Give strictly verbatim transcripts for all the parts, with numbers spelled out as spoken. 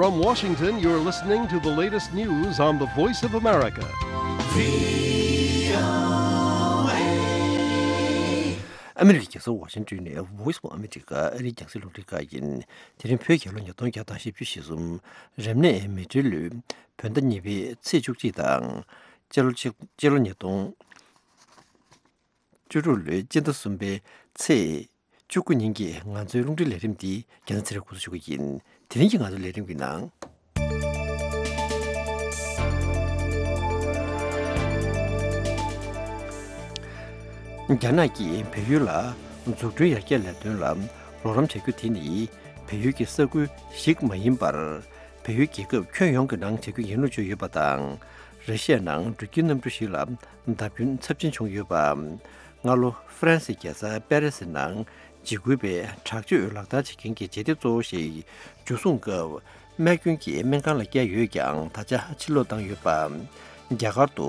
From Washington, you're listening to the latest news on the Voice of America. ཨ་མི་རི་ཀའི་རྒྱལ་ས་ཝ་ཤིང་ཏོན་ནས་Voice of America ཨ་རིའི་རྒྱང་སྲིང་རླུང་འཕྲིན་ཁང་ཡིན། དེ་རིང་བོད་རྒྱལ་ལོ་ཉིས་སྟོང་བརྒྱ་དང་བཞི་བཅུ་ཞེ་གསུམ། རབ་གནས་མེ་སྤྲེལ་ལོའི་བོད་ཟླ་གཉིས་པའི་ཚེས་བཅུ་གཅིག་དང་། སྤྱི་ལོ་ཆིག་སྤྱི་ལོ་ཉིས་སྟོང་བཅུ་དྲུག་ལོའི་སྤྱི་ཟླ་གསུམ་པའི་ཚེས་བཅུ་དགུ་ཉིན་གྱི་ང་ཚོའི་རླུང་འཕྲིན་ལས་རིམ་འདི་རྒྱལ་ན་ཚེ་རིང་འགོ་འཛུགས་ཞུ་གི་ཡིན། དེ་རིང་གི་ང་ཚོའི་ལས་རིམ་གྱི་ནང་། རྒྱ་ནག་གིས་བལ་ཡུལ་ལ་འཛུགས་སྐྲུན་ཡར་རྒྱས་ལས་དོན་ལ་རོགས་རམ་བྱ་རྒྱུ་དེ་ནི་བལ་ཡུལ་གྱི་ས་ཁུལ་ཞིག་མ་ཡིན་པར། བལ་ཡུལ་རྒྱལ་ཁབ་ཁྱོན་ཡོངས་ཀྱི་ནང་བྱ་རྒྱུ་ཡིན་ལུགས་བརྗོད་ཡོད་པ་དང་། ར་ཤི་ཡ་ནང་འགྲུལ་སྐྱེལ་གནམ་གྲུ་ཞིག་ལ་བརྡབ་སྐྱོན་ཚབས་ཆེན་བྱུང་ཡོད་པ། སྔ་ལོ་ཧྥ་རན་སིའི་རྒྱལ་ས་པེ་རི་སི་ནང་འཇིགས་སྐུལ་བའི་དྲག་སྤྱོད་ལག་བསྟར་བྱེད་མཁན་གྱི་བྱེད་གཏེ་གཙོ་བོ་ཞིག་འཇུ་བཟུང་སྐབས་རྨས་སྐྱོན་གྱིས་སྨན་ཁང་ལ་བསྐྱལ་ཡོད་ཀྱང་། ད་ཆ་ཕྱིར་ལོག་བཏང་ཡོད་པ། རྒྱ་གར་དུ་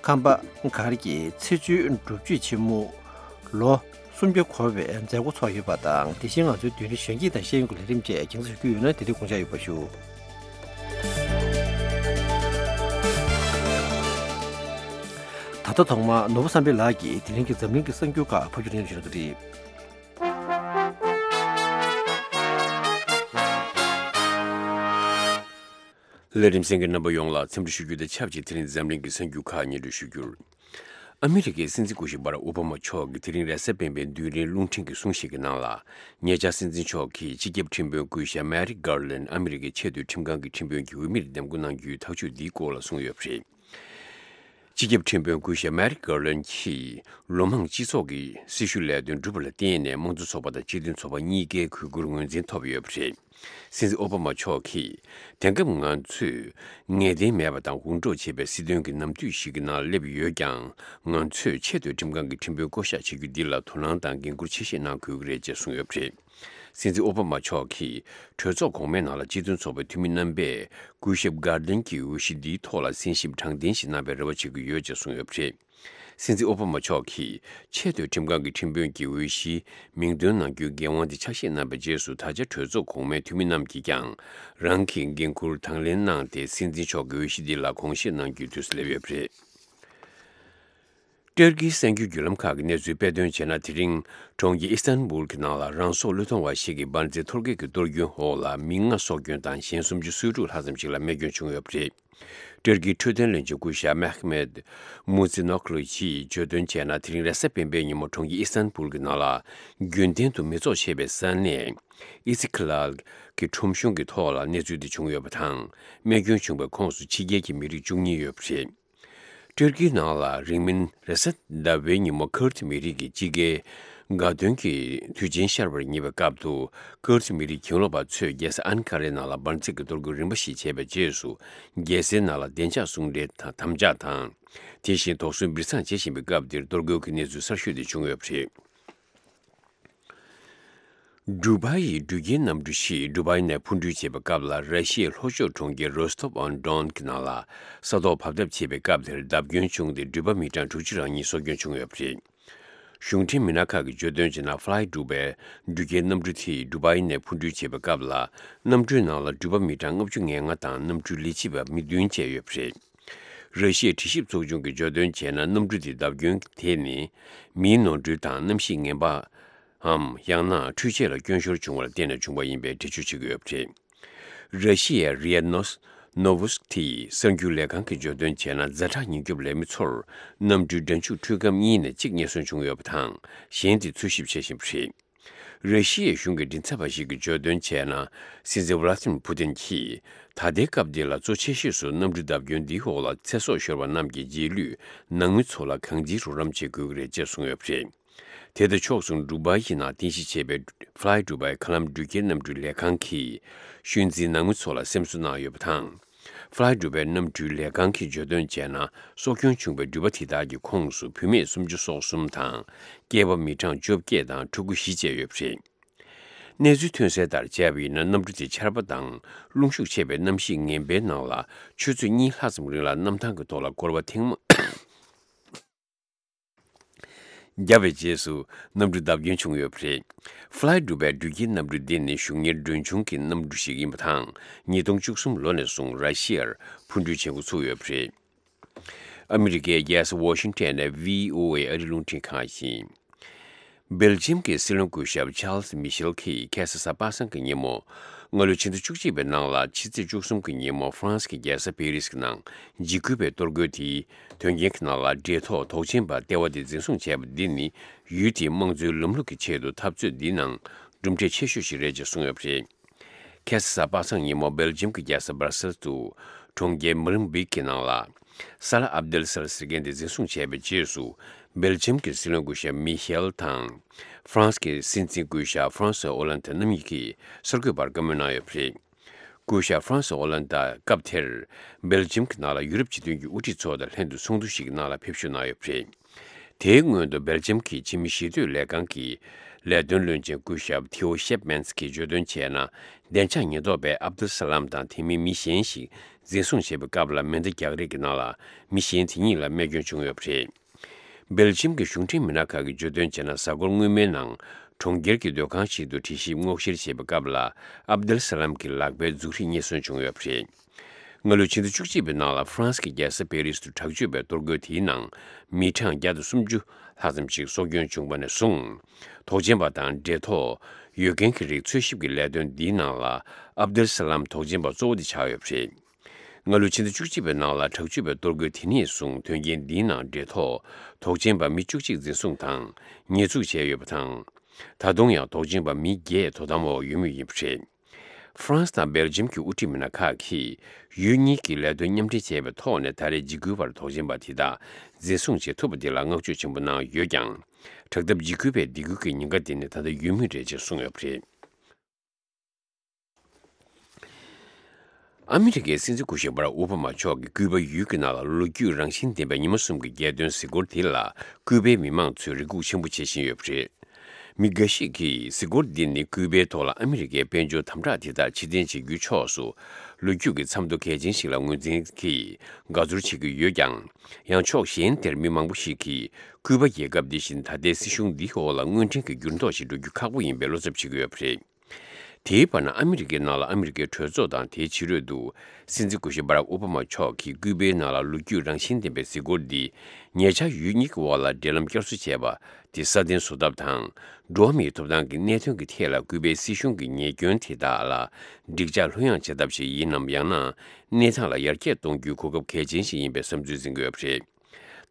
ཁམས་པ་གར་གྱི་ཚེས་བཅུའི་སྒྲུབ་མཆོད་ཆེན་མོ་ལོ་སུམ་བརྒྱ་འཁོར་བའི་མཛད་སྒོ་ཚོགས་ཡོད་པ་དང་། དེ་བཞིན་ང་ཚོའི་མདུན་རིང་གཞོན་སྐྱེས་དང་ཤེས་ཡོན་གྱི་ལས་རིམ་བཅས་རྒྱང་སྲིང་ཞུ་རྒྱུ་ཡོད་ན། དེ་རིང་དགོངས་འཇགས་ཡོད་པ་ཞུ། ད་ལྟ་ཐོག་མར་ནོར་བུ་བསམ་འཕེལ་ལགས་ཀྱིས་དེ་རིང་གི་འཛམ་གླིང་གི་གསར་འགྱུར་ཁག་ཕབ་སྒྱུར་སྙན་སྒྲོན་ཞུ་གནང་གི་རེད། ལས་རིམ་གསན་མཁན་རྣམ་པ་ཡོངས་ལ་འཚམས་འདྲི་ཞུ་རྒྱུ་དང་ཆབས་ཅིག་དེ་རིང་འཛམ་གླིང་གི་གསར་འགྱུར་ཁག་སྙན་སྒྲོན་ཞུ་རྒྱུར། ཨ་མི་རི་ཀའི་སྲིད་འཛིན་སྐུ་ཞབས་བྷ་རག་ཨོ་བྷ་མ་མཆོག་གིས་དེ་རིང་རེས་གཟའ་སྤེན་པའི་མདུན་རིང་རླུང་འཕྲིན་གྱི་གསུང་བཤད་ཀྱི་ནང་ལ། ཉེ་ཆར་སྲིད་འཛིན་མཆོག་གིས་སྤྱི་ཁྱབ་ཁྲིམས་དཔོན་སྐུ་ཞབས་མེ་རིག་གྷར་ལན་ཨ་མི་རི་ཀའི་ཆེས་མཐོའི་ཁྲིམས་ཁང་གི་ཁྲིམས་དཔོན་གྱི་འོས་མིར་འདེམས་བསྐོ་གནང་རྒྱུའི་ཐག་གཅོད་འདིའི་སྐོར་ལ་གསུངས་ཡོད་པ་རེད། སྤྱི་ཁྱབ་ཁྲིམས་དཔོན་སྐུ་ཞབས་མེ་རིག་གྷར་ལན་གྱིས་ལོ་མང་སྤྱི་ཚོགས་ཀྱི་སྲི་ཞུ་ལས་དོན་བསྒྲུབས་པ་ལ་བརྟེན་ནས་དམངས་གཙོ་ཚོགས་པ་དང་སྤྱི་མཐུན་ཚོགས་པ་གཉིས་ཀའི་གུས་བཀུར་ངོས་འཛིན་ཐོབ་ཡོད་པ་རེད། སྲིད་འཛིན་ཨོ་བྷ་མ་མཆོག་གིས། དེང་སྐབས་ང་ཚོས་ངེས་གཏན་མེད་པ་དང་འུར་སྒྲོག་བྱེད་པའི་སྲིད་དོན་གྱི་ནམ་དུས་ཤིག་གི་ནང་སླེབས་ཡོད་ཀྱང་། ང་ཚོས་ཆེས་མཐོའི་ཁྲིམས་ཁང་གི་ཁྲིམས་དཔོན་བསྐོ་གཞག་བྱེད་རྒྱུ་འདི་ལ་དོ་སྣང་དང་འགན་འཁུར་ཆེ་བཞེས་གནང་དགོས་ཀྱི་རེད་ཅེས་གསུངས་ཡོད་པ་རེད། སྲིད་འཛིན་ཨོ་བྷ་མ་མཆོག་གིས་གྲོས་ཚོགས་གོང་མའི་ནང་ལ་སྤྱི་མཐུན་ཚོགས་པའི་འཐུས་མི་རྣམ་པས་སྐུ་ཞབས་གྷར་ལན་གྱི་འོས་གཞི་འདིའི་ཐོག་ལ་གསན་ཞིབ་དྲང་བདེན་ཞིག་གནང་བའི་རེ་བ་བྱེད་ཀྱི་ཡོད་ཅེས་གསུངས་ཡོད་པ་རེད། སྲིད་འཛིན་ཨོ་བྷ་མ་མཆོག་གིས་ཆེས་མཐོའི་ཁྲིམས་ཁང་གི་ཁྲིམས་དཔོན་གྱི་འོས་གཞིའི་མིང་འདོན་གནང་རྒྱུའི་འགན་དབང་དེ་ཆ་ཤས་གནང་བའི་རྗེས་སུ། ད་ཆ་གྲོས་ཚོགས་གོང་མའི་འཐུས་མི་རྣམས་ཀྱིས་ཀྱང་རང་གི་འགན་འཁུར་དང་ལེན་གནང་སྟེ། སྲིད་འཛིན་མཆོག་གི་འོས་གཞི་འདི་ལ་དགོངས་བཞེས་གནང་རྒྱུའི་དུས་སུ་སླེབས་ཡོད་པ་རེད། ཏུར་ཀིའི་གསར་འགྱུར་བརྒྱུད་ལམ་ཁག་གི་གནས་ཚུལ་དཔེ་སྟོན་བྱས་ན། དེ་རིང་གྲོང་ཁྱེར་ཨི་སི་ཐན་བུལ་གྱི་ནང་ལ་རང་སྲོག་བློས་གཏོང་བ་ཞིག་གིས་འབར་རྫས་གཏོར་རྒོལ་གྱི་གཏོར་སྐྱོན་འོག་ལ་མི་ལྔ་སྲོག་སྐྱོན་དང་གཞན་སུམ་ཅུ་སོ་དྲུག་ལྷག་ཙམ་ཞིག་ལ་རྨས་སྐྱོན་བྱུང་ཡོད་པ་རེད། ཏུར་ཀིའི་འཕྲོད་བསྟེན་བློན་ཆེན་སྐུ་ཞབས་མེ་ཧ་མེད་མུ་ཛི་ནོག་ལུ་ཡིས་བརྗོད་དོན་བྱས་ན། དེ་རིང་རེས་གཟའ་སྤེན་པའི་ཉིན་མོ་གྲོང་ཁྱེར་ཨི་སི་ཐན་བུལ་གྱི་ནང་ལ་རྒྱུན་ལྡན་དུ་མི་ཚོགས་ཆེ་བའི་ས་གནས་ཨི་སི་ཁི་ལལ་གྱི་ཁྲོམ་གཞུང་གི་ཐོག་ལ་གནས་ཚུལ་འདི་བྱུང་ཡོད་པ་དང་། རྨས་སྐྱོན་བྱུང་བའི་ཁོངས་སུ་ཕྱི་རྒྱལ་གྱི་མི་རིགས་བཅུ་གཉིས་ཡོད་པ་རེད། ཏུར་ཀིའི་ནང་ལ་རིང་མིན་རེས་གཟའ་ཟླ་བའི་ཉིན་མོ་ཁུར་ཌི་མི་རིགས་ཀྱི་དཔྱིད་ཀའི་དགའ་སྟོན་གྱི་དུས་ཆེན་ཤར་བར་ཉེ་བའི་སྐབས་སུ། ཁུར་ཌི་མི་རིགས་གྱེན་ལོག་པ་ཚོས་རྒྱལ་ས་ཨན་ཀ་རའི་ནང་ལ་འབར་རྫས་ཀྱི་གཏོར་རྒོལ་རིམ་པ་ཞིག་བྱས་པའི་རྗེས་སུ། རྒྱལ་སའི་ནང་ལ་བདེ་འཇགས་སྲུང་བརྩིའི་དམ་བཅའ་དང་། དེ་བཞིན་དོགས་ཟོན་སྦིར་ཚང་བྱེད་བཞིན་པའི་སྐབས་འདིར་གཏོར་རྒོལ་གྱི་གནས་ཚུལ་གསར་ཤོས་དེ་བྱུང་ཡོད་པ་རེད། ཌུ་བྷའི་འགྲུལ་སྐྱེལ་གནམ་གྲུ་ཞིག་ཌུ་བྷའི་ནས་འཕུར་འགྲུལ་བྱེད་པའི་སྐབས་ལ། ར་ཤི་ཡའི་ལྷོ་ཕྱོགས་གྲོང་ཁྱེར་རོ་སྟོབ་ཨོན་ཌོན་གྱི་ནང་ལ་ས་ཐོག་བབས་ཐབས་བྱེད་པའི་སྐབས་དེར་བརྡབ་སྐྱོན་བྱུང་སྟེ། འགྲུལ་པ་མི་གྲངས་དྲུག་ཅུ་རང་གཉིས་སྲོག་སྐྱོན་བྱུང་ཡོད་པ་རེད། གཞུང་འབྲེལ་མི་སྣ་ཁག་གིས་བརྗོད་དོན་བྱས་ན། ཕ་ལའི་ཌུ་བྷའི་འགྲུལ་སྐྱེལ་གནམ་གྲུ་དེས་ཌུ་བྷའི་ནས་འཕུར་འགྲུལ་བྱེད་པའི་སྐབས་ལ། གནམ་གྲུའི་ནང་ལ་འགྲུལ་པ་མི་གྲངས་ལྔ་བཅུ་ང་ལྔ་དང་། གནམ་གྲུའི་ལས་བྱེད་པ་མི་བདུན་བཅས་ཡོད་པ་རེད། ར་ཤི་ཡའི་དྲི་ཞིབ་ཚོགས་ཆུང་གིས་བརྗོད་དོན་བྱས་ན། གནམ་གྲུ་དེའི་བརྡབ་སྐྱོན་དེ་ནི་མིའི་ནོར་འཁྲུལ་དང་གནམ་གཤིས་ངན་པའམ། ཡང་ན་འཕྲུལ་ཆས་ལ་སྐྱོན་ཤོར་བྱུང་བར་བརྟེན་ནས་བྱུང་བ་ཡིན་པའི་འགྲེལ་བརྗོད་བྱེད་ཀྱི་ཡོད་པ་རེད། ར་ཤི་ཡའི་རི་ཨ་ནོས་ནོ་ཝུ་སི་ཐི་གསར་འགྱུར་ལས་ཁང་གིས་བརྗོད་དོན་བྱས་ན། ཛ་དྲག་ཉེན་སྐྱོབ་ལས་མི་ཚོར་གནམ་གྲུའི་སྒྲ་འཇུག་འཕྲུལ་སྒམ་གཉིས་ནས་གཅིག་ཉེན་སྲུང་བྱུང་ཡོད་པ་དང་། གཞན་དེ་འཚོལ་ཞིབ་བྱེད་བཞིན་པ་རེད། ར་ཤི་ཡའི་གཞུང་གི་མགྲིན་ཚབ་པ་ཞིག་གིས་བརྗོད་དོན་བྱས་ན། སྲིད་འཛིན་ཝ་ལ་ཏི་མིར་ཕུ་ཏིན་གྱིས། ད་ལྟའི་སྐབས་འདི་ལ་གཙོ་ཆེ་ཤོས་སུ་གནམ་གྲུ་བརྡབ་སྐྱོན་འདིའི་འོག་ལ་ཚེ་སྲོག་ཤོར་བ་རྣམས་ཀྱི་རྗེས་ལུས་ནང་མི་ཚོ་ལ་གང་ཅིའི་རོགས་རམ་བྱེད་དགོས་ཀྱི་རེད་ཅེས་གསུངས་ཡོད་པ་རེད། དེ་དང་ཕྱོགས་མཚུངས། ཌུ་བྷའི་ནང་རྟེན་གཞི་བྱས་པའི་ཕ་ལའི་ཌུ་བྷའི་མཁའ་ལམ་འགྲུལ་སྐྱེལ་གནམ་གྲུའི་ལས་ཁང་གིས་ཤུལ་འཛིན་ནང་མི་ཚོ་ལ་སེམས་གསོ་གནང་ཡོད་པ་དང་། ཕ་ལའི་ཌུ་བྷའི་གནམ་གྲུའི་ལས་ཁང་གིས་བརྗོད་དོན་བྱས་ན། སྲོག་སྐྱོན་བྱུང་བའི་འགྲུལ་པ་དེ་དག་གི་ཁོངས་སུ་བུད་མེད་སུམ་ཅུ་སོ་གསུམ་དང་། སྐྱེས་པ་མི་གྲངས་བཅོ་བརྒྱད་དང་ཕྲུ་གུ་བཞི་བཅས་ཡོད་པ་རེད། གནས་ཚུལ་ཐོན་གསལ་ལྟར་བྱས་པ་ཡིན་ན། གནམ་གྲུ་དེ་ཆར་པ་དང་རླུང་ཤུགས་ཆེ་བའི་གནམ་གཤིས་ངན་པའི་ནང་ལ་ཆུ་ཚོད་གཉིས་ལྷག་ཙམ་རིང་ལ་གནམ་ཐང་གི་ཐོག་ལ་སྐོར་བ་ཐེངས་མ། བརྒྱབ་པའི་རྗེས་སུ་གནམ་གྲུ་བརྡབ་སྐྱོན་བྱུང་ཡོད་པ་རེད། Fly Dubai འགྲུལ་སྐྱེལ་གནམ་གྲུ་འདི་ནི་གཞུང་གཉེར་མགྲོན་ཆུང་གི་གནམ་གྲུ་ཞིག་ཡིན་པ་དང་། ཉིས་སྟོང་བཅུ་གསུམ་ལོ་ནས་བཟུང་ར་ཤི་ཡར་འཕུར་འགྲུལ་བྱེད་འགོ་ཚུགས་ཡོད་པ་རེད། ཨ་མི་རི་ཀའི་རྒྱལ་ས་ཝ་ཤིང་ཊོན་ནས་ཝི་ཨོ་ཨེ་ཨ་རིའི་རླུང་འཕྲིན་ཁང་ཡིན། སྦེལ་ཇིམ་གྱི་སྲིད་བློན་སྐུ་ཞབས་ཆཱལ་སི་མི་ཤེལ་གྱིས་ཁ་སང་གཟའ་པ་སངས་ཀྱི་ཉིན་མོ། སྔ་ལོའི་ཕྱི་ཟླ་བཅུ་གཅིག་པའི་ནང་ལ་ཕྱི་ཚེས་བཅུ་གསུམ་གྱི་ཉིན་མོ་ཧྥ་རན་སི་གི་རྒྱལ་ས་པེ་རིས་ཀྱི་ནང་འཇིགས་སྐུལ་བའི་གཏོར་རྒོལ་དེའི་དོན་རྐྱེན་གྱི་ནང་ལ་འབྲེལ་ཐོགས་དོགས་ཅན་པ་ལྟེ་བ་དེ་འཛིན་བཟུང་བྱས་པ་འདི་ནི་ཡུལ་དེའི་དམངས་གཙོའི་ལམ་ལུགས་ཀྱི་ཆེད་དུ་འཐབ་རྩོད་འདིའི་ནང་གྲུབ་འབྲས་ཆེ་ཤོས་ཤིག་རེད་ཅེས་གསུངས་ཡོད་པ་རེད། ཁ་སང་གཟའ་པ་སངས་ཉིན་མོ་སྦེལ་ཇིམ་གྱི་རྒྱལ་ས་སྦར་སེལ་དུ་གྲོང་ཁྱེར་མོ་ལིན་བིག་གི་ནང་ལ་ས་ལ་ཨབ་དེལ་སལ་ཟེར་མཁན་དེ་འཛིན་བཟུང་བྱས་པའི་རྗེས་སུ། སྦེལ་ཇིམ་གྱི་སྲིད་བློན་སྐུ་ཞབས་མི་ཤེལ་དང་། ཧྥ་རན་སི་གི་སྲིད་འཛིན་སྐུ་ཞབས་ཧྥ་རན་སོ་ཨོ་ལན་ད་རྣམ་གཉིས་ཀྱིས་གསར་འགོད་པར་བཀའ་མོལ་གནང་ཡོད་པ་རེད། སྐུ་ཞབས་ཧྥ་རན་སོ་ཨོ་ལན་ད་སྐབས་དེར་སྦེལ་ཇིམ་གྱི་ནང་ལ་ཡུ་རོབ་སྤྱི་མཐུན་གྱི་དབུ་ཁྲིད་ཚོ་དང་ལྷན་དུ་ཚོགས་འདུ་ཞིག་གི་ནང་ལ་ཕེབས་ཞུགས་གནང་ཡོད་པ་རེད། དེའི་སྔོན་དུ་སྦེལ་ཇམ་གྱི་ཕྱི་མི་ཞི་གཏོད་ལས་ཁང་གི་ལས་དོན་བློན་ཆེན་སྐུ་ཞབས་ཐེའོ་ཤེབ་མན་སི་གིས་བརྗོད་དོན་བྱས་ན། བདེ་འཇགས་ཉེན་རྟོག་པས་ཨབ་དུལ་ས་ལམ་དང་དེ་མིན་མི་གཞན་ཞིག་འཛིན་བཟུང་བྱེད་པའི་སྐབས་ལ་མེ་མདའ་རྒྱག་རེས་ཀྱི་ནང་ལ་མི་གཞན་དེ་གཉིས་ལ་རྨས་སྐྱོན་བྱུང་ཡོད་པ་རེད། སྦེལ་ཇམ་གྱི་གཞུང་འབྲེལ་མི་སྣ་ཁག་གིས་བརྗོད་དོན་བྱས་ན། གཟའ་འཁོར་སྔོན་མའི་ནང་གྲོང་ཁྱེར་གྱི་སྡོད་ཁང་ཞིག་ཏུ་དྲི་ཞིབ་སྔོག་བཤེར་བྱེད་པའི་སྐབས་ལ་ཨབ་དུལ་ས་ལམ་གྱི་ལག་པའི་མཛུབ་རིས་རྙེད་སོན་བྱུང་ཡོད་པ་རེད། སྔ་ལོའི་ཕྱི་ཟླ་བཅུ་གཅིག་པའི་ནང་ལ་ཧྥ་རན་སི་གི་རྒྱལ་ས་པེ་རིས་དུ་དྲག་སྤྱོད་པའི་གཏོར་རྒོལ་དེའི་ནང་མི་གྲངས་བརྒྱ་དང་སུམ་ཅུ་ལྷག་ཙམ་ཞིག་སྲོག་སྐྱོན་བྱུང་བ་ནས་བཟུང་། དོགས་ཅན་པ་དང་འབྲེལ་ཐོགས་ཡོད་མཁན་གྱི་རིགས་འཚོལ་ཞིབ་ཀྱི་ལས་དོན་འདིའི་ནང་ལ་ཨབ་དུལ་ས་ལམ་དོགས་ཅན་པ་གཙོ་བོ་དེ་ཆགས་ཡོད་པ་རེད། སྔ་ལོའི་ཕྱི་ཟླ་བཅུ་གཅིག་པའི་ནང་ལ་དྲག་སྤྱོད་པའི་གཏོར་རྒོལ་དེ་ནས་བཟུང་དོན་རྐྱེན་འདིའི་ནང་འབྲེལ་ཐོགས་དོགས་ཅན་པ་མི་བཅུ་གཅིག་འཛིན་བཟུང་དང་ཉེས་འཛུགས་བྱས་ཡོད་པ་དང་། ད་དུང་ཡང་དོགས་ཅན་པ་མི་བརྒྱད་དོ་དམ་འོག་ཡོད་མུས་ཡིན་པ་རེད། ཧྥ་རན་སི་དང་སྦེལ་ཇམ་གྱི་དབུ་ཁྲིད་མི་སྣ་ཁག་གིས་ཡུལ་གཉིས་ཀྱིས་ལས་དོན་མཉམ་འབྲེལ་བྱས་པའི་ཐོག་ནས་ད་རེས་འཇིགས་སྐུལ་བར་དོགས་ཅན་པ་དེ་དག་འཛིན་བཟུང་བྱེད་ཐུབ་པ་དེ་ལ་བསྔགས་བརྗོད་ཆེན་པོ་གནང་ཡོད་ཀྱང་། དྲག་འཐབ་འཇིགས་སྐུལ་བའི་སྡིགས་སྐུལ་གྱི་ཉེན་ཁ་དེ་ནི་ད་ལྟ་ཡོད་མུས་རེད་ཅེས་གསུངས་ཡོད་པ་རེད། ཨ་མི་རི་ཀའི་སྲིད་འཛིན་སྐུ་ཞབས་བྷ་རག་ཨོ་བྷ་མ་མཆོག་གིས་ཀུའུ་པ་ཡུལ་གྱི་ནང་ལ་ལོ་རྒྱུས་རང་བཞིན་ལྡན་པའི་ཉི་མ་གསུམ་གྱི་རྒྱལ་དོན་གཟིགས་སྐོར་དེ་ལ་ཀུའུ་པའི་མི་མང་ཚོས་རེ་སྒུག་ཆེན་པོ་བྱེད་བཞིན་ཡོད་པ་རེད། མི་འགའ་ཞིག་གིས་གཟིགས་སྐོར་འདི་ནི་ཀུའུ་པའི་ཐོག་ལ་ཨ་མི་རི་ཀའི་དཔལ་འབྱོར་དམ་དྲག་དེ་དག་ཕྱིར་འཐེན་བྱེད་རྒྱུའི་ཕྱོགས་སུ་ལོ་རྒྱུས་ཀྱི་མཚམས་ཐོ་གལ་ཆེན་ཞིག་ལ་ངོས་འཛིན་གྱིས་དགའ་ཚོར་བྱེད་ཀྱི་ཡོད་ཀྱང་། ཡང་ཕྱོགས་གཞན་དེར་མི་མང་པོ་ཞིག་གིས་ཀུའུ་པ་རྒྱལ་ཁབ་འདི་བཞིན་ད་ལྟའི་སྲིད་གཞུང་འདིའི་འོག་ལ་དངོས་འབྲེལ་གྱི་འགྱུར་ལྡོག་ཞིག་འགྲོ་རྒྱུ་ཁག་པོ་ཡིན་པའི་བློ་འཚབ་བྱེད་ཀྱི་ཡོད་པ་རེད། དེའི་བར་ན་ཨ་མི་རི་ཀའི་ནང་ལ་ཨ་མི་རི་ཀའི་གྲོས་ཚོགས་དང་དེའི་ཕྱི་རོལ་དུ་སྲིད་འཛིན་སྐུ་ཞབས་བྷ་རག་ཨོ་བྷ་མ་མཆོག་གིས་ཀུའུ་པའི་ནང་ལ་ལོ་རྒྱུས་རང་བཞིན་ལྡན་པའི་གཟིགས་སྐོར་འདིས་ཉེ་ཆར་ཡུལ་གཉིས་ཀྱི་དབར་ལ་འབྲེལ་ལམ་བསྐྱར་གསོ་བྱས་པ་དེ་སྲ་བརྟན་བཟོ་ཐབས་དང་། འགྲོ་བ་མིའི་ཐོབ་ཐང་གི་གནད་དོན་གྱི་ཐད་ལ་ཀུའུ་པའི་སྲིད་གཞུང་གི་ཉེས་སྐྱོན་དེ་དག་ལ་འགྲིག་འཇགས་ལྷོད་ཡངས་བྱེད་ཐབས་ཤིག་ཡིན་ནམ། ཡང་ན་གནས་སྟངས་ལ་ཡར་རྒྱས་གཏོང་རྒྱུའི་གོ་སྐབས་གལ་ཆེན་ཞིག་ཡིན་པའི་བསམ་ཚུལ་འཛིན་གྱི་ཡོད་པ་རེད།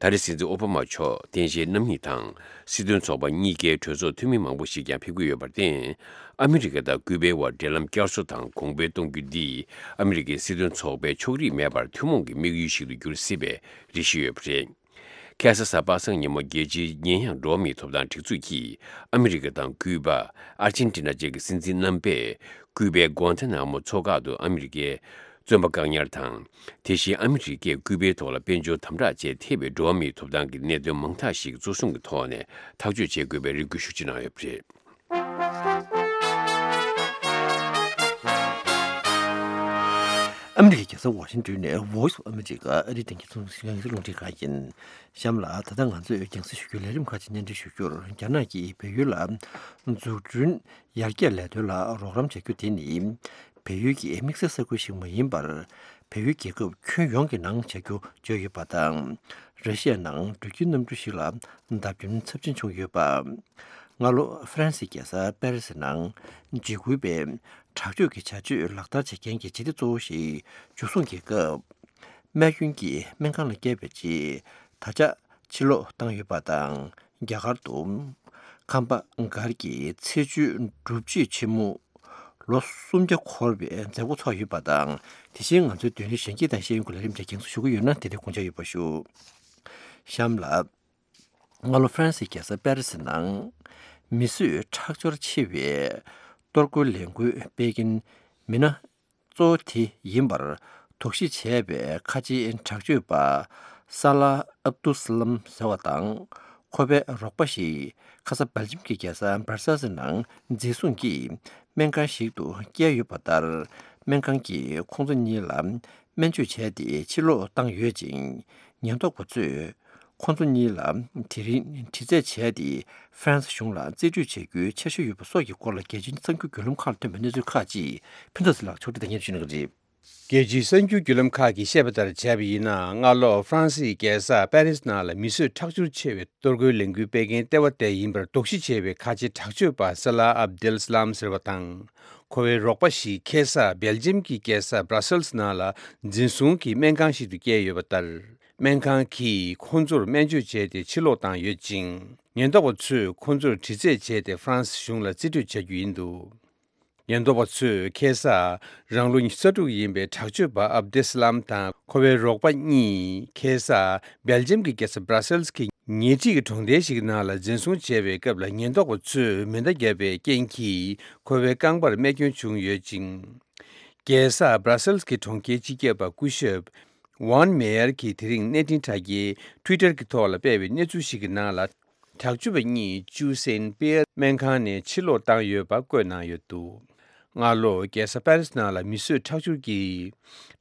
ད་རེས་སྲིད་འཛིན་ཨོ་བྷ་མ་མཆོག་རྟེན་གཞིའི་རྣམ་གཉིས་དང་སྲིད་དོན་ཚོགས་པ་གཉིས་ཀའི་གྲོས་ཚོགས་འཐུས་མི་མང་པོ་ཞིག་ཀྱང་ཕེབས་ཀྱི་ཡོད་པར་བརྟེན། ཨ་མི་རི་ཀ་དང་ཀུའུ་པའི་དབར་འབྲེལ་ལམ་བསྐྱར་གསོ་དང་གོང་འཕེལ་གཏོང་རྒྱུ་འདིས་ཨ་མི་རི་ཀའི་སྲིད་དོན་ཚོགས་པའི་ཕྱོགས་རིས་མེད་པར་ཐུན་མོང་གི་དམིགས་ཡུལ་ཞིག་ཏུ་འགྱུར་སྲིད་པའི་རེ་ཞུ་ཡོད་པ་རེད། ཁ་སང་གཟའ་པ་སངས་ཉིན་མོ་རྒྱལ་སྤྱིའི་ཉེས་ཡངས་འགྲོ་བ་མིའི་ཐོབ་ཐང་སྒྲིག་འཛུགས་ཀྱིས་ཨ་མི་རི་ཀ་དང་ཀུའུ་པ། ཨར་ཅན་ཏི་ན་བཅས་ཀྱི་སྲིད་འཛིན་རྣམ་པས་ཀུའུ་པའི་གུང་ཐ་ན་མོ་མཚོ་འགག་ཏུ་ཨ་མི་རི་ཀའི་བཙོན་པ་བཀག་ཉར་དང་། དེ་བཞིན་ཨ་མི་རི་ཀས་ཀུའུ་པའི་ཐོག་ལ་དཔལ་འབྱོར་དམ་དྲག་བཅས་ཐེ་བའི་འགྲོ་བ་མིའི་ཐོབ་ཐང་གི་གནད་དོན་མང་དག་ཞིག་གཙོ་བཟུང་གི་ཐོག་ནས་ཐག་གཅོད་བྱེད་དགོས་པའི་རེ་སྐུལ་ཤུགས་ཆེ་གནང་ཡོད་པ་རེད། ཨ་མི་རི་ཀའི་རྒྱལ་ས་ཝ་ཤིང་ཏོན་ནས་Voice of America ཨ་རིའི་སྟེང་གི་ཚོང་ཞིང་ངལ་གསོ་རླུང་འཕྲིན་ཁང་ཡིན། གཤམ་ལ་ད་ལྟ་ང་ཚོས་རྒྱང་སྲིང་ཞུ་རྒྱུའི་ལས་རིམ་ཁག་ཅིག་སྙན་སྒྲོན་ཞུ་རྒྱུར། རྒྱ་ནག་གིས་བལ་ཡུལ་ལ་འཛུགས་སྐྲུན་ཡར་རྒྱས་ལས་དོན་ལ་རོགས་རམ་བྱ་རྒྱུ་དེ་ནི་བལ་ཡུལ་གྱི་དམིགས་བསལ་ས་ཁུལ་ཞིག་མ་ཡིན་པར། བལ་ཡུལ་རྒྱལ་ཁབ་ཁྱོན་ཡོངས་ཀྱི་ནང་བྱ་རྒྱུ་བརྗོད་ཡོད་པ་དང་། ར་ཤི་ཡའི་ནང་འགྲུལ་སྐྱེལ་གནམ་གྲུ་ཞིག་ལ་བརྡབ་སྐྱོན་ཚབས་ཆེན་བྱུང་ཡོད་པ། སྔ་ལོ་ཧྥ་རན་སིའི་རྒྱལ་ས་པེ་རི་སི་ནང་འཇིགས་སྐུལ་པས་དྲག་སྤྱོད་ཀྱི་བྱ་སྤྱོད་ལག་བསྟར་བྱེད་མཁན་གྱི་སྤྱི་བདེ་གཙོ་བོ་ཞིག་འཇུ་བཟུང་གི་སྐབས། རྨས་སྐྱོན་གྱིས་སྨན་ཁང་ལ་བསྐྱལ་བའི་རྗེས། ད་ཆ་ཕྱིར་ལོག་བཏང་ཡོད་པ་དང་། རྒྱ་གར་དུ་ཁམས་པ་སྒར་གྱི་ཚེས་བཅུའི་སྒྲུབ་བྱེད་ཆེན་མོ་ལོ་སུམ་བརྒྱ་འཁོར་བའི་མཛད་སྒོ་ཚོགས་ཡོད་པ་དང་། དེ་བཞིན་ང་ཚོའི་བརྡ་ལན་གཞན་སྐྱེས་དང་ཤེས་ཡོན་གྱི་ལས་རིམ་དེ་རྒྱང་སྲིང་ཞུ་གི་ཡོད་ན་དེ་དེ་དགོངས་འཇགས་ཡོད་པ་ཞུ། གཤམ་ལ། སྔ་ལོ་ཧྥ་རན་སིའི་རྒྱལ་ས་པེ་རི་སི་ནང་མི་གསོད་ཁྲག་སྦྱོར་ཆེ་བའི་གཏོར་རྒོལ་ལས་འགུལ་སྤེལ་མཁན་མི་སྣ་གཙོ་བོ་དེ་ཡིན་པར་དོགས་གཞི་བྱས་པའི་ཁ་ཆེའི་དྲག་སྤྱོད་པ་ས་ལ་ཨབ་དུ་སི་ལམ་ཟེར་བ་དང་། ཁོ་པའི་རོགས་པ་ཞིག་ཁ་ས་སྦེལ་ཇམ་གྱི་རྒྱལ་ས་སྦར་སེལ་སི་ནང་འཛིན་བཟུང་གིས་སྨན་ཁང་ཞིག་ཏུ་བསྐྱལ་ཡོད་པ་ལྟར། སྨན་ཁང་གིས་ཁོང་ཚོ་གཉིས་ལ་སྨན་བཅོས་བྱས་ཏེ་ཕྱིར་ལོག་བཏང་ཡོད་ཅིང་། ཉེན་རྟོག་པ་ཚོས་ ཁོང་ཚོ་གཉིས་ལ་དེ་རིང་དྲི་རྩད་བྱས་ཏེ། ཧྥ་རན་སི་གཞུང་ལ་རྩིས་སྤྲོད་བྱ་རྒྱུའི་འཆར་གཞི་ཡོད་པ་སོགས་ཀྱི་སྐོར་ལ། རྒྱལ་སྤྱིའི་གསར་འགྱུར་བརྒྱུད་ལམ་ཁག་ལ་ཐོན་པའི་གནས་ཚུལ་ཁག་ཅིག་ཕུན་ཚོགས་ཚེ་ལགས་ཕྱོགས་སྒྲིག་དང་སྙན་ཞུ་གནང་གི་རེད། རྒྱལ་སྤྱིའི་གསར་འགྱུར་བརྒྱུད་ལམ་ཁག་གིས་བཤད་པ་ལྟར་བྱས་པ་ཡིན་ན། སྔ་ལོ་ཧྥ་རན་སིའི་རྒྱལ་ས་པེ་རིས་ནང་ལ་མི་གསོད་ཁྲག་སྦྱོར་ཆེ་བའི་གཏོར་རྒོལ་ལས་འགུལ་སྤེལ་མཁན་ལྟེ་བ་དེ་ཡིན་པར་དོགས་གཞི་བྱས་པའི་ཁ་ཆེ་དྲག་སྤྱོད་པ་ས་ལ་ཨབ་དེལ་སི་ལམ་ཟེར་བ་དང་། ཁོ་བའི་རོགས་པ་ཞིག་ཁ་སང་སྦེལ་ཇམ་གྱི་རྒྱལ་ས་སྦྲ་སེལ་སི་ནང་ལ་འཛིན་བཟུང་གིས་སྨན་ཁང་ཞིག་ཏུ་བསྐྱལ་ཡོད་པ་ལྟར། སྨན་ཁང་གིས་ཁོ་ཚོར་སྨན་བཅོས་བྱས་ཏེ་ཕྱིར་ལོག་བཏང་ཡོད་ཅིང་། ཉེན་རྟོག་པ་ཚོས་ཁོ་ཚོར་དྲི་རྩད་བྱས་ཏེ་ཧྥ་རན་སི་གཞུང་ལ་རྩིས་སྤྲོད་བྱ་རྒྱུ་ཡིན་འདུག་ཉེན་རྟོག་པ་ཚོས་ཁ་སང་རང་ལོ་ཉི་ཤུ་རྩ་དྲུག་ཡིན་པའི་དྲག་སྤྱོད་པ་ཨབ་དེ་སི་ལམ་དང་ཁོ་བའི་རོགས་པ་གཉིས་ཁ་སང་སྦེལ་ཇམ་གྱི་རྒྱལ་ས་སྦྲ་སེལ་སི་གི་ཉེ་འཁྲིས་ཀྱི་གྲོང་རྡལ་ཞིག་ནང་ལ་འཛིན་བཟུང་བྱས་པའི་སྐབས་ལ། ཉེན་རྟོག་པ་ཚོས་མེ་མདའ་བརྒྱབ་པའི་རྐྱེན་གྱིས་ཁོ་བའི་རྐང་པར་རྨས་སྐྱོན་བྱུང་ཡོད་ཅིང་། རྒྱལ་ས་སྦྲ་སེལ་སི་གི་གྲོང་ཁྱེར་སྤྱི་ཁྱབ་པ་སྐུ་ཞབས་ཝན་མེ་ཡར་གྱིས་དེ་རིང་གནས་འཕྲིན་དྲ་རྒྱའི་ཊུའི་ཊར་གྱི་ཐོག་ལ་སྤེལ་བའི་གནས་ཚུལ་ཞིག་གི་ནང་ལ། དྲག་སྤྱོད་པ་གཉིས་ཅུའུ་སེན་པེ་ཡར་སྨན་ཁང་ནས་ཕྱིར་ལོག་བཏང་ཡོད་པ་བཀོད་གནང་ཡོད་འདུག་སྔ་ལོ་རྒྱལ་ས་པེ་རིས་ནང་ལ་མི་གསོད་ཁྲག་སྦྱོར་གྱི་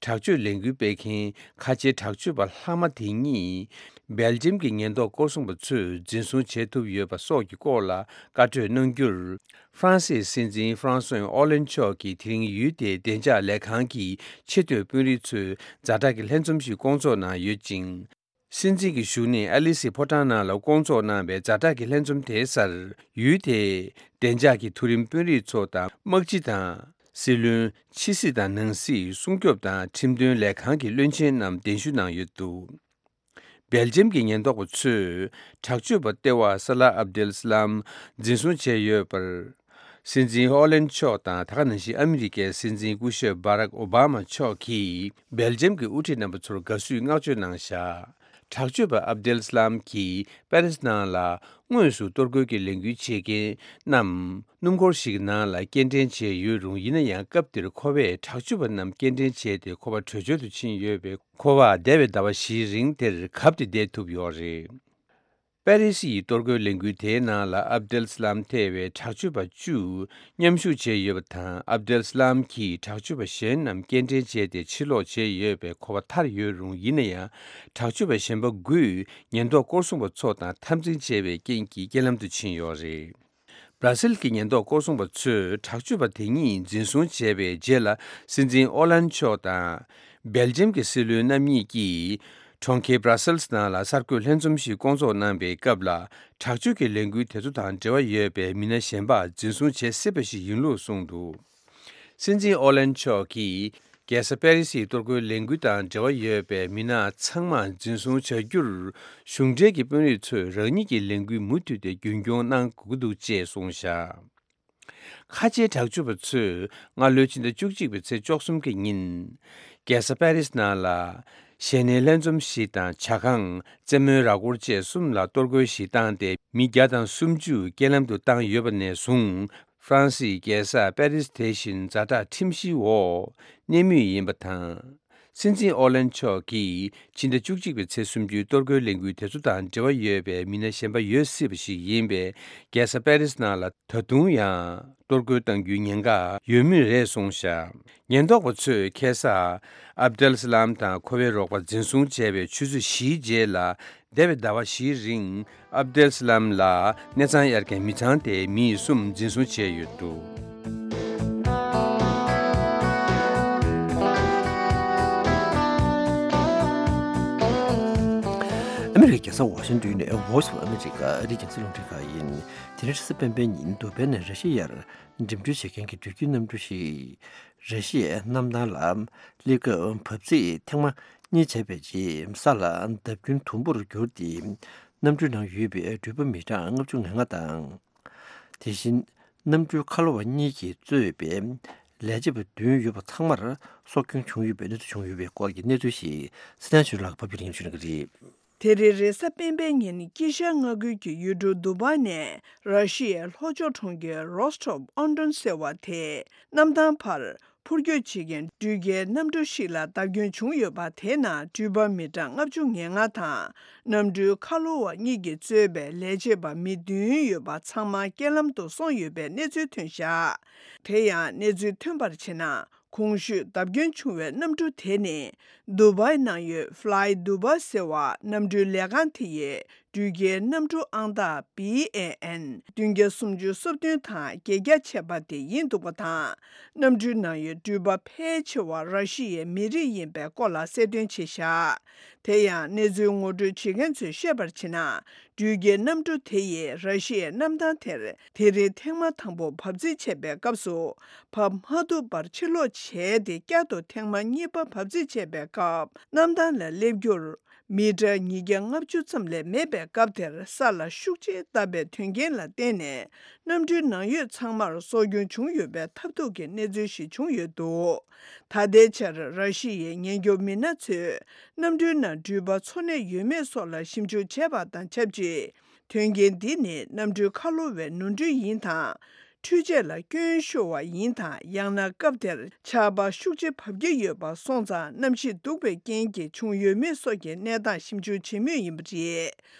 དྲག་སྤྱོད་ལས་འགུལ་སྤེལ་མཁན་ཁ་ཆེའི་དྲག་སྤྱོད་པ་ལྷག་མ་དེ་གཉིས་སྦེལ་ཇམ་གྱི་ཉེན་རྟོག་སྐོར་སྲུང་པ་ཚོས་འཛིན་བཟུང་བྱེད་ཐུབ་ཡོད་པ་སོགས་ཀྱི་སྐོར་ལ་བཀའ་གྲོས་གནང་རྒྱུར། ཧྥ་རན་སིའི་སྲིད་འཛིན་ཧྥ་རན་སུའེ་ཨོ་ལན་མཆོག་གིས་དེ་རིང་ཡུལ་དེའི་བདེ་འཇགས་ལས་ཁང་གི་ཆེས་མཐོའི་དཔོན་རིགས་ཚོའི་ཛ་དྲག་གི་ལྷན་འཛོམས་ཤིག་བསྐོང་ཚོགས་གནང་ཡོད་ཅིང་། སྲིད་འཛིན་གྱི་བཞུགས་གནས་ཨ་ལི་སི་ཕོ་བྲང་ནང་ལ་བསྐོང་ཚོགས་གནང་བའི་ཛ་དྲག་གི་ལྷན་འཛོམས་དེའི་སར། ཡུལ་དེའི་བདེ་འཇགས་ཀྱི་མཐོ་རིམ་དཔོན་རིགས་ཚོ་དང་། དམག་སྤྱི་དང་། སྲིད་བློན། ཕྱི་སྲིད་དང་ནང་སྲིད། སྲུང་སྐྱོབ་དང་ཁྲིམས་དོན་ལས་ཁང་གི་བློན་ཆེན་རྣམས་གདན་ཞུ་གནང་ཡོད་འདུག་སྦེལ་ཇམ་གྱི་ཉེན་རྟོག་པ་ཚོས་དྲག་སྤྱོད་པ་ལྟེ་བ་ས་ལ་ཨབ་དེལ་སི་ལམ་འཛིན་བཟུང་བྱས་ཡོད་པར། སྲིད་འཛིན་ཧོ་ལན་མཆོག་དང་། ད་ག་ནང་བཞིན་ཨ་མི་རི་ཀའི་སྲིད་འཛིན་སྐུ་ཞབས་བྷ་རག་ཨོ་བྷ་མ་མཆོག་གིས་སྦེལ་ཇམ་གྱི་དབུ་ཁྲིད་རྣམ་པ་ཚོར་དགའ་བསུའི་བསྔགས་བརྗོད་གནང་བཞག་དྲག་སྤྱོད་པ་ཨབ་དེལ་སི་ལམ་གྱིས་པེ་རིས་ནང་ལ་དངོས་སུ་གཏོར་རྒོལ་གྱི་ལས་འགུལ་བྱེད་མཁན་རྣམས་སྣུམ་འཁོར་ཞིག་ནང་ལ་སྐྱེལ་འདྲེན་བྱས་ཡོད་རུང་། ཡིན་ན་ཡང་སྐབས་དེར་ཁོ་བས་དྲག་སྤྱོད་པ་རྣམས་སྐྱེལ་འདྲེན་བྱས་ཏེ་ཁོ་པ་བྲོས་བྱོལ་དུ་ཕྱིན་ཡོད་པས། ཁོ་པ་འདས་པའི་ཟླ་བ་བཞིའི་རིང་དེར་གབ་སྟེ་བསྡད་ཐུབ་ཡོད་རེད། པེ་རི་སི་ཡི་གཏོར་རྒོལ་ལས་འགུལ་དེའི་ནང་ལ་ཨབ་དེལ་སི་ལམ་ཐེ་བའི་དྲག་སྤྱོད་པ་བཅུ་མཉམ་ཞུགས་བྱས་ཡོད་པ་དང་། ཨབ་དེལ་སི་ལམ་གྱིས་དྲག་སྤྱོད་པ་གཞན་རྣམས་སྐྱེལ་འདྲེན་བྱས་ཏེ་ཕྱིར་ལོག་བྱས་ཡོད་པས་ཁོ་པ་ཐར་ཡོད་རུང་། ཡིན་ན་ཡང་དྲག་སྤྱོད་པ་གཞན་པ་དགུས་ཉེན་རྟོག་སྐོར་སྲུང་པ་ཚོ་དང་འཐབ་འཛིང་བྱས་པའི་རྐྱེན་གྱིས་རྐྱེན་ལམ་དུ་ཕྱིན་ཡོད་རེད། སྦྲ་སིལ་གྱི་ཉེན་རྟོག་སྐོར་སྲུང་པ་ཚོས་དྲག་སྤྱོད་པ་དེ་གཉིས་འཛིན་བཟུང་བྱས་པའི་རྗེས་ལ། སྲིད་འཛིན་ཨོ་ལན་མཆོག་དང་སྦེལ་ཇམ་གྱི་སྲིད་བློན་རྣམ་གཉིས་ཀྱིས་གྲོང་ཁྱེར་སྦྲ་སིལ་ནང་ལ་གསར་འགོད་ལྷན་འཛོམས་ཤིག་བསྐོང་ཚོགས་གནང་བའི་སྐབས་ལ། དྲག་སྤྱོད་ཀྱི་ལས་འགུལ་དེ་ཚོ་དང་འབྲེལ་བ་ཡོད་པའི་མི་སྣ་གཞན་པ་འཛིན་བཟུང་བྱེད་སྲིད་པ་ཞིག་ཡིན་ལུགས་གསུངས་འདུག་སྲིད་འཛིན་ཨོ་ལན་མཆོག་གིས། རྒྱལ་ས་པེ་རི་སིའི་གཏོར་རྒོལ་ལས་འགུལ་དང་འབྲེལ་བ་ཡོད་པའི་མི་སྣ་ཚང་མ་འཛིན་བཟུང་བྱ་རྒྱུར། གཞུང་འབྲེལ་གྱི་དཔོན་རིགས་ཚོས་རང་ཉིད་ཀྱི་ལས་འགུལ་མུ་མཐུད་དེ་རྒྱུན་སྐྱོང་གནང་དགོས་ཀྱི་འདུག་ཅེས་གསུངས་བཞག་ཁ་ཆེའི་དྲག་སྤྱོད་པ་ཚོས་སྔ་ལོའི་ཕྱི་ཟླ་བཅུ་གཅིག་པའི་ཚེས་བཅུ་གསུམ་གྱི་ཉིན། རྒྱལ་ས་པེ་རི་སི་ནང་ལ། ཞལ་ནས་ལྷན་འཛོམས་ཤིག་དང་། ཇ་ཁང་། རྩེད་མོའི་ར་སྐོར་བཅས་གསུམ་ལ་གཏོར་རྒོལ་ཞིག་བཏང་སྟེ། མི་བརྒྱ་དང་སུམ་ཅུ་རྐྱེན་ལམ་དུ་བཏང་ཡོད་པ་ནས་བཟུང་། ཧྥ་རན་སིའི་རྒྱལ་ས་པེ་རི་སི་དེ་བཞིན་ཛ་དྲག་ཁྲིམས་གཞིའི་འོག་གནས་མུས་ཡིན་པ་དང་། སྲིད་འཛིན་ཨོ་ལན་མཆོག་གིས་ཕྱི་ཟླ་བཅུ་གཅིག་པའི་ཚེས་སུམ་ཅུའི་གཏོར་རྒོལ་ལས་འགུལ་དེ་ཚོ་དང་འབྲེལ་བ་ཡོད་པའི་མི་སྣ་གཞན་པ་ཡོད་སྲིད་པ་ཞིག་ཡིན་པས། རྒྱལ་ས་པེ་རི་སི་ནང་ལ་ད་དུང་ཡང་གཏོར་རྒོལ་གཏང་རྒྱུའི་ཉེན་ཁ་ཡོད་མུས་རེད་གསུངས་བཞག་ཉེན་རྟོག་པ་ཚོས་ཁ་སང་ཨབ་དེལ་སི་ལམ་དང་ཁོ་པའི་རོགས་པ་འཛིན་བཟུང་བྱས་པའི་ཆུ་ཚོད་བཞིའི་རྗེས་ལ། འདས་པའི་ཟླ་བ་བཞིའི་རིང་ཨབ་དེལ་སི་ལམ་ལ་གནས་ཚང་གཡར་མཁན་མི་ཚང་དེའི་མི་གསུམ་འཛིན་བཟུང་བྱས་ཡོད་འདུག་ཨ་མི་རི་ཀའི་རྒྱལ་ས་ཝ་ཤིང་ཏོན་ནས་Voice of America ཨ་རིའི་རྒྱང་སྲིང་རླུང་འཕྲིན་ཁང་ཡིན། དེ་རིང་རེས་གཟའ་སྤེན་པའི་ཉིན་དུ་བྷེ་ནས་ར་ཤི་ཡར་འགྲིམ་འགྲུལ་བྱེད་མཁན་གྱི་དུས་རྒྱུན་གནམ་གྲུ་ཞིག་ར་ཤི་ཡའི་གནམ་ཐང་ལ་སླེབས་སྐབས་བབས་ཚིགས་ཐེངས་མ་གཉིས་བྱས་པའི་རྗེས་ས་ལ་བརྡབ་སྐྱོན་དུམ་བུར་གྱུར་ཏེ། གནམ་གྲུའི་ནང་ཡོད་པའི་འགྲུལ་པ་མི་གྲངས་ལྔ་བཅུ་ང་ལྔ་དང་། དེ་བཞིན་གནམ་གྲུའི་ཁ་ལོ་བ་གཉིས་ཀྱིས་གཙོས་པའི་ལས་བྱེད་པ་བདུན་ཡོད་པ་ཚང་མར་སྲོག་སྐྱོན་བྱུང་ཡོད་པའི་གནས་ཚུལ་བྱུང་ཡོད་པའི་སྐོར་གྱི་གནས་ཚུལ་ཞིག་སི་ཐན་ཆུ་ལགས་ཕབ་སྒྱུར་ལེན་ཞུ་གནང་གི་རེད། དེ་རིང་རེས་གཟའ་སྤེན་པའི་ཉིན་དཀྱིལ་ཤར་མངའ་ཁུལ་གྱི་ཡུལ་གྲུ་དུ་བྷ་ནས་ར་ཤི་ཡའི་ལྷོ་ཕྱོགས་གྲོང་ཁྱེར་རོས་ཊོབ་ཨོན་ཏོན་ཟེར་བ་དེའི་གནམ་ཐང་བར་འཕུར་སྐྱོད་བྱེད་མཁན་འགྲུལ་སྐྱེལ་གནམ་གྲུ་ཞིག་ལ་བརྡབ་སྐྱོན་བྱུང་ཡོད་པ། དེའི་ནང་འགྲུལ་པ་མི་གྲངས་ལྔ་བཅུ་ང་ལྔ་དང་། གནམ་གྲུའི་ཁ་ལོ་བ་གཉིས་ཀྱིས་གཙོས་པའི་ལས་བྱེད་པ་མི་བདུན་ཡོད་པ་ཚང་མ་རྐྱེན་ལམ་དུ་སོང་ཡོད་པའི་གནས་ཚུལ་ཐོན་བཞག་དེ་ཡང་གནས་ཚུལ་ཐོན་པར་བྱས་ན། གོང་ཞུས་བརྡབ་སྐྱོན་བྱུང་བའི་གནམ་གྲུ་དེ་ནི་དུ་བའི་ནང་ཡོད་Fly Dubai ཟེར་བ་གནམ་གྲུའི་ལས་ཁང་དེ་ཡི་འགྲུལ་སྐྱེལ་གནམ་གྲུ་ཨང་རྟགས་བི་ཨེ་ཨེན་བདུན་བརྒྱ་སུམ་ཅུ་སོ་བདུན་དང་བརྒྱད་བརྒྱ་བྱས་པ་དེ་ཡིན་འདུག་པ་དང་། གནམ་གྲུའི་ནང་ཡོད་འགྲུལ་པ་ཕལ་ཆེ་བ་ར་ཤི་ཡའི་མི་རིགས་ཡིན་པའི་སྐོར་ལ་གསལ་སྟོན་བྱས་བཞག་དེ་ཡང་གནས་ཚུལ་ངོ་སྤྲོད་བྱེད་མཁན་ཚོས་བཤད་པར་བྱས་ན། འགྲུལ་སྐྱེལ་གནམ་གྲུ་དེ་ཡིས་ར་ཤི་ཡའི་གནམ་ཐང་དེར་དེ་རིང་ཐེངས་མ་དང་པོ་བབས་ཚིགས་བྱས་པའི་སྐབས་སུ། བབས་མ་ཐུབ་པར་ཕྱིར་ལོག་བྱས་ཏེ། བསྐྱར་དུ་ཐེངས་མ་གཉིས་པ་བབས་ཚིགས་བྱས་པའི་སྐབས། གནམ་ཐང་ལ་སླེབས་རྒྱུར་མི་ཊར་ཉིས་བརྒྱ་ལྔ་བཅུ་ཙམ་ལས་མེད་པའི་སྐབས་དེར། ས་ལ་ཤུགས་ཆེ་བཏབ་པའི་དོན་རྐྱེན་ལ་བརྟེན་ནས། གནམ་གྲུའི་ནང་ཡོད་ཚང་མར་སྲོག་སྐྱོན་བྱུང་ཡོད་པའི་ཐབས་སྡུག་གི་གནས་ཚུལ་ཞིག་བྱུང་ཡོད་འདུག་ད་ལྟའི་ཆར་ར་ཤི་ཡའི་ཉེན་སྐྱོབ་མི་སྣ་ཚོས་གནམ་གྲུའི་ནང་འགྲུལ་པ་འཚོ་གནས་ཡོད་མེད་སོགས་ལ་ཞིབ་འཇུག་བྱས་པ་དང་ཆབས་ཅིག་དོན་རྐྱེན་འདི་ནི་གནམ་གྲུའི་ཁ་ལོ་བའི་ནོར་འཁྲུལ་ཡིན་དང་། འཕྲུལ་ཆས་ལ་སྐྱོན་ཤོར་བ་ཡིན་དང་། ཡང་ན་སྐབས་དེར་ཆར་པ་ཤུགས་ཆེ་བབས་ཀྱི་ཡོད་པ་སོང་ཙང་། གནམ་གཤིས་སྡུག་པའི་རྐྱེན་གྱིས་བྱུང་ཡོད་མེད་སོགས་ཀྱི་གནས་སྟངས་ཞིབ་འཇུག་བྱེད་མུས་ཡིན་པ་རེད།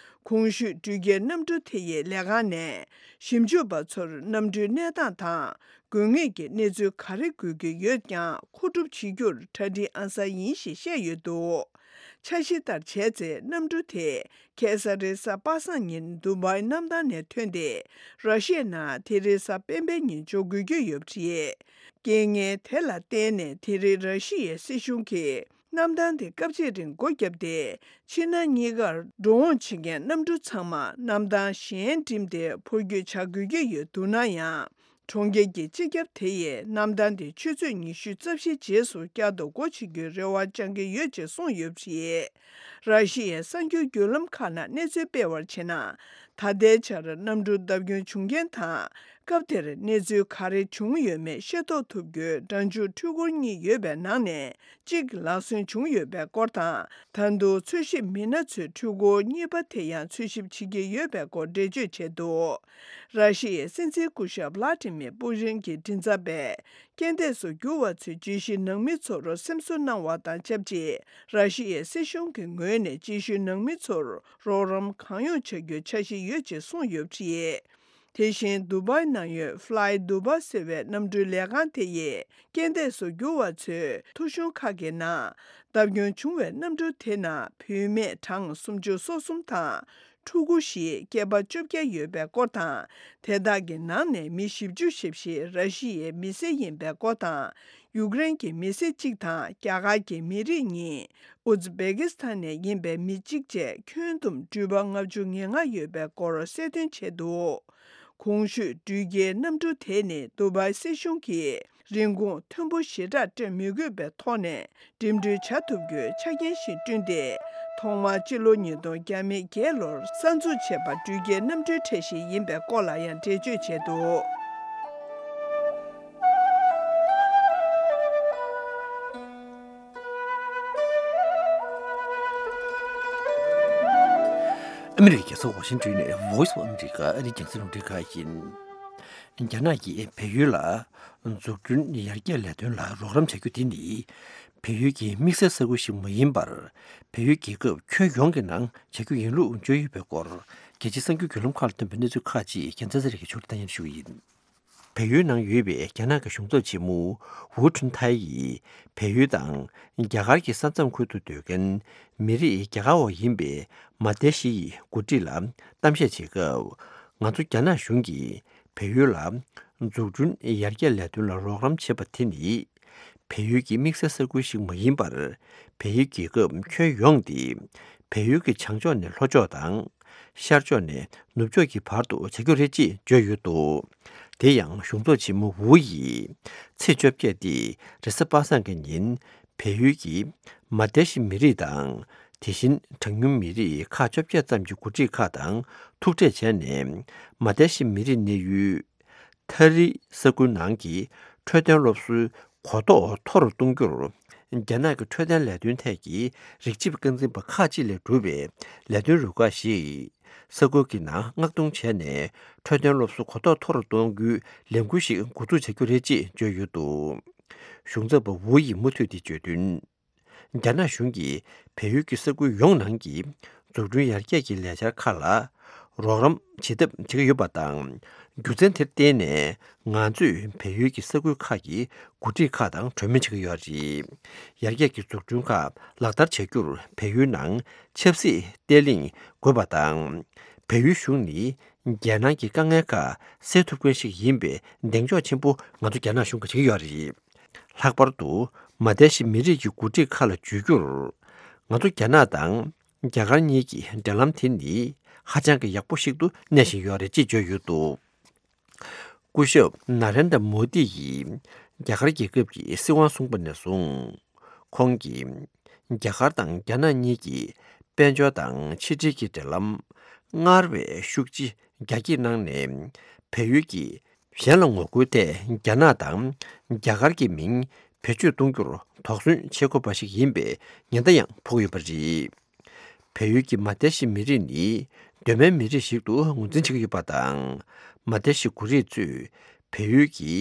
གོང་ཞུས་འགྲུལ་སྐྱེལ་གནམ་གྲུ་དེ་ཡི་ལས་ཁང་ནས་ཞིབ་འཇུག་པ་ཚོར་གནམ་གྲུའི་གནས་སྟངས་དང་། དགོས་ངེས་ཀྱི་གནས་ཚུལ་ག་རེ་དགོས་ཀྱི་ཡོད་ཀྱང་། མཁོ་སྒྲུབ་བྱེད་རྒྱུར་གྲ་སྒྲིག་ཨང་གསར་ཡིན་ཞེས་བཤད་ཡོད་འདུག་འཆར་གཞི་ལྟར་བྱས་ཚེ། གནམ་གྲུ་དེ་ཁ་སང་རེས་གཟའ་པ་སངས་ཉིན་དུ་བའི་གནམ་ཐང་ནས་ཐོན་ཏེ། ར་ཤི་ཡའི་ནང་དེ་རེས་གཟའ་སྤེན་པའི་ཉིན་འབྱོར་དགོས་ཀྱི་ཡོད་པ་རེད། རྐྱེན་ངན་དེ་ལ་བརྟེན་ནས། དེ་རིང་ར་ཤི་ཡའི་སྲིད་གཞུང་གིས་གནམ་ཐང་དེ་སྐབས་གཅིག་རིང་སྒོ་བརྒྱབ་སྟེ། ཕྱི་ནང་གཉིས་ཀར་འགྲོ་འོང་བྱེད་མཁན་གནམ་གྲུ་ཚང་མ་གནམ་ཐང་གཞན་འགྲིམས་ཏེ་འཕུར་སྐྱོད་བྱ་དགོས་ཀྱི་ཡོད་འདུག་ན་ཡང་། གྲོང་ཁྱེར་གྱི་སྤྱི་ཁྱབ་དེ་ཡིས་གནམ་ཐང་དེ་ཆུ་ཚོད་ཉི་ཤུ་རྩ་བཞི་རྗེས་སུ་བསྐྱར་དུ་སྒོ་ཕྱེ་རྒྱུའི་རེ་བ་བཅང་གི་ཡོད་ཅེས་གསུངས་ཡོད་པ་རེད། ར་ཤི་ཡའི་གསར་འགྱུར་བརྒྱུད་ལམ་ཁག་ནང་གནས་ཚུལ་སྤེལ་བར་བྱས་ན། ད་ལྟའི་ཆར་གནམ་གྲུ་བརྡབ་སྐྱོན་བྱུང་རྐྱེན་དང་། སྐབས་དེར་གནས་ཚུལ་ག་རེ་བྱུང་ཡོད་མེད་ཤེས་རྟོགས་ཐུབ་རྒྱུའི་སྒྲ་འཇུག་འཕྲུལ་འཁོར་གཉིས་ཡོད་པའི་ནང་ནས་གཅིག་ལག་སོན་བྱུང་ཡོད་པའི་སྐོར་དང་། ད་དུང་འཚོལ་ཞིབ་མི་སྣ་ཚོས་འཕྲུལ་འཁོར་གཉིས་པ་དེ་ཡང་འཚོལ་ཞིབ་བྱེད་ཀྱི་ཡོད་པའི་སྐོར་འགྲེལ་བརྗོད་བྱས་འདུག་ར་ཤི་ཡའི་སྲིད་འཛིན་སྐུ་ཞབས་ཝ་ལ་ཏི་མིར་པུ་ཏིན་གྱི་མགྲིན་ཚབ་པས། རྐྱེན་འདས་སུ་གྱུར་བ་ཚོའི་རྗེས་ཤུལ་ནང་མི་ཚོར་སེམས་གསོ་གནང་བ་དང་ཆབས་ཅིག་ར་ཤི་ཡའི་སྲིད་གཞུང་གི་ངོས་ནས་རྗེས་ཤུལ་ནང་མི་ཚོར་རོགས་རམ་གང་ཡོང་བྱ་རྒྱུའི་འཆར་གཞི་ཡོད་ཅེས་གསུངས་ཡོད་པ་རེད། དེ་བཞིན་དུ་བའི་ནང་ཡོད་Fly Dubai ཟེར་བའི་གནམ་གྲུའི་ལས་ཁང་དེ་ཡིས། རྐྱེན་འདས་སུ་གྱུར་བ་ཚོའི་ཐོ་གཞུང་ཁག་གི་ནང་། བརྡབ་སྐྱོན་བྱུང་བའི་གནམ་གྲུ་དེ་ནང་བུད་མེད་གྲངས་སུམ་ཅུ་སོ་གསུམ་དང་། ཕྲུ་གུ་བཞིའི་སྐྱེས་པ་བཅོ་བརྒྱད་ཡོད་པའི་སྐོར་དང་། དེ་དག་གི་ནང་ནས་མི་བཞི་བཅུ་ཞེ་བཞི་ར་ཤི་ཡའི་མི་སེར་ཡིན་པའི་སྐོར་དང་། ཡུཀ་རེན་གྱི་མི་སེར་གཅིག་དང་། རྒྱ་གར་གྱི་མི་རིགས་གཉིས། ཨུ་ཛི་བེ་ཀི་སི་ཐན་ནས་ཡིན་པའི་མི་གཅིག་བཅས་ཁྱོན་བསྡོམས་འགྲུལ་པ་ལྔ་བཅུ་ང་ལྔ་ཡོད་པའི་སྐོར་གསལ་སྟོན་བྱས་འདུག་གོང་ཞུས་འགྲུལ་སྐྱེལ་གནམ་གྲུ་དེ་ནི་དུ་བའི་སྲིད་གཞུང་གིས་རིན་གོང་མཐོན་པོ་ཞེ་དྲག་སྤྲོད་མི་དགོས་པའི་ཐོག་ནས། འགྲིམ་འགྲུལ་བྱ་ཐུབ་རྒྱུའི་ཆ་རྐྱེན་ཞིག་བསྐྲུན་ཏེ། ཐོག་མར་སྤྱི་ལོ་ཉིས་སྟོང་བརྒྱ་མེད་བརྒྱད་ལོར་གསར་འཛུགས་བྱས་པ་འགྲུལ་སྐྱེལ་གནམ་གྲུའི་ཁྲལ་གཞི་ཡིན་པའི་སྐོར་ལ་ཡང་འགྲེལ་བརྗོད་བྱས་འདུག་ཨ་མི་རི་ཀའི་རྒྱལ་ས་ཝ་ཤིང་ཏོན་ནས་Voice of America ཨ་རིའི་རྒྱང་སྲིང་རླུང་འཕྲིན་ཁང་ཡིན། རྒྱ་ནག་གིས་བལ་ཡུལ་ལ་འཛུགས་སྐྲུན་ཡར་རྒྱས་ལས་དོན་ལ་རོགས་རམ་བྱ་རྒྱུ་དེ་ནི། བལ་ཡུལ་གྱི་དམིགས་བསལ་ས་ཁུལ་ཞིག་མ་ཡིན་པར། བལ་ཡུལ་རྒྱལ་ཁབ་ཁྱོན་ཡོངས་ཀྱི་ནང་བྱ་རྒྱུ་ཡིན་ལུགས་བརྗོད་ཡོད་པའི་སྐོར། རྒྱལ་སྤྱིའི་གསར་འགྱུར་བརྒྱུད་ལམ་ཁག་ལ་བཏོན་པའི་གནས་ཚུལ་ཁག་ཅིག་རྒྱལ་མཚན་ཚེ་རིང་གིས་ཕྱོགས་སྒྲིག་བཏང་ཡོད་པ་ཞུ་གི་ཡིན། བལ་ཡུལ་ནང་ཡོད་པའི་རྒྱ་ནག་གི་གཞུང་ཚབ་ཆེན་མོ་ཝུའུ་ཁྲུན་ཐའེ་ཡིས། བལ་ཡུལ་དང་རྒྱ་གར་གྱི་ས་མཚམས་ཁུལ་དུ་སྡོད་མཁན་མི་རིགས་རྒྱ་གར་བ་ཡིན་པའི་མ་ཏེ་ཤི་ཡི་འགོ་ཁྲིད་ལ་གཏམ་བཤད་བྱེད་སྐབས། ང་ཚོ་རྒྱ་ནག་གཞུང་གིས་བལ་ཡུལ་ལ་འཛུགས་སྐྲུན་ཡར་རྒྱས་ལས་དོན་ལ་རོགས་རམ་བྱེད་པ་དེ་ནི། བལ་ཡུལ་གྱི་དམིགས་བསལ་ས་ཁུལ་ཞིག་མ་ཡིན་པར། བལ་ཡུལ་རྒྱལ་ཁབ་ཁྱོན་ཡོངས་ཏེ། བལ་ཡུལ་གྱི་བྱང་ཕྱོགས་ནས་ལྷོ་ཕྱོགས་དང་། ཤར་ཕྱོགས་ནས་ནུབ་ཕྱོགས་ཀྱི་བར་དུ་བྱ་རྒྱུ་རེད་ཅེས་བརྗོད་ཡོད་འདུག་དེ་ཡང་གཞུང་ཚབ་ཆེན་མོ་ཝུ་ཡིས། ཚེས་བཅོ་བརྒྱད་སྟེ་རེས་གཟའ་པ་སངས་ཀྱི་ཉིན། བལ་ཡུལ་གྱི་མ་ཏེ་ཤི་མི་རིགས་དང་། དེ་བཞིན་གྲངས་ཉུང་མི་རིགས་ཁག་བཅོ་བརྒྱད་ཙམ་གྱི་འགོ་ཁྲིད་ཁག་དང་ཐུག་འཕྲད་བྱས་ནས། མ་ཏེ་ཤི་མི་རིགས་གནས་ཡུལ། ཐ་རི་ས་ཁུལ་ནང་གི་འཕྲོད་བསྟེན་སློབ་གསོའི་གོ་རྟོགས་མཐོ་རུ་གཏོང་རྒྱུར། རྒྱ་ནག་གི་འཕྲོད་བསྟེན་ལས་དོན་ཐད་ཀྱི་རིགས་གཅིག་པ་རྐང་འཛིན་པ་ཁག་ཅིག་ལས་གྲུབ་པའི་ལས་དོན་རུ་ཁག་ཞིག་ས་ཁུལ་གྱི་ནང་མངགས་གཏོང་བྱས་ནས། འཕྲོད་བསྟེན་སློབ་གསོ་གོ་རྟོགས་མཐོ་རུ་གཏོང་རྒྱུའི་ལས་འགུལ་ཞིག་འགོ་འཛུགས་བྱ་རྒྱུ་རེད་ཅེས་བརྗོད་ཡོད་འདུག་གཞུང་ཚབ་པ་ཝུ་ཡིས་མུ་མཐུད་དེ་བརྗོད་དོན། རྒྱ་ནག་གཞུང་གིས་བལ་ཡུལ་གྱི་ས་ཁུལ་ཡོངས་ནང་གི་འཛུགས་སྐྲུན་ཡར་རྒྱས་ཀྱི་ལས་འཆར་ཁག་ལ། རོགས་རམ་བྱེད་ཐབས་བྱེད་ཀྱི་ཡོད་པ་དང་། རྒྱུ་མཚན་དེར་བརྟེན་ནས་ང་ཚོས་བལ་ཡུལ་གྱི་ས་ཁུལ་ཁག་གི་འགོ་ཁྲིད་ཁག་དང་གྲོས་མོལ་བྱེད་ཀྱི་ཡོད་རེད། ཡར་རྒྱས་ཀྱི་འཛུགས་སྐྲུན་ཁག་ལག་བསྟར་བྱ་རྒྱུར་བལ་ཡུལ་ནང་ཆབ་སྲིད་བརྟན་ལྷིང་དགོས་པ་དང་། བལ་ཡུལ་གཞུང་ནི་རྒྱལ་ནང་གི་དཀའ་ངལ་ཁག་སེལ་ཐུབ་མཁན་ཞིག་ཡིན་པའི་གདེང་འཇོག་ཆེན་པོ་ང་ཚོ་རྒྱ་ནག་གཞུང་གིས་བྱེད་ཀྱི་ཡོད་རེད། ལྷག་པར་དུ་མ་ཏེ་ཤི་མི་རིགས་ཀྱི་འགོ་ཁྲིད་ཁག་ལ་བརྗོད་རྒྱུར། ང་ཚོ་རྒྱ་ནག་དང་རྒྱ་གར་གཉིས་ཀྱི་འབྲེལ་ལམ་དེ་ནི་ཧ་ཅང་གི་ཡག་པོ་ཞིག་ཏུ་གནས་བཞིན་ཡོད་རེད་ཅེས་བརྗོད་ཡོད་འདུག་སྐུ་ཞབས་ན་རེན་དྲ་མོ་དི་ཡིས་རྒྱ་གར་རྒྱལ་ཁབ་ཀྱི་སྲིད་དབང་བཟུང་པ་ནས་བཟུང་། ཁོང་གིས་རྒྱ་གར་དང་རྒྱ་ནག་གཉིས་ཀྱི་དཔལ་འབྱོར་དང་ཕྱི་འབྲེལ་གྱི་འབྲེལ་ལམ་སྔར་བས་ཤུགས་ཆེ་རྒྱ་སྐྱེད་གནང་ནས། བལ་ཡུལ་གྱིས་གཞན་ལ་ངོ་རྒོལ་ཐད་རྒྱ་ནག་དང་རྒྱ་གར་གྱི་མིང་བེད་སྤྱོད་གཏོང་རྒྱུར་དོགས་ཟོན་བྱེད་དགོས་པ་ཞིག་ཡིན་པའི་ཉེན་བརྡ་ཡང་ཕོག་ཡོད་པ་རེད། བལ་ཡུལ་གྱི་མ་ཏེ་ཤི་མི་རིགས་ནི་གདོད་མའི་མི་རིགས་ཤིག་ཏུ་ངོས་འཛིན་བྱེད་ཀྱི་ཡོད་པ་དང་། མ་ཏེ་ཤི་འགོ་རིགས་ཚོས་བལ་ཡུལ་གྱི་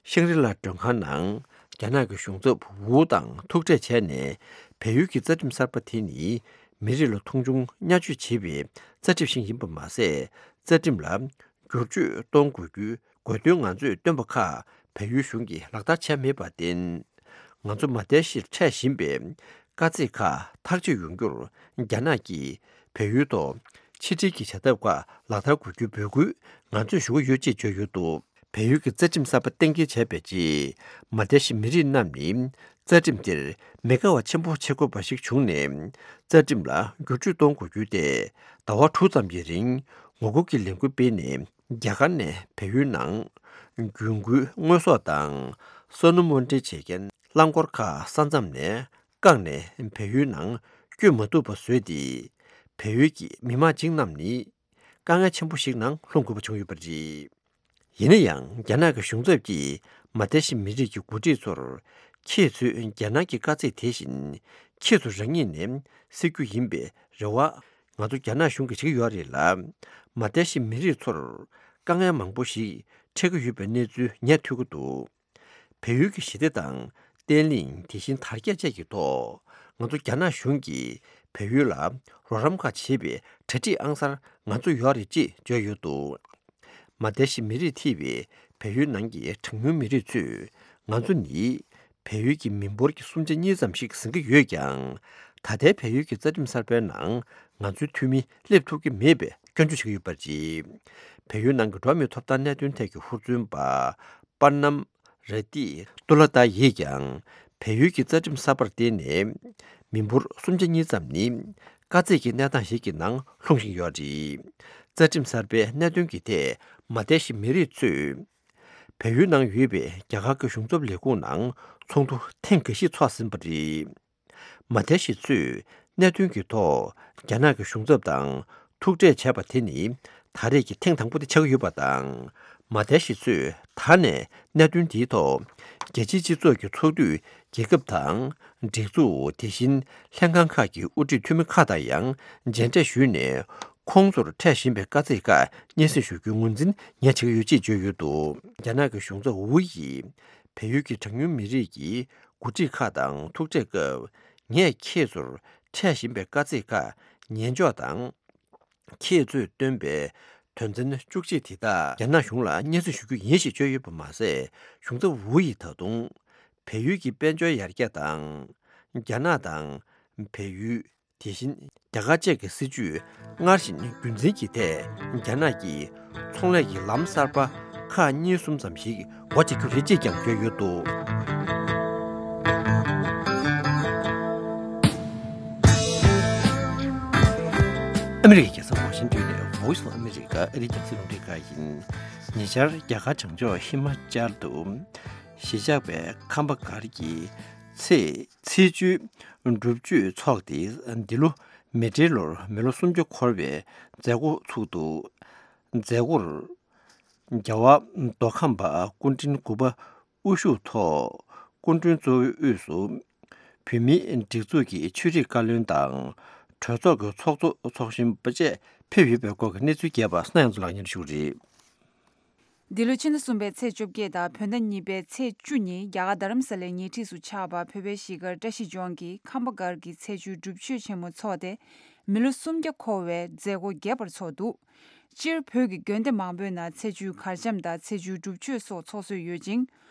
ཤང་རི་ལ་མགྲོན་ཁང་ནང་རྒྱ་ནག་གི་གཞུང་ཚབ་ཝུའུ་དང་ཐུག་འཕྲད་བྱས་ནས། བལ་ཡུལ་གྱི་རྩ་ཁྲིམས་གསར་པ་དེ་ནི་མི་རིགས་ལ་མཐོང་ཆུང་བརྙས་བཅོས་བྱེད་པའི་རྩ་ཁྲིམས་ཤིག་ཡིན་པ་མ་ཟད། རྩ་ཁྲིམས་ལ་བསྒྱུར་བཅོས་གཏོང་དགོས་རྒྱུའི་དགོས་འདུན་ང་ཚོས་བཏོན་པ་ཁག་བལ་ཡུལ་གཞུང་གིས་ལག་བསྟར་བྱས་མེད་པར་བརྟེན། ང་ཚོ་མ་ཏེ་ཤིར་འཕྲད་བཞིན་པའི་དཀའ་ཚེགས་ཁག་ཐག་གཅོད་ཡོང་རྒྱུར་རྒྱ་ནག་གིས་བལ་ཡུལ་ཐོག་ཕྱི་འབྲེལ་གྱི་བྱ་ཐབས་ཁག་ལག་བསྟར་དགོས་རྒྱུའི་འབོད་སྐུལ་ང་ཚོས་ཞུ་གི་ཡོད་ཅེས་བརྗོད་ཡོད་འདུག་བལ་ཡུལ་གྱི་རྩ་ཁྲིམས་གསར་པ་གཏན་འཁེལ་བྱས་པའི་རྗེས། མ་ཏེ་ཤི་མི་རིགས་རྣམས་ནི་རྩ་ཁྲིམས་དེར་མི་དགའ་བ་ཆེན་པོ་བྱེད་དགོས་པ་ཞིག་བྱུང་ནས། རྩ་ཁྲིམས་ལ་བསྒྱུར་བཅོས་གཏོང་དགོས་རྒྱུ་དེ་ཟླ་བ་དྲུག་ཙམ་གྱི་རིང་ངོ་རྒོལ་གྱི་ལས་འགུལ་སྤེལ་ནས། རྒྱ་གར་ནས་བལ་ཡུལ་ནང་རྒྱུན་མཁོའི་དངོས་ཟོག་དང་སོ་ནུ་དབོར་འདྲེན་བྱེད་མཁན་རླངས་འཁོར་ཁག་ས་མཚམས་ནས་བཀག་ནས་བལ་ཡུལ་ནང་བསྐྱོད་མ་ཐུབ་པ་བཟོས་ཏེ། བལ་ཡུལ་གྱི་མི་མང་ཅིག་རྣམས་ནི། དཀའ་ངལ་ཆེན་པོ་ཞིག་ནང་ལྷུང་དགོས་པ་བྱུང་ཡོད་པ་རེད། ཡིན་ན་ཡང་། རྒྱ་ནག་གི་གཞུང་ཚབ་ཀྱིས་མ་ཏེ་ཤི་མི་རིགས་ཀྱི་འགོ་ཁྲིད་ཚོར། ཁྱེད་ཚོས་རྒྱ་ནག་གི་དཀའ་ཚེགས་དེ་བཞིན་ཁྱེད་ཚོ་རང་ཉིད་ནས་སེལ་རྒྱུ་ཡིན་པའི་རེ་བ་ང་ཚོ་རྒྱ་ནག་གཞུང་གིས་བྱེད་ཀྱི་ཡོད་རེད་ལ། མ་ཏེ་ཤི་མི་རིགས་ཚོར་དཀའ་ངལ་མང་པོ་ཞིག་འཕྲད་ཀྱི་ཡོད་པའི་གནས་ཚུལ་ངས་ཐོས་ཀྱི་འདུག་བལ་ཡུལ་གྱི་ཞི་བདེ་དང་བརྟན་ལྷིང་། དེ་བཞིན་དར་རྒྱས་བཅས་ཀྱི་ཐོག་ང་ཚོ་རྒྱ་ནག་གཞུང་གིས་བལ་ཡུལ་ལ་རོགས་རམ་ཁག་བྱེད་པའི་གྲ་སྒྲིག་ཨང་གསར་ང་ཚོ་ཡོད་རེད་ཅེས་བརྗོད་ཡོད་འདུག་མ་ཏེ་ཤི་མི་རིགས་ཐེ་བའི་བལ་ཡུལ་ནང་གི་གྲངས་ཉུང་མི་རིགས་ཚོས། ང་ཚོ་ནི་བལ་ཡུལ་གྱི་མི་འབོར་གྱི་སུམ་ཆ་གཉིས་ཙམ་ཞིག་ཟིན་གྱི་ཡོད་ཀྱང་། ད་ལྟའི་བལ་ཡུལ་གྱི་རྩ་ཁྲིམས་གསར་པའི་ནང་ང་ཚོའི་འཐུས་མི་སླེབས་ཐུབ་ཀྱི་མེད་པའི་སྐྱོན་བརྗོད་བྱེད་ཀྱི་ཡོད་པ་རེད། བལ་ཡུལ་ནང་གི་འགྲོ་བ་མིའི་ཐོབ་ཐང་གནད་དོན་ཐད་ཀྱི་ཧུར་བརྩོན་པ་པར་ནམ་རེ་ཏི་ཏུ་ལ་ཏཱ་ཡིས་ཀྱང་། བལ་ཡུལ་གྱི་རྩ་ཁྲིམས་གསར་པར་བརྟེན་ནས། མི་འབོར་སུམ་ཆ་གཉིས་ཙམ་ནི། དཀའ་ཚེགས་ཀྱི་གནས་སྟངས་ཤིག་གི་ནང་ལྷུང་བཞིན་ཡོད་རེད། རྩ་ཁྲིམས་གསར་པའི་གནད་དོན་གྱི་ཐད། མ་ཏེ་ཤི་མི་རིགས་ཚོས། བལ་ཡུལ་ནང་ཡོད་པའི་རྒྱ་གར་གྱི་གཞུང་ཚབ་ལས་ཁུངས་ནང་ཚོགས་འདུ་ཐེངས་འགའ་ཞིག་ཚོགས་ཟིན་པ་རེད། མ་ཏེ་ཤི་ཚོས་གནད་དོན་གྱི་ཐོག་རྒྱ་ནག་གི་གཞུང་ཚབ་དང་ཐུག་འཕྲད་བྱས་པ་དེ་ནི་ད་རེས་ཀྱི་ཐེངས་དང་པོ་དེ་ཆགས་ཀྱི་ཡོད་པ་དང་། མ་ཏེ་ཤི་ཚོས་ད་ནས་གནད་དོན་འདིའི་ཐོག་རྒྱལ་སྤྱིའི་སྤྱི་ཚོགས་ཀྱི་ཚོགས་འདུས་རྒྱལ་ཁབ་དང་སྒྲིག་འཛུགས། དེ་བཞིན་ལྷན་ཁང་ཁག་གི་དབུ་ཁྲིད་འཐུས་མི་ཁག་དང་ཡང་མཇལ་འཕྲད་ཞུས་ནས། ཁོང་ཚོར་འཕྲད་བཞིན་པའི་དཀའ་ཚེགས་ཁག་སྙན་སེང་ཞུ་རྒྱུའི་ངོས་འཛིན་ངས་བྱེད་ཀྱི་ཡོད་ཅེས་བརྗོད་ཡོད་འདུག་རྒྱ་ནག་གི་གཞུང་ཚབ་ཝུ་ཡིས་བལ་ཡུལ་གྱི་གྲངས་ཉུང་མི་རིགས་ཀྱི་འགོ་ཁྲིད་ཁག་དང་ཐུག་འཕྲད་སྐབས། ངས་ཁྱེད་ཚོར་འཕྲད་བཞིན་པའི་དཀའ་ཚེགས་ཁག་ཉན་འཇོག་དང་། ཁྱེད་ཚོས་བཏོན་པའི་དོན་ཚན་བཅུ་གཅིག་དེ་དག་རྒྱ་ནག་གཞུང་ལ་སྙན་སེང་ཞུ་རྒྱུ་ཡིན་ཞེས་བརྗོད་ཡོད་པ་མ་ཟད། གཞུང་ཚབ་ཝུ་ཡིས་ད་དུང་བལ་ཡུལ་གྱི་དཔལ་འབྱོར་ཡར་རྒྱས་དང་། རྒྱ་ནག་དང་བལ་ཡུལ། དེ་བཞིན་རྒྱ་གར་བཅས་ཀྱི་སྲིད་ཇུས་སྔར་བཞིན་རྒྱུན་འཛིན་གྱི་ཐད། རྒྱ་ནག་གིས་ཚོང་ལས་ཀྱི་ལམ་གསར་པ་ཁག་གཉིས་གསུམ་ཙམ་ཞིག་སྒོ་འབྱེད་རྒྱུ་རེད་ཅེས་ཀྱང་བརྗོད་ཡོད་འདུག་ཨ་མི་རི་ཀའི་རྒྱལ་ས་ཝ་ཤིང་ཏོན་ནས་Voice of America ཨ་རིའི་རྒྱང་སྲིང་རླུང་འཕྲིན་ཁང་ཡིན། ཉེ་ཆར་རྒྱ་གར་བྱང་ཕྱོགས་ཧི་མ་ཅལ་དུ་གཞིས་ཆགས་པའི་ཁམས་པ་སྒར་གྱི་ཚེས་ཚེས་བཅུའི་སྒྲུབ་མཆོད་འཚོགས་ཏེ། འདི་ལོ་མེ་སྤྲེལ་ལོར་མི་ལོ་སུམ་ཅུ་འཁོར་བའི་མཛད་སྒོ་ཚུགས་འདུག་མཛད་སྒོར་རྒྱལ་བ་མདོ་ཁམས་པ་སྐུ་ཕྲེང་དགུ་པ་དབུ་བཞུགས་ཐོག་སྐུ་མགྲོན་གཙོ་བོའི་དབུས་སུ་བོད་མིའི་སྒྲིག་འཛུགས་ཀྱི་ཆོས་རིག་བཀའ་བློན་དང་། གྲོས་ཚོགས་ཀྱི་ཚོགས་གཙོ་ཚོགས་གཞོན་པ་བཅས་ཕེབས་ཡོད་པའི་སྐོར་གྱི་གནས་ཚུལ་རྒྱས་པ་གསན་ཡོང་ཚུལ་ལག་གཉེར་ཞུ་གི་རེད། འདི་ལོ་ཕྱི་ཟླ་གསུམ་པའི་ཚེས་བཅོ་བརྒྱད་དང་བོད་ཟླ་གཉིས་པའི་ཚེས་བཅུ་ཉིན་རྒྱ་གར་རྡ་རམ་ས་ལའི་ཉེ་འཁྲིས་སུ་ཆགས་པ་བོད་པའི་གཞིས་སྒར་བཀྲ་ཤིས་ལྗོངས་ཀྱི་ཁམས་པ་སྒར་གྱི་ཚེས་བཅུའི་སྒྲུབ་མཆོད་ཆེན་མོ་འཚོགས་ཏེ། མི་ལོ་སུམ་བརྒྱ་འཁོར་བའི་མཛད་སྒོ་རྒྱས་པར་ཚོགས་འདུག་སྤྱིར་བོད་ཀྱི་དགོན་སྡེ་མང་པོའི་ནང་ཚེས་བཅུའི་གར་འཆམ་དང་ཚེས་བཅུའི་སྒྲུབ་མཆོད་སོགས་ཚོགས་སྲོལ་ཡོད་ཅིང་།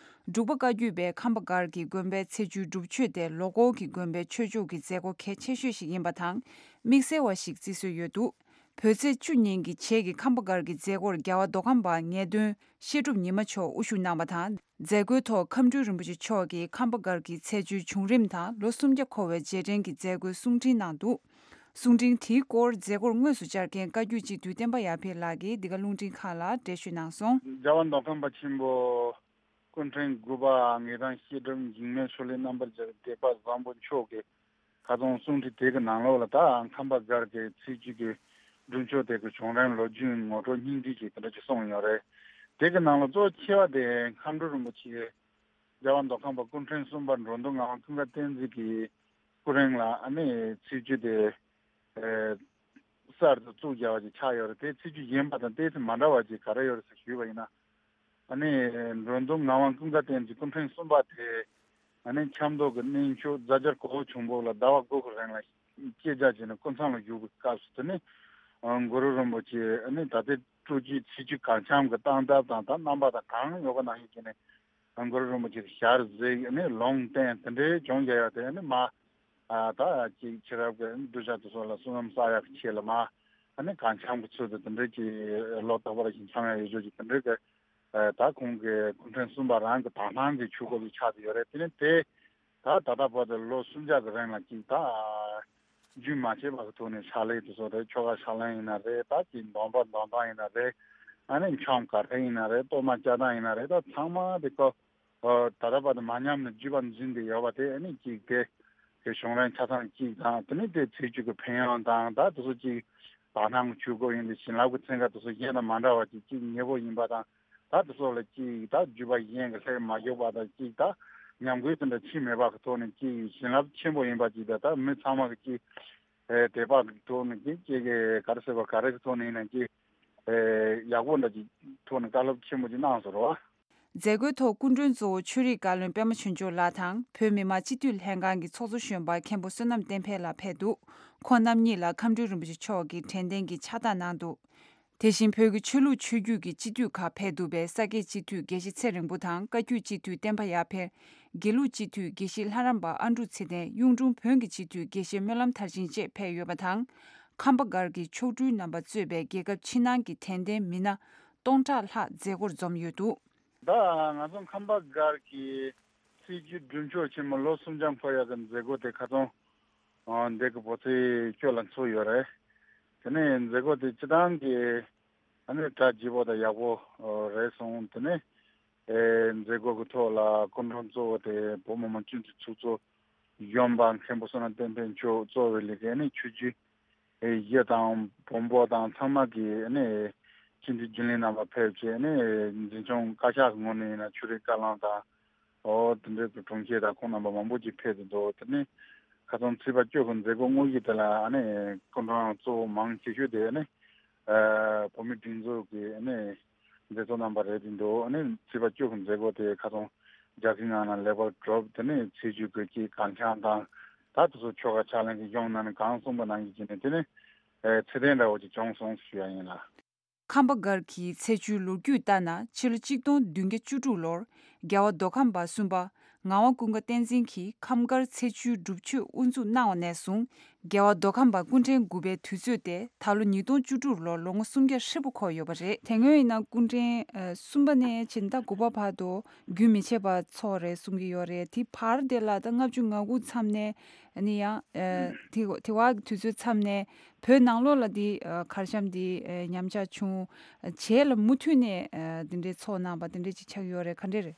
འབྲུག་པ་བཀའ་བརྒྱུད་པའི་ཁམས་པ་སྒར་གྱི་དགོན་པའི་ཚེས་བཅུའི་སྒྲུབ་མཆོད་དེ་ལོ་འཁོར་གྱི་དགོན་པའི་ཆོས་ཕྱོགས་ཀྱི་མཛད་སྒོ་གལ་ཆེ་ཤོས་ཤིག་ཡིན་པ་དང་། དམིགས་བསལ་བ་ཞིག་བརྩི་སྲོལ་ཡོད་འདུག་བོད་ཚེས་བཅུ་ཉིན་གྱི་བྱེས་ཀྱི་ཁམས་པ་སྒར་གྱི་མཛད་སྒོར་རྒྱལ་བ་མདོ་ཁམས་པ་ངེས་དོན་བཤད་སྒྲུབ་ཉི་མ་མཆོག་དབུ་བཞུགས་གནང་བ་དང་། མཛད་སྒོའི་ཐོག་ཁམས་སྤྲུལ་རིན་པོ་ཆེ་མཆོག་གིས་ཁམས་པ་སྒར་གྱི་ཚེས་བཅུའི་བྱུང་རིམ་དང་ལོ་སུམ་བརྒྱ་འཁོར་བའི་རྗེས་དྲན་གྱི་མཛད་སྒོའི་གསུང་འཕྲིན་གནང་འདུག་གསུང་འཕྲིན་དེའི་སྐོར་མཛད་སྒོར་དངོས་སུ་བཅར་མཁན་བཀའ་བརྒྱུད་སྤྱི་འཐུས་བསྟན་པ་ཡར་འཕེལ་ལགས་ཀྱིས་འདི་ག་རླུང་འཕྲིན་ཁང་ལ་འགྲེལ་བརྗོད་གནང་སོང་། རྒྱལ་བ་མདོ་ཁམས་པ་ཆེན་པོ་སྐུ་ཕྲེང་དགུ་པ་ངེས་དོན་བཤད་སྒྲུབ་འཇིགས་མེད་ཆོས་གླིང་རྣམ་པར་རྒྱལ་བའི་སྡེ་པ་བཟང་པོ་མཆོག་གིས་ཁ་སང་གསུང་འཕྲིན་དེ་གི་ནང་ལོགས་ལ་ད་ཁམས་པ་སྒར་གྱི་ཚེས་བཅུ་གི་སྒྲུབ་མཆོད་དེ་གི་བྱུང་རིམ་ལོ་རྒྱུས་ངོ་སྤྲོད་སྙིང་བསྡུས་ཅིག་དེ་འདྲ་ཅིག་གསུངས་ཡོད་རེད། དེ་གི་ནང་ལ་གཙོ་ཆེ་བ་དེ་ཁམས་སྤྲུལ་རིན་པོ་ཆེ་རྒྱལ་བ་མདོ་ཁམས་པ་སྐུ་ཕྲེང་གསུམ་པ་འགྲོ་འདུལ་ངག་དབང་ཀུན་དགའ་བསྟན་འཛིན་གྱི་སྐུ་རིང་ལ་ཨ་ནི་ཚེས་བཅུ་དེ་གསར་དུ་བཙུགས་རྒྱག་པ་ཅིག་ཆགས་ཡོད་རེད། དེ་ཚེས་བཅུ་གཞན་པ་དང་ཏོག་ཙམ་མ་འདྲ་བ་ཅིག་ག་རེ་ཡོད་རེད་ཟེར་ཞུས་པ་ཡིན་ན། ཨ་ནི་འགྲོ་འདུལ་ངག་དབང་ཀུན་དགའ་བསྟན་འཛིན་སྐུ་ཕྲེང་གསུམ་པ་དེ་ཨ་ནི་ཆབ་མདོ་གི་གནས་མཆོག་རྫ་སྦྱར་གོ་བོ་ཆུང་པོ་ལ་ཟླ་བ་དགུ་གི་རིང་ལ་སྐྱེལ་རྒྱ་བྱས་ནས་སྐུ་མཚམས་ལ་བཞུགས་པའི་སྐབས་སུ་དེ་ནི་གུ་རུ་རིན་པོ་ཆེ་ཨ་ནི་ད་ལྟའི་སྤྲོ་སྐྱིད་ཚེས་བཅུ་གར་འཆམ་གྱི་སྟངས་སྟབས་དང་ད་རྣམ་པ་དང་གང་ཡོད་པ་ནང་བཞིན་བྱས་ནས་གུ་རུ་རིན་པོ་ཆེ་ཞལ་གཟིགས་ཨ་ནི་ལུང་བསྟན་དེ་འདྲའི་བྱུང་རྒྱ་ཡོད་དེ་ཨ་ནི་མ། ཨ་ད་ཅིག་ཕྱི་རབས་ཀྱི་གདུལ་བྱ་དེ་ཚོ་ལ་བསོད་ནམས་བསགས་ཡག་གི་ཆེད་ལ་མ་ཨ་ནི་གར་འཆམ་གྱི་ཚུལ་དུ་དེ་འདྲའི་ཅིག་ལོ་རྟག་པར་ཞིག་འཆམ་ཡག་ཡོད་ཆོག་ཅིག་དེ་འདྲའི་གི་ཨ་ད་ཁོང་གི་སྐུ་ཕྲེང་གསུམ་པ་རང་གི་དག་སྣང་གི་ཆོས་སྐོར་ཅིག་ཆགས་བསྡད་ཡོད་རེད། དེ་ནི་དེ་ད་ད་ལྟ་བར་དུ་ལོ་སུམ་བརྒྱ་གི་རིང་ལ་ཅིག་ད་རྒྱུན་མ་ཆད་པ་གི་ཐོག་ནས་ཕྱག་ལས་དེ་ཚོ་རེད། ཆོ་ག་ཕྱག་ལེན་ཡིན་ན་རེད། ད་ཅིག་འདོན་པ་འདོན་སྟངས་ཡིན་ན་རེད། ཨ་ནི་འཆམ་ག་རེ་ཡིན་ན་རེད། གཏོར་མ་བཅའ་སྟངས་ཡིན་ན་རེད། ད་ཚང་མ་དེ་ཀོ་ཨོ་ད་ལྟ་བར་དུ་མ་ཉམས་ནས་བརྒྱུད་པ་འཛིན་བསྡད་ཡོད་པ་དེ་ཨ་ནི་གཅིག་དེ་གི་བྱུང་རིམ་ཆ་ཚང་གཅིག་དང་། དེ་ནི་དེ་ཚེས་བཅུ་གི་ཕན་ཡོན་དང་ད་དེ་ཚོ་གཅིག་དག་སྣང་གི་ཆོས་སྐོར་ཡིན་དུས་བྱིན་རླབས་ཀྱི་ཚན་ཁ་དེ་ཚོ་གཞན་དང་མ་འདྲ་བ་གཅིག་གཅིག་ཉེ་པོ་ཡིན་པ་དང་། ད་དེ་ཚོ་ལ་གཅིག་ད་བརྒྱུད་པ་གཞན་གྱི་ལྷད་མ་ཞུགས་པ་དང་གཅིག་ད་ཉམས་རྒུད་དེ་འདྲ་ཕྱིན་མེད་པ་གི་ཐོག་ནས་གཅིག་བྱིན་རླབས་ཆེན་པོ་ཡིན་པ་གཅིག་དང་། ད་མི་ཚང་མ་གི་གཅིག་ཨེ་དད་པ་གི་ཐོག་ནས་གཅིག་གཅིག་གི་ག་རེ་ཟེར་བ་ག་རེ་གི་ཐོག་ནས་ཡིན་ན་གཅིག་ཨེ་ཡག་པོ་འདྲ་གཅིག་ཐོག་ནས་བཀའ་སློབ་ཆེན་པོ་ཅིག་གནང་སོང་རེད་བ། མཛད་སྒོའི་ཐོག་སྐུ་མགྲོན་གཙོ་བོ་ཆོས་རིག་བཀའ་བློན་པད་མ་ཆོས་འབྱོར་ལགས་དང་བོད་མི་མང་སྤྱི་འཐུས་ལྷན་ཁང་གི་ཚོགས་གཙོ་གཞོན་པ་མཁན་པོ་བསོད་ནམས་བསྟན་འཕེལ་ལགས་ཕེབས་འདུག་ཁོང་རྣམ་གཉིས་ལ་ཁམས་སྤྲུལ་རིན་པོ་ཆེ་མཆོག་གིས་དྲན་རྟེན་གྱི་ཕྱག་རྟགས་གནང་འདུག་དེ་བཞིན་བོད་ཀྱི་ཆོས་ལུགས་ཆོས་བརྒྱུད་ཀྱི་སྤྱི་འཐུས་ཁག་ཕེབས་འདུག་པས། ས་སྐྱའི་སྤྱི་འཐུས་དགེ་བཤེས་ཚེ་རིང་པོ་དང་བཀའ་བརྒྱུད་སྤྱི་འཐུས་བསྟན་པ་ཡར་འཕེལ། དགེ་ལུགས་སྤྱི་འཐུས་དགེ་བཤེས་ལྷ་རམས་པ་ཨ་འབྲུག་ཚེ་བརྟན། གཡུང་དྲུང་བོན་གྱི་སྤྱི་འཐུས་དགེ་བཤེས་སྨོན་ལམ་མཐར་ཕྱིན་བཅས་ཕེབས་ཡོད་པ་དང་། ཁམས་པ་སྒར་གྱི་མཆོག་སྤྲུལ་རྣམ་པ་གཙོས་པའི་རྒྱལ་ཁབ་ཕྱི་ནང་གི་དྲན་རྟེན་མི་སྣ་སྟོང་ཕྲག་ལྷག་མཛད་སྒོར་འཛོམས་ཡོད་འདུག་ད་ང་ཚོ་ཁམས་པ་སྒར་གྱི་ཚེས་བཅུ་སྒྲུབ་མཆོད་ཆེན་མོ་ལོ་སུམ་བརྒྱ་འཁོར་ཡག་གི་མཛད་སྒོ་དེ་ཁ་སང་འདི་གི་བོད་ཚེས་བཅུ་ལ་ཚོགས་ཡོད་རེད། དེ་ནས་མཛད་སྒོ་དེ་སྤྱི་བཏང་གི་ཨ་ནི་གྲ་རྒྱས་པོ་དང་ཡག་པོ་རེད་སོང་། དེ་ནས་ཨེ་མཛད་སྒོ་གི་ཐོག་ལ་སྐུ་མགྲོན་གཙོ་བོ་དེ་བོད་མི་མང་སྤྱི་འཐུས་ཚོགས་གཙོ་གཞོན་པ་མཁན་པོ་བསོད་ནམས་བསྟན་འཕེལ་མཆོག་གཙོ་བའི་ལས་ཀའི་ཨ་ནི་ཆོས་བརྒྱུད་ཨེ་གཞི་དང་བོན་པོ་དང་ཚང་མ་གི་ཨ་ནི་སྤྱི་འཐུས་རྒྱུན་ལས་རྣམ་པ་ཕེབས་བྱས་ཨ་ནི་འཛིན་སྐྱོང་བཀའ་ཤག་གི་ངོས་ནས་ཡིན་ན་ཆོས་རིག་བཀའ་བློན་དང་ཨོ་དེ་འདྲའི་གི་དྲུང་ཆེ་དང་ཁོང་རྣམ་པ་མང་པོ་ཅིག་ཕེབས་ཏེ་འདུག་དེ་ནི་ཁ་སང་ཚེས་པ་བཅུ་གི་མཛད་སྒོ་དངོས་གཞི་དེ་ལ་ཨ་ནི་སྐུ་མགྲོན་གཙོ་བོ་མང་ཆེ་ཤོས་དེ་ཨ་ནི་ཨ་བོད་མིའི་སྒྲིག་འཛུགས་ཀྱི་ཨ་ནི་མཛད་གཙོ་རྣམ་པ་རེད་དེ་འདུག་ཨ་ནི་ཚེས་པ་བཅུ་གི་མཛད་སྒོ་དེ་ཁ་སང་རྒྱལ་ཁའི་ངང་ནས་ལེགས་པར་གྲུབ། དེ་ནས་ཚེས་བཅུ་གི་གཅིག་གར་འཆམ་དང་ད་དེ་ཚོ་ཆོ་ག་ཕྱག་ལེན་གྱི་གཞུང་ནང་ནས་གང་གསུངས་པ་ནང་བཞིན་བྱས་ནས་དེ་ནི་ཨེ་ཚེ་ཐེངས་འདྲ་བོ་ཅིག་བྱུང་སོང་ཞུ་ཡ་ཡིན་ལ། ཁམས་པ་སྒར་གྱི་ཚེས་བཅུའི་ལོ་རྒྱུས་ལྟར་ན་ཕྱི་ལོ་གཅིག་སྟོང་བདུན་བརྒྱ་བཅུ་དྲུག་ལོར་རྒྱལ་བ་མདོ་ཁམས་པ་གསུམ་པ་ངག་དབང་ཀུན་དགའ་བསྟན་འཛིན་གྱིས་ཁམས་སྒར་ཚེས་བཅུའི་སྒྲུབ་མཆོད་དབུ་འཛུགས་གནང་བ་ནས་བཟུང་རྒྱལ་བ་མདོ་ཁམས་པ་སྐུ་ཕྲེང་དགུ་པའི་དུས་ཚོད་དེ་ད་ལོ་ཉིས་སྟོང་བཅུ་དྲུག་ལོར་ལོ་ངོ་སུམ་བརྒྱ་ཧྲིལ་པོ་འཁོར་ཡོད་པ་རེད། དེ་སྔོན་ཡིན་ན་སྐུ་ཕྲེང་ཨ་གསུམ་པ་ནས་ཕྱིན་ད་དགུ་པ་བར་དུ་རྒྱུན་མི་ཆད་པར་འཚོགས་རེད་གསུང་གི་ཡོད་རེད། དེ་བར་དེ་ལ་ད་ལྔ་བཅུ་ང་དགུ་མཚམས་ནས་ཨ་ནི་ཡང་ཨ་དེ་དེ་བར་གྱི་དུས་ཚོད་མཚམས་ནས་བོད་ནང་ལོགས་ལ་དེ་ཨ་གར་འཆམ་དེ་ཨ་ཉམས་ཆག་བྱུང་། རྗེས་ལ་མུ་མཐུད་ནས་ཨ་དེ་འདྲའི་འཚོགས་གནང་པ་དེ་འདྲའི་ཅིག་ཆགས་ཡོད་རེད། ག་འདྲས་རེད།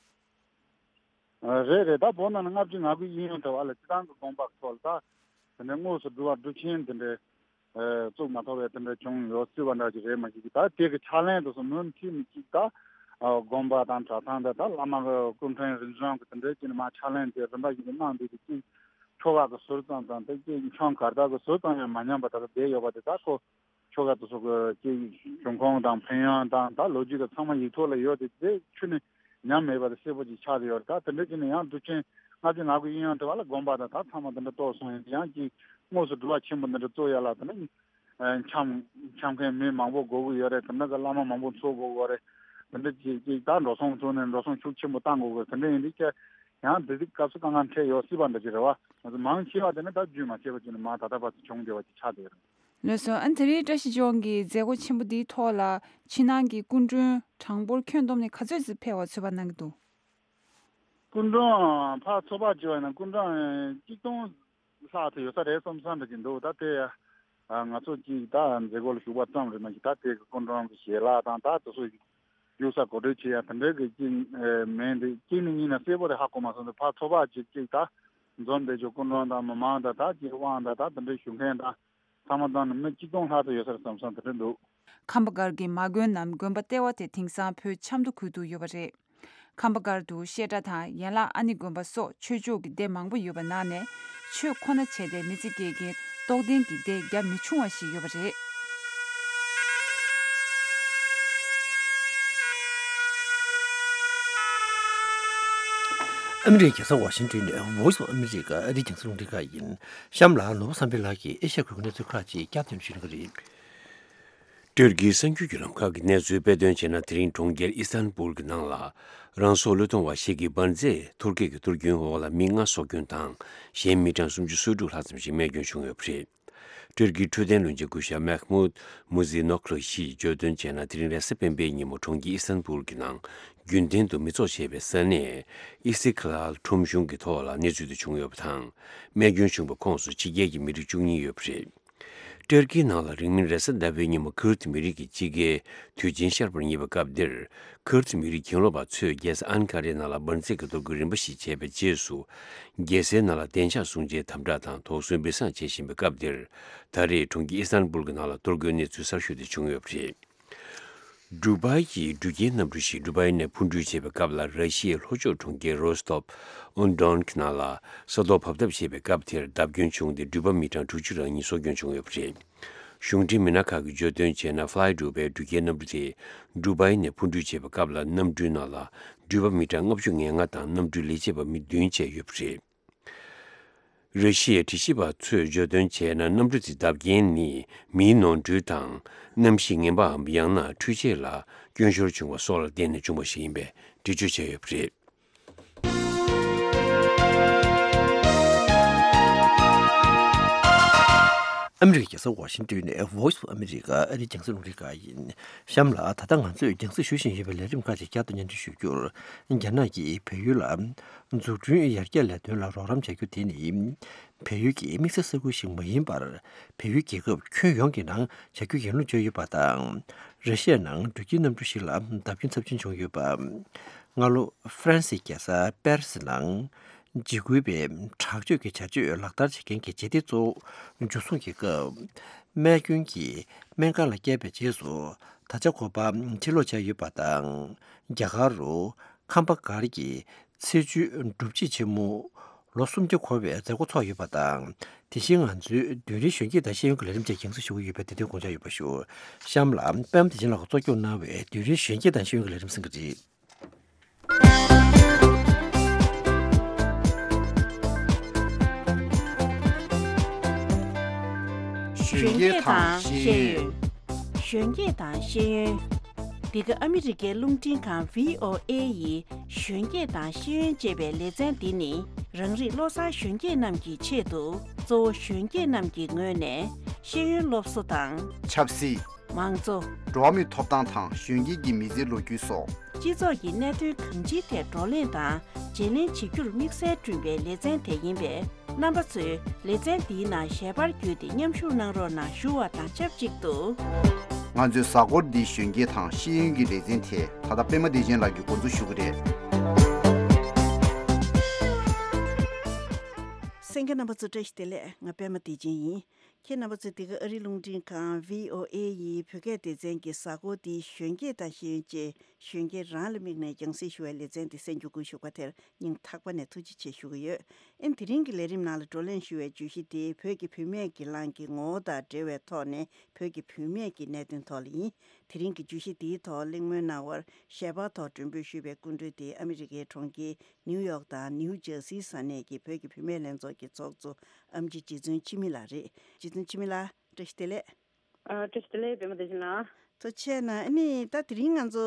ཨ་རེད་རེད། ད་བོད་ནང་ལ་ལྔ་བཅུ་ང་དགུ་ཡིན་ཡང་འདྲ་བ་ལ་སྤྱི་བཏང་གི་དགོངས་པ་ཐོག་ལ་ད་དེ་འདྲའི་དངོས་སུ་སྒྲུབ་པ་སྒྲུབ་ཆེན་དེ་འདྲའི་ཨ་བཙུགས་མ་ཐུབ་པའི་དེ་འདྲ་བྱུང་ཡོད་སྲིད་པ་འདྲ་ཅིག་རེད། མ་གཞི་གི་ད་དེ་གི་ཕྱག་ལེན་དེ་ཚོ་མུ་མཐུད་ནས་ཅིག་ད་ཨ་དགོན་པ་དང་གྲྭ་ཚང་དང་ད་བླ་མ་གི་སྐུ་ཕྲེང་རིམ་བྱོན་གི་དེ་འདྲའི་ཅིག་ནས་མ་ཕྱག་ལེན་དེ་རིམ་པ་བཞིན་དུ་གནང་བསྡད་དེ་ཅིག་ཆོ་ག་གི་ཟུར་ཙམ་དང་དེ་ཅིག་འཆམ་གར་སྟེགས་གི་ཟུར་ཙམ་ཡང་མ་ཉམས་པ་ད་ག་བསྡད་ཡོད་པ་དེ་ད་ཁོ་ཆོ་ག་དེ་ཚོ་གི་ཅིག་བྱུང་ཁུངས་དང་ཕན་ཡོན་དང་ད་ལོ་རྒྱུས་དེ་ཚང་མ་ཡིག་ཐོག་ལ་ཡོད་དེ་དེ་ཁྱོན་ནས་ཉམས་མེད་པ་དེ་གསལ་པོ་ཅིག་ཆགས་ཏེ་ཡོད་རེད། ད་དེ་འདྲ་ཅིག་ནས་ཡང་སྒྲུབ་ཆེན་ ང་ཚོས་ང་ཚོའི་གཡས་གཡོན་དེ་བ་ལ་དགོན་པ་དང་ད་ཚང་མ་དེ་འདྲ་གཏོར་སོང་ཡིན། ཡང་ཅིག་དངོས་སུ་འགྲུལ་པ་ཆེན་པོ་འདི་འདྲ་གཏོར་ཡ་ལ་དེ་འདྲ་འཆམ་འཆམ་མཁན་མི་མང་པོ་དགོས་ཀྱི་ཡོད་རེད། དེ་འདྲ་གི་བླ་མ་མང་པོ་འཚོལ་དགོས་ཀྱི་ཡོད་རེད། དེ་འདྲ་ཅིག་ཅིག་ད་འགྲོ་སོང་བཙུགས་ནས་འགྲོ་སོང་ཤུགས་ཆེན་པོ་བཏང་དགོས་ཀྱི་ཡོད། དེ་འདྲ་ཡིན་དུས་ཀྱི་ཡང་དེ་དུས་སྐབས་སུ་དཀའ་ངལ་འཕྲད་ཡོད་སྲིད་པ་འདྲ་ཅིག་རེད་བ། ང་ཚོ་མང་ཆེ་བ་དེ་ནི་ད་རྒྱུས་མ་ཆད་པ་ཅིག་ནས་མ་ད་ལྟ་བར་དུ་བྱུང་བསྡད་པ་ཅིག་ཆགས་བསྡད་ཡོད་རེད། ལགས་སོ། ཨ་ནི་དེ་རིང་བཀྲ་ཤིས་ལྗོངས་ཀྱི་མཛད་སྒོ་ཆེན་པོ་འདིའི་ཐོག་ལ་ཕྱི་ནང་གི་སྐུ་མགྲོན་གྲངས་འབོར་ཁྱོན་བསྡོམས་ནས་ག་ཚོད་ཙམ་ཕེབས་པ་ཚོད་དཔག་གནང་གི་འདུག་སྐུ་མགྲོན་ཕར་ཚོད་དཔག་བྱས་པ་ཡིན་ན་སྐུ་མགྲོན་གཅིག་སྟོང་ལྷག་ཙམ་ཡོད་ས་རེད་བསམ་བསམ་འདྲ་ཅིག་འདུག་ད་དེ་ང་ཚོ་གཅིག་ད་མཛད་སྒོ་ལ་ཞུགས་པ་ཙམ་རེད་མ་གཞི་ད་དེ་གི་སྐུ་མགྲོན་གྱི་ཞལ་ལག་དང་ད་དེ་ཚོ་ཡོད་ས་གོ་སྒྲིག་བྱེད་ཡ་དེ་འདྲའི་གི་གཅིག་མིན་འདི་གཅིག་ནི་གཉིས་ན་གསལ་པོ་རེད་ཧ་གོ་མ་སོང་། དེ་ཕར་ཚོད་དཔག་ཅིག་གཅིག་ད་འཛོམས་བསྡད་ཆོག་སྐུ་མགྲོན་དང་མི་མང་དང་ད་གཅིག་དབང་དང་ད་དེ་འདྲའི་ཞུ་མཁན་དང་ཚང་མ་བཏང་ནས་མི་གཅིག་སྟོང་ལྷག་ཙམ་ཡོད་ས་རེད་བསམ་བསམ་དེ་འདྲ་འདུག་ཁམས་པ་སྒར་གྱི་མ་དགོན་ནམ་དགོན་པ་ལྟེ་བ་དེ་དེང་སང་བོད་ཆབ་མདོ་ཁུལ་དུ་ཡོད་པ་རེད། ཁམས་པ་སྒར་དུ་བཤད་གྲྭ་དང་ཡན་ལག་ཨ་ནེ་དགོན་པ་སོགས་ཆོས་ཕྱོགས་ཀྱི་སྡེ་མང་པོ་ཡོད་པ་ནང་ནས་ཆོས་ཁོ་ན་བྱས་ཏེ་མི་ཚེ་སྐྱེལ་མཁན་རྟོགས་ལྡན་གྱི་སྡེ་རྒྱ་མི་ཆུང་བ་ཞིག་ཡོད་པ་རེད། ཨ་མི་རི་ཀའི་རྒྱལ་ས་ཝ་ཤིང་ཏོན་ནས་Voice of America ཨ་རིའི་རྒྱང་སྲིང་རླུང་འཕྲིན་ཁང་ཡིན། གཤམ་ལ་ནོར་བུ་བསམ་འཕེལ་ལགས་ཀྱིས་ཨེ་ཤ་ཡའི་ཁུལ་གྱི་གནས་ཚུལ་ཁག་ཅིག་བསྐྱར་ཟློས་ཞུ་གི་རེད། ཏུར་ཀིའི་གསར་འགྱུར་བརྒྱུད་ལམ་ཁག་གི་གནས་ཚུལ་དཔེ་སྟོན་བྱས་ན། དེ་རིང་གྲོང་ཁྱེར་ཨི་སི་ཐན་བུལ་གྱི་ནང་ལ་རང་སྲོག་བློས་གཏོང་བ་ཞིག་གིས་འབར་རྫས་ཐུར་ཀི་གི་གཏོར་སྐྱོན་འོག་ལ་མི་ལྔ་སྲོག་སྐྱོན་དང་། གཞན་མི་གྲངས་སུམ་ཅུ་སོ་དྲུག་ལྷག་ཙམ་ཞིག་རྨས་སྐྱོན་བྱུང་ཡོད་པ་རེད། ཏུར་ཀིའི་འཕྲོད་བསྟེན་བློན་ཆེན་སྐུ་ཞབས་མེག་མུད་མུ་ཛི་ནོག་ལུ་ཞིས་བརྗོད་དོན་བྱས་ན། དེ་རིང་རེས་གཟའ་སྤེན་པའི་ཉིན་མོ་གྲོང་ཁྱེར་ཨི་སི་ཐན་བུལ་གྱི་ནང་རྒྱུན་ལྡན་དུ་མི་ཚོགས་བྱེད་པའི་ས་གནས་ཨི་སི་ཁི་ལཱལ་ཁྲོམ་གཞུང་གི་ཐོག་ལ་གནས་ཚུལ་དེ་བྱུང་ཡོད་པ་དང་། རྨས་སྐྱོན་བྱུང་བའི་ཁོངས་སུ་ཕྱི་རྒྱལ་གྱི་མི་རིགས་བཅུ་གཉིས་ཡོད་པ་རེད། ཏུར་ཀིའི་ནང་ལ་རིང་མིན་རེས་གཟའ་ཟླ་བའི་ཉིན་མོ་ཁུར་ཏི་མི་རིགས་ཀྱི་སྤྱི་སྒེར་དུས་ཆེན་ཤར་བར་བསྙད་པའི་སྐབས་འདིར། ཁུར་ཏི་མི་རིགས་གྱེན་ལོག་པ་ཚོས་རྒྱལ་ས་ཨན་ཀ་རའི་ནང་ལ་འབར་རྫས་ཀྱི་གཏོར་རྒོལ་རིམ་པ་ཞིག་བྱས་པའི་རྗེས་སུ། རྒྱལ་སའི་ནང་ལ་བདེ་འཇགས་སྲུང་བྱའི་དམ་དྲག་དང་དོགས་ཟོན་འབུད་གསང་བྱེད་བཞིན་པའི་སྐབས་འདིར། ད་རེས་གྲོང་ཁྱེར་ཨི་སི་ཐན་བུལ་གྱི་ནང་ལ་གཏོར་རྒོལ་གནས་ཚུལ་གསར་ཤོས་དེ་བྱུང་ཡོད་པ་རེད། ཌུ་བཱི་ཡི་འགྲུལ་སྐྱེལ་གནམ་གྲུ་ཞིག་ཌུ་བཱི་ནས་འཕུར་འགྲུལ་བྱེད་པའི་སྐབས་ལ། ར་ཤི་ཡའི་ལྷོ་ཕྱོགས་གྲོང་ཁྱེར་རོ་སི་ཏོབ་ཨོན་ཌོན་གྱི་ནང་ལ་ས་རྡོ་བབས་ཐབས་བྱས་པའི་སྐབས་དེར་བརྡབ་སྐྱོན་བྱུང་སྟེ། འགྲུལ་པ་མི་གྲངས་དྲུག་ཅུ་རང་གཉིས་སྲོག་སྐྱོན་བྱུང་ཡོད་པ་རེད། གཞུང་འབྲེལ་མི་སྣ་ཁག་གིས་བརྗོད་དོན་བྱས་ན། ཕ་ལའི་ཌུ་བཱི་འགྲུལ་སྐྱེལ་གནམ་གྲུ་དེ་ཌུ་བཱི་ནས་འཕུར་འགྲུལ་བྱེད་པའི་སྐབས་ལ། གནམ་གྲུའི་ནང་ལ་འགྲུལ་པ་མི་གྲངས་ལྔ་བཅུ་ང་ལྔ་དང་། གནམ་གྲུའི་ལས་བྱེད་པ་མི་བདུན་བཅས་ཡོད་པ་རེད། ར་ཤི་ཡའི་དྲི་ཞིབ་པ་ཚོས་བརྗོད་དོན་བྱས་ན། གནམ་གྲུ་དེའི་བརྡབ་རྐྱེན་ནི་མིའི་ནོར་འཁྲུལ་དང་། གནམ་གཤིས་ངན་པའམ་ཡང་ན་འཕྲུལ་ཆས་ལ་སྐྱོན་ཤོར་བྱུང་བ་སོགས་ལ་བརྟེན་ནས་བྱུང་བ་ཞིག་ཡིན་པའི་འགྲེལ་བརྗོད་བྱས་ཡོད་པ་རེད། ཨ་མི་རི་ཀའི་རྒྱལ་ས་ཝ་ཤིང་ཏོན་ནས་Voice of America ཨ་རིའི་རྒྱང་སྲིང་རླུང་འཕྲིན་ཁང་ཡིན། གཤམ་ལ་ད་ལྟ་ང་ཚོས་རྒྱང་སྲིང་ཞུ་བཞིན་ཡོད་པའི་ལས་རིམ་ཁག་ཅིག་བསྐྱར་དུ་སྙན་སྒྲོན་ཞུ་རྒྱུར། རྒྱ་ནག་གིས་བལ་ཡུལ་ལ་འཛུགས་སྐྲུན་ཡར་རྒྱས་ལས་དོན་ལ་རོགས་རམ་བྱ་རྒྱུ་དེ་ནི། བལ་ཡུལ་གྱི་དམིགས་བསལ་ས་ཁུལ་ཞིག་མ་ཡིན་པར། བལ་ཡུལ་རྒྱལ་ཁབ་ཁྱོན་ཡོངས་ཀྱི་ནང་བྱ་རྒྱུ་ཡིན་ལུགས་བརྗོད་ཡོད་པ་དང་། ར་ཤི་ཡའི་ནང་འགྲུལ་སྐྱེལ་གནམ་གྲུ་ཞིག་ལ་བརྡབ་སྐྱོན་ཚབས་ཆེན་བྱུང་ཡོད་པ། སྔ་ལོ་ཧྥ་རན་སིའི་རྒྱལ་ས་པེ་རི་སི་ནང་འཇིགས་སྐུལ་བའི་དྲག་སྤྱོད་ཀྱི་བྱ་སྤྱོད་ལག་བསྟར་བྱེད་མཁན་གྱི་ཇེ་ལྟའི་གཙོ་བོ་འཇུ་བཟུང་གི་སྐབས། རྨས་སྐྱོན་གྱིས་སྨན་ཁང་ལ་བསྐྱལ་བའི་རྗེས་སུ། ད་ཆ་ཁོ་པ་ཕྱིར་ལོག་བྱས་ཡོད་པ་དང་། རྒྱ་གར་རུ་ཁམས་པ་སྒར་གྱི་ཚེས་བཅུའི་སྒྲུབ་བྱེད་ཆེན་མོ་ལོ་སུམ་བརྒྱ་འཁོར་བའི་མཛད་སྒོ་ཚོགས་ཡོད་པ་དང་། དེ་བཞིན་ང་ཚོའི་རྡུལ་རིང་གཞོན་སྐྱེས་དང་ཤེས་ཡོན་གྱི་ལས་རིམ་བཅས་རྒྱང་སྲིང་ཞུ་གི་ཡོད་པས། དེ་དོན་དགོངས་འཇགས་ཡོད་པ་ཞུ། གཤམ་ལ་པད་མ་བདེ་ཆེན་ལགས་ཀྱིས་གཙོ་སྐྱོང་གནང་བའི་རྡུལ་རིང་གཞོན་སྐྱེས་དང་ཤེས་ཡོན་གྱི་ལས་རིམ་གསན་གྱི་རེད། གཞོན་སྐྱེས་དང་ཤེས་ཡོན། གཞོན་སྐྱེས་དང་ཤེས་ཡོན། འདི་ག་ཨ་མི་རི་ཀའི་རླུང་འཕྲིན་ཁང་བྷི་ཨོ་ཨེ་ཡི་གཞོན་སྐྱེས་དང་ཤེས་ཡོན་ཅེས་པའི་ལེ་ཚན་འདི་ནི་རང་རིགས་བློ་བཟང་གཞོན་སྐྱེས་རྣམས་ཀྱི་ཆེད་དུ། གཙོ་བོ་གཞོན་སྐྱེས་རྣམས་ཀྱི་ངོས་ནས་ཤེས་ཡོན་སློབ་གསོ་དང་། ཆབ་སྲིད། མང་གཙོ། འགྲོ་བ་མིའི་ཐོབ་ཐང་དང་གཞོན་སྐྱེས་ཀྱི་མི་ཚེའི་ལོ་རྒྱུས་སོགས། སྤྱི་ཚོགས་ཀྱི་གནད་དོན་གང་ཅིའི་ཐད་བགྲོ་གླེང་དང་བརྗེ་ལེན་བྱེད་རྒྱུར་དམིགས་བསལ་བསྐྲུན་པའི་ལེ་ཚན་དེ་ཡིན་པས། རྣམ་པ་ཚོས་ལེ་ཚན་འདིའི་ནང་ཞལ་པར་བརྒྱུད་དེ་མཉམ་ཞུགས་གནང་རོགས་གནང་ཞུ་བ་དང་ཆབས་ཅིག་ཏུ། ང་ཚོའི་གཟའ་འཁོར་འདིའི་གཞོན་སྐྱེས་དང་ཤེས་ཡོན་གྱི་ལེ་ཚན་དེ་ད་ལྟ་པད་མ་བདེ་ཆེན་ལགས་ཀྱིས་འགོ་འཛུགས་ཞུ་གི་རེད། གསན་མཁན་རྣམ་པ་ཚོ་བཀྲ་ཤིས་བདེ་ལེགས། ང་པད་མ་བདེ་ཆེན་ཡིན། ཁྱེད་རྣམ་པ་ཚོས་འདི་ག་ཨ་རིའི་རླུང་འཕྲིན་ཁང་བྷི་ཨོ་ཨེ་ཡི་བོད་སྐད་སྡེ་ཚན་གྱི་གཟའ་འཁོར་འདིའི་གཞོན་སྐྱེས་དང་ཤེས་ཡོན་ཅེས་ གཞོན་སྐྱེས་རང་ལ་དམིགས་ནས་རྒྱང་སྲིང་ཞུ་བའི་ལེ་ཚན་འདི་གསན་རྒྱུ་སྒུག་བཞུགས་པ་དེར་སྙིང་ཐག་པ་ནས་ཐུགས་རྗེ་ཆེ་ཞུ་གི་ཡོད། ཨེ་དེ་རིང་གི་ལས་རིམ་ནང་ལ་བགྲོ་གླེང་ཞུ་བའི་བརྗོད་གཞི་དེ་བོད་ཀྱི་བུད་མེད་སྒེར་ལངས་ཀྱི་ངོ་བོ་དང་འབྲེལ་བའི་ཐོག་ནས་བོད་ཀྱི་བུད་མེད་ཀྱི་གནད་དོན་ཐོག་ལ་ཡིན། དེ་རིང་གི་བརྗོད་གཞི་འདིའི་ཐོག་གླེང་མོལ་གནང་བར་ཞལ་པར་ཐོག་མགྲོན་འབོད་ཞུས་པའི་སྐུ་མགྲོན་དེ་ཨ་མི་རི་ཀའི་གྲོང་ཁྱེར་ནིའུ་ཡོག་དང་ནིའུ་ཇར་སིའི་ས་གནས་ཀྱི་བོད་ཀྱི་བུད་མེད་ལྷན་ཚོགས་ཀྱི་ཚོགས་གཙོ་ཨམ་ཆི་རྗེ་བཙུན་འཆི་མེད་ལགས་རེད། རྗེ་བཙུན་འཆི་མེད་ལགས། བཀྲ་ཤིས་བདེ་ལེགས། ཨ། བཀྲ་ཤིས་བདེ་ལེགས། པད་མ་བདེ་ཆེན་ལགས། ཐུགས་རྗེ་གནང་། ཨ་ནི་ད་དེ་རིང་ང་ཚོ་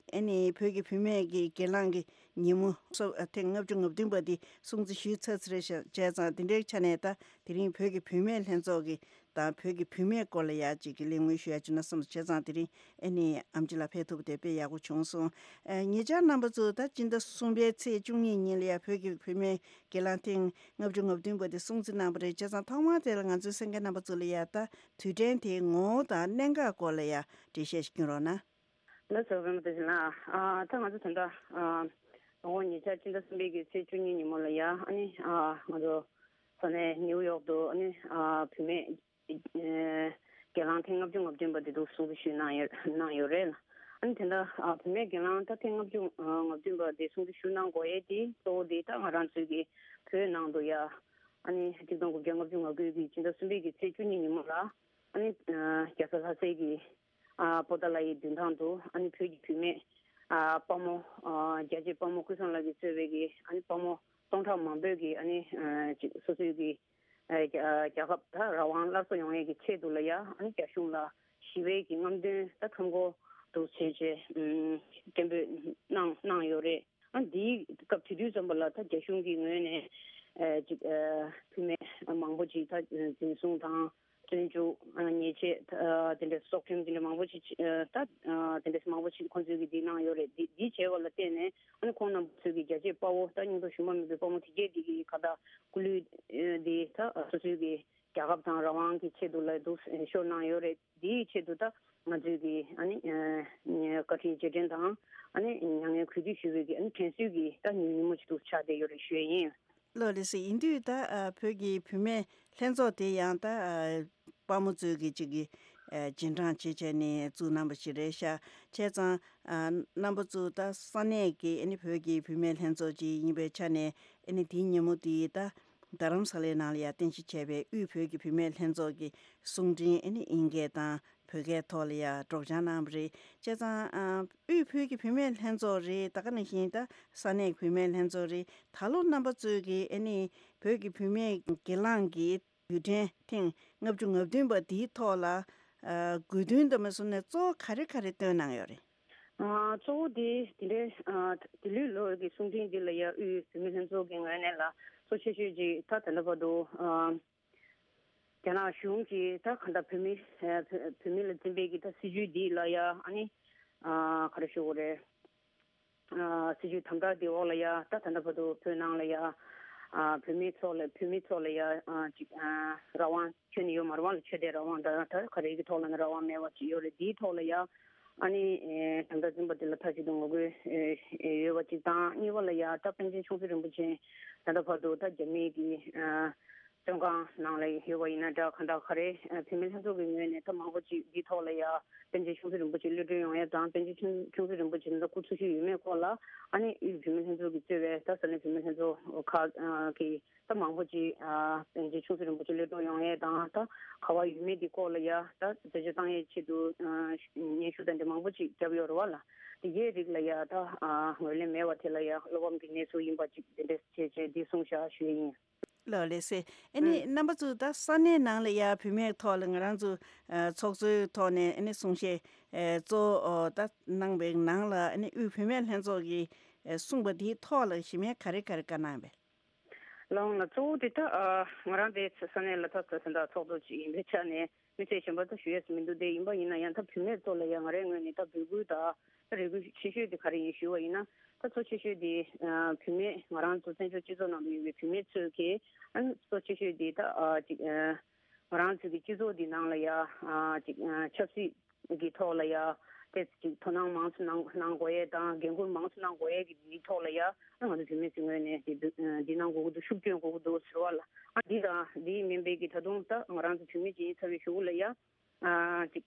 ཨ་ནི་བོད་ཀྱི་བུད་མེད་ཀྱི་སྒེར་ལངས་ཀྱི་ཉིན་མོ་སོ་ཐེངས་ལྔ་བཅུ་ང་བདུན་པ་འདི་སྲུང་བརྩི་ཞུས་ཚར་ཚར་རེད་ཤག་བྱས་ཙང་དེ་འདྲའི་ཆ་ནས་ད་དེ་རིང་བོད་ཀྱི་བུད་མེད་ལྷན་ཚོགས་ཀྱི་དང་བོད་ཀྱི་བུད་མེད་སྐོར་ལ་ཡག་ཅིག་གི་གླེང་མོལ་ཞུ་ཡག་བྱུང་ན་བསམ་སོང་། བྱས་ཙང་དེ་རིང་ཨ་ནི་ཨམ་ཆི་ལགས་ཕེབས་ཐུབ་པ་དེ་དཔེ་ཡག་པོ་བྱུང་སོང་། ཨ། ཉེ་ཆར་རྣམ་པ་ཚོ་ད་སྤྱི་ཟླ་གསུམ་པའི་ཚེས་བཅུ་གཉིས་ཉིན་ལ་ཡ་བོད་ཀྱི་བུད་མེད་སྒེར་ལངས་ཐེངས་ལྔ་བཅུ་ང་བདུན་པ་དེ་སྲུང་བརྩི་གནང་བ་རེད། བྱས་ཙང་ཐོག་མར་དེ་ལ་ང་ཚོའི་གསན་མཁན་རྣམ་པ་ཚོ་ལ་ཡ་ད་དུས་དྲན་དེའི་ངོ་བོ་དང་གནད་འགག་སྐོར་ལ་ཡ་འགྲེལ་བཤད་ཞིག་སྐྱོན་རོགས་གནང་། ལགས་སོ། པད་མ་བདེ་ཆེན་ལགས། ཨ། ད་ང་ཚོ་ད་ལྟ་ཨ་ལོ་ངོ་ཉེ་ཆར་སྤྱི་ཟླ་གསུམ་པའི་གི་ཚེས་བཅུ་གཉིས་ཉིན་མོ་ལ་ཡ་ཨ་ནི་ཨ་ང་ཚོ་ས་གནས་ནིའུ་ཡོག་ཏུ་ཨ་ནི་ཨ་བུད་མེད་སྒེར་ལངས་ཐེངས་ལྔ་བཅུ་ང་བདུན་པ་དེ་འདུག་སྲུང་བརྩི་ཞུས་གནང་ཡོད་གནང་ཡོད་རེད། ཨ་ནི་དེ་འདྲ་ཨ་བུད་མེད་སྒེར་ལངས་ད་ཐེངས་ལྔ་བཅུ་ང་བདུན་པ་དེ་སྲུང་བརྩི་ཞུ་གནང་དགོས་ཡས་དེ་གཙོ་བོ་དེ་ད་ང་རང་ཚོའི་གི་བོད་ནང་དུ་ཡ་ཨ་ནི་ཆིག་སྟོང་དགུ་བརྒྱ་ལྔ་བཅུ་ང་དགུ་གི་སྤྱི་ཟླ་གསུམ་པའི་གི་ཚེས་བཅུ་གཉིས་ཉིན་མོ་ལ་ཨ་ནི་རྒྱལ་ས་ལྷ་སའི་གི་ཨ་པོ་ཏཱ་ལའི་མདུན་ཐང་དུ་ཨ་ནི་བོད་ཀྱི་བུད་མེད་ཨ་དཔའ་མོ་ཨ་རྒྱལ་གཅེས་དཔའ་མོ་ཀུན་བཟང་ལགས་ཀྱིས་གཙོས་པའི་གི་ཨ་ནི་དཔའ་མོ་སྟོང་ཕྲག་མང་པོས་གི་ཨ་ནི་ཨ་ཅིག་སོ་སོའི་གི་ཨ་རྒྱ་རྒྱལ་ཁབ་ད་རང་དབང་སླར་གསོ་ཡོང་ཡས་ཀྱི་ཆེད་དུ་ལ་ཡ་ཨ་ནི་རྒྱ་གཞུང་ལ་ཞི་བའི་གི་རྔམ་སྟོན་ད་མཚམས་འཁོར་དུ་བྱས་རྗེས་ཨ་སྐད་འབོད་གནང་གནང་ཡོད་རེད། ཨ་འདིའི་སྐབས་དེ་དུས་ཙམ་པ་ལ་ད་རྒྱ་གཞུང་གི་ངོས་ནས་ཨ་ཅིག་ཨ་བུད་མེད་མང་པོ་ཅིག་ད་འཛིན་བཟུང་དང་བཙོན་འཇུག་ཨ་ཉེས་ཆད་ཨ་དེ་འདྲ་སྲོག་ཁྲིམས་དེ་འདྲ་མང་པོ་ཅིག་ཨ་ད་ཨ་དེ་འདྲ་མང་པོ་ཅིག་ཁོང་ཚོས་ཀྱིས་འདི་གནང་ཡོད་རེད། འདི་འདི་བྱས་པ་ལ་བརྟེན་ནས་ཨ་ནི་ཁོང་རྣམ་པ་ཚོས་ཀྱི་རྒྱལ་གཅེས་དཔའ་བོ་ད་སྙིང་སྟོབས་ཞུམ་པ་མེད་པའི་དཔའ་མོ་དེ་གས་འདི་གི་ཁ་ད་སྐུ་ལུས་ཨ་འདི་ད་སོ་སོའི་གི་རྒྱལ་ཁབ་དང་རང་དབང་གི་ཆེད་དུ་ལ་འདུག་ཤོར་གནང་ཡོད་རེད། དེའི་ཆེད་དུ་ད་ང་ཚོས་ཀྱི་ཨ་ནི་ཨ་བཀའ་དྲིན་རྗེས་དྲན་དང་ཨ་ནི་མྱ་ངན་གུས་འདུད་ཞུ་བའི་གི་ཨ་ནི་དྲན་གསོའི་གི་ད་ཉིན་ཉིན་མོ་ཅིག་ཏུ་ཆགས་བསྡད་ཡོད་རེད་ཞུ་ཡས་ཡིན། ལགས་ལགས་སེ། ཡིན་དུས་ད་ཨ་བོད་ཀྱི་བུད་མེད་ལྷན་ཚོགས་དེ་ཡང་ད་ཨ་དཔའ་མོ་ཚོས་ཀྱི་ཅིག་གི་ཨ་རྗེས་འབྲང་བྱེད་བྱས་ནས་བཙུགས་གནང་པ་ཞིག་རེད་ཤག་བྱས་ཙང་ཨ་རྣམ་པ་ཚོ་ད་ས་གནས་ཀྱི་ཨ་ནི་བོད་ཀྱི་བུད་མེད་ལྷན་ཚོགས་ཅིག་ཡིན་པའི་ཆ་ནས་ཨ་ནི་དེའི་ཉིན་མོ་དེ་ད་རྡ་རམ་ས་ལའི་ནང་ལ་ཡ་རྟེན་གཞི་བྱས་པའི་དབུས་བོད་ཀྱི་བུད་མེད་ལྷན་ཚོགས་ཀྱི་གསུང་འཕྲིན་ཨ་ནི་ཨིན་སྐད་དང་བོད་སྐད་ཐོག་ལ་ཡ་སྒྲོག་སྦྱང་གནང་བ་རེད། བྱས་ཙང་ཨ་དབུས་བོད་ཀྱི་བུད་མེད་ལྷན་ཚོགས་རེད། ད་ག་ནང་བཞིན་ད་ས་གནས་བུད་མེད་ལྷན་ཚོགས་རེད། ད་ལོ་རྣམ་པ་ཚོས་ཀྱི་ཨ་ནི་བོད་ཀྱི་བུད་མེད་སྒེར་ལངས་ཀྱི་དུས་དྲན་ཐེངས་ལྔ་བཅུ་ང་བདུན་པ་འདིའི་ཐོག་ལ་ཨ་དགོས་འདུན་དང་མ་སོང་ནས་གཙོ་བོ་ག་རེ་ག་རེ་བཏོན་གནང་ཡོད་རེད། ཨ་གཙོ་བོ་དེ་དེ་འདྲའི་ཨ་དེ་ལོའི་ལོ་གི་གསུང་འཕྲིན་འདི་ལ་ཡ་དབུས་བུད་མེད་ལྷན་ཚོགས་ཀྱི་ངོས་ནས་ལ་གཙོ་ཆེ་ཤོས་ཅིག་ད་ད་ལྟ་བར་དུ་ཨ་རྒྱ་ནག་གཞུང་གིས་ད་གང་ལྟར་བོད་མི་ཨ་བོད་བོད་མི་ལ་འཛིན་པའི་གི་ད་སྲིད་ཇུས་འདི་ལ་ཡ་ཨ་ནི་ཨ་ག་རེ་ཞུ་དགོས་རེད། ཨ་སྲིད་ཇུས་དམ་དྲག་འདི་འོག་ལ་ཡ་ད་ད་ལྟ་བར་དུ་བོད་ནང་ལ་ཡ་ཨ་བོད་མི་ཚོ་ལ་བོད་མི་ཚོ་ལ་ཡ་ཨ་ཅིག་ཨ་རང་དབང་ཁྱོན་ནས་ཡོད་མ་རེད་བ། ལ་ཆོས་དད་རང་དབང་དང་ད་ག་རེ་གི་ཐོག་ལ་ནི་རང་དབང་མེད་པ་ཅིག་ཡོད་རེད། འདིའི་ཐོག་ལ་ཡ་ཨ་ནི་ཨེ་དམ་དྲག་འཛིན་པ་འདི་ལ་མཐའ་གཅིག་ཏུ་ངོ་རྒོལ་ཨེ་ཨེ་ཡོད་པ་ཅིག་དང་། གཉིས་པ་ལ་ཡ་ད་པཎ་ཆེན་ཆུང་སྲིད་རིན་པོ་ཆེ་ད་ལྟ་བར་དུ་ད་རྒྱ་མིའི་གི་ཨ་བཙོན་ཁང་ནང་ལ་ཡོད་པ་ཡིན་ན་འདྲ་གང་ལྟར་ག་རེ་ཨ་བུད་མེད་ལྷན་ཚོགས་ཀྱི་ངོས་ནས་ད་མང་པོ་ཅིག་འདིའི་ཐོག་ལ་ཡ་པཎ་ཆེན་ཆུང་སྲིད་རིན་པོ་ཆེ་གློད་གྲོལ་ཡོང་ཡས་དང་པཎ་ཆེན་ཆུང་ཆུང་སྲིད་རིན་པོ་ཆེ་ད་སྐུ་འཚོ་བཞུགས་ཡོད་མེད་སྐོར་ལ་ཨ་ནི་དབུས་བུད་མེད་ལྷན་ཚོགས་ཀྱིས་གཙོས་པའི་ད་ས་གནས་བུད་མེད་ལྷན་ཚོགས་ཁག་གིས་ད་མང་པོ་ཅིག་ཨ་པཎ་ཆེན་ཆུང་སྲིད་རིན་པོ་ཆེ་གློད་གྲོལ་ཡོང་ཡས་དང་ད་ག་པར་ཡོད་མེད་འདི་སྐོར་ལ་ཡ་ད་རྩད་གཅོད་བཏང་ཡས་ཆེད་དུ་ཨ་སྙན་ཞུ་དང་འདི་མང་པོ་ཅིག་བརྒྱབ་ཡོད་རེད་བ་ལ། དེ་གའི་རིགས་ལ་ཡ་ད་ཨ་ངོས་ལེན་མེད་པ་དེ་ལ་ཡ་བློ་ཕམ་གྱི་གནས་ཚུལ་ཡིན་པ་ཅིག་དེ་འདྲས་བྱས་བྱས་འདི་གསུངས་བཞག་ཞུ་ཡས་ཡིན། ལགས་ལགས་སེ། ཨ་ནི་ཨུམ། རྣམ་པ་ཚོ་ད་ས་གནས་ནང་ལ་ཡ་བུད་མེད་ཐོག་ལ་ང་རང་ཚོ་ཨ་ཚོགས་གཙོའི་ཐོག་ནས་ཨ་ནི་གསུང་བཤད་ཨ་གཙོ་བོ་ཨོ་ད་གནང་བའི་ནང་ལ་ཨ་ནི་དབུས་བུད་མེད་ལྷན་ཚོགས་ཀྱིས་ཨ་གསུངས་པ་དེའི་ཐོག་ལ་གཞི་མེད་ག་རེ་ག་རེ་བཀའ་གནང་བས། ལགས་འོང་ལགས། གཙོ་བོ་དེ་ད་ཨ་ང་རང་དེ་ས་གནས་ལ་ད་ས་ས་ད་ཚོགས་གཙོ་ཅིག་ཡིན་པའི་ཆ་ནས་མི་ཚེ་གཞན་པ་ད་ཞུ་ཡས་སུ་མི་འདུག་དེ་ཡིན་པ་ཡིན་ན་ཡང་ད་བུད་མེད་ཚོ་ལ་ཡང་ང་རའི་ངོས་ནས་ད་འབོད་སྐུལ་ད་ད་རེ་སྐུལ་ཆེ་ཤོས་དེ་ག་རེ་ཡིན་ཞུ་བ་ཡིན་ན། ད་གཙོ་ཆེ་ཤོས་དེ་ཨ་བུད་མེད་ང་རང་ཚོ་བཙན་བྱོལ་སྤྱི་ཚོགས་ནང་དུ་ཡོད་པའི་བུད་མེད་ཚོས་ཀྱིས་ཨ་གཙོ་ཆེ་ཤོས་དེ་ད་ཨ་ཅིག་ཨ་ང་རང་ཚོ་གི་སྤྱི་ཚོགས་འདི་ནང་ལ་ཡ་ཨ་ཅིག་ཨ་ཆབ་སྲིད་ཀྱི་ཐོག་ལ་ཡ་ཏེ་ཅིག་དོ་སྣང་མང་ཙམ་གནང་གནང་དགོས་ཡས་དང་འགན་འཁུར་མང་ཙམ་གནང་དགོས་ཡས་ཀྱི་འདིའི་ཐོག་ལ་ཡ་ཨ་ང་ཚོ་བུད་མེད་ཚོའི་ངོས་ནས་དེ་འདི་འདི་གནང་དགོས་ཀྱི་འདུག་ཤུགས་སྐྱོན་དགོས་ཀྱི་འདུག་ཟེར་བ་ལ་ཨ་འདི་དང་འདི་མིན་པའི་གི་ད་དུང་ད་ང་རང་ཚོ་བུད་མེད་ཅིག་ཡིན་ཚར་བའི་གཞུག་ལ་ཡ། ཨ་ཅིག་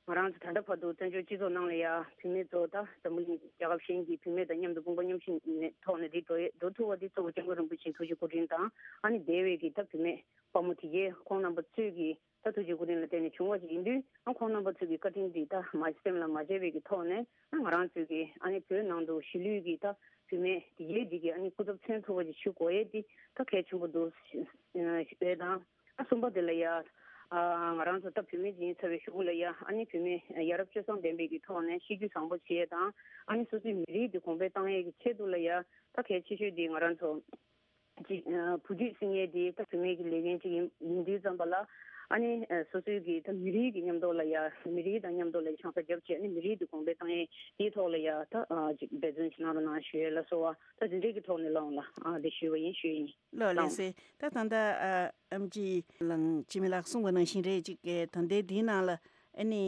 ང་རང་ཚོ་ད་ལྟ་བར་དུ་བཙན་བྱོལ་སྤྱི་ཚོགས་ནང་ལ་ཡ་བུད་མེད་ཚོ་ད་འཛམ་བུ་གླིང་རྒྱལ་ཁབ་གཞན་གྱི་བུད་མེད་དང་མཉམ་དུ་དཔུང་པ་མཉམ་གཤིབ་ནས་ཐོག་ནས་དེ་འགྲོ་ཡས་འགྲོ་ཐུབ་པ་དེ་གཙོ་བོ་སྐྱབས་མགོན་རིན་པོ་ཆེའི་ཐུགས་རྗེ་སྐུ་དྲིན་དང་། ཨ་ནི་འདས་པའི་གི་ད་བུད་མེད་དཔའ་མོ་དེ་གའི་ཁོང་རྣམ་པ་ཚོས་ཀྱི་ད་ཐུགས་རྗེ་སྐུ་དྲིན་ལ་བརྟེན་ནས་བྱུང་བ་ཞིག་ཡིན་དུས། ཨ་ཁོང་རྣམ་པ་ཚོས་ཀྱི་བཀའ་དྲིན་འདི་ད་མ་སེམས་ལ་མ་བརྗེད་པའི་གི་ཐོག་ནས། ཨ་ང་རང་ཚོས་ཀྱི་ཨ་ནི་བོད་ནང་དུ་གཞིས་ལུས་ཀྱི་ད་བུད་མེད་དེ་གའི་དེ་གའི་ཨ་ནི་སྐུ་ཚབ་མཚོན་ཐུབ་པ་ཞིག་ཞུ་དགོས་ཡས་དེ་ད་གལ་ཆེན་པོ་འདུག་ཞུ་ཡས་དང་། ཨ་གསུམ་པ་དེ་ལ་ཡ། ཨ་ང་རང་ཚོ་ད་བུད་མེད་ཅིག་ཡིན་ཚར་བའི་གཞུག་གུ་ལ་ཡ། ཨ་ནི་བུད་མེད་ཡ་རབས་སྤྱོད་བཟང་ལྡན་པའི་གི་ཐོག་ནས་གཤིས་རྒྱུད་བཟང་པོ་བྱེད་ཡས་དང་། ཨ་ནི་སོ་སོའི་མི་རིགས་འདི་གོང་འཕེལ་བཏང་ཡས་ཀྱི་ཆེད་དུ་ལ་ཡ། ད་གལ་ཆེ་ཤོས་འདི་ང་རང་ཚོ་ཅིག་ཨ་བུ་རྒྱུད་བསྲིང་ཡས་འདི་ད་བུད་མེད་ཀྱི་ལས་འགན་ཅིག་ཡིན་ཡིན་དུས་ཙམ་པ་ལ། ཨ་ནི་ཨ་སོ་སོའི་གི་ད་མི་རིགས་ཀྱི་མཉམ་དུ་ལ་ཡ། མི་རིགས་དང་མཉམ་དུ་ལ་ཡ་ཆང་ས་རྒྱབ་བྱས། ཨ་ནི་མི་རིགས་འདི་གོང་འཕེལ་བཏང་ཡས་དེའི་ཐོག་ལ་ཡ་ད་ཨ་ཅིག་འབད་བརྩོན་ཅིག་གནང་རོགས་གནང་ཞུ་ཡས་ལ་སོགས་པ། ད་འདི་འདྲའི་གི་ཐོག་ནས་ལགས་འོང་ལགས། ཨ་འདི་ཞུས་པ་ཡིན། ཞུས་ཡིན། ལགས་ལགས་སོ། ད་ད་ལྟ་ཨ་ཨེམ་ཆི་ལགས་འཆི་མེད་ལགས་གསུངས་པ་ནང་བཞིན་རེད། ཅིག་གི་ད་ལྟའི་འདིའི་ནང་ལ་ཨ་ནི་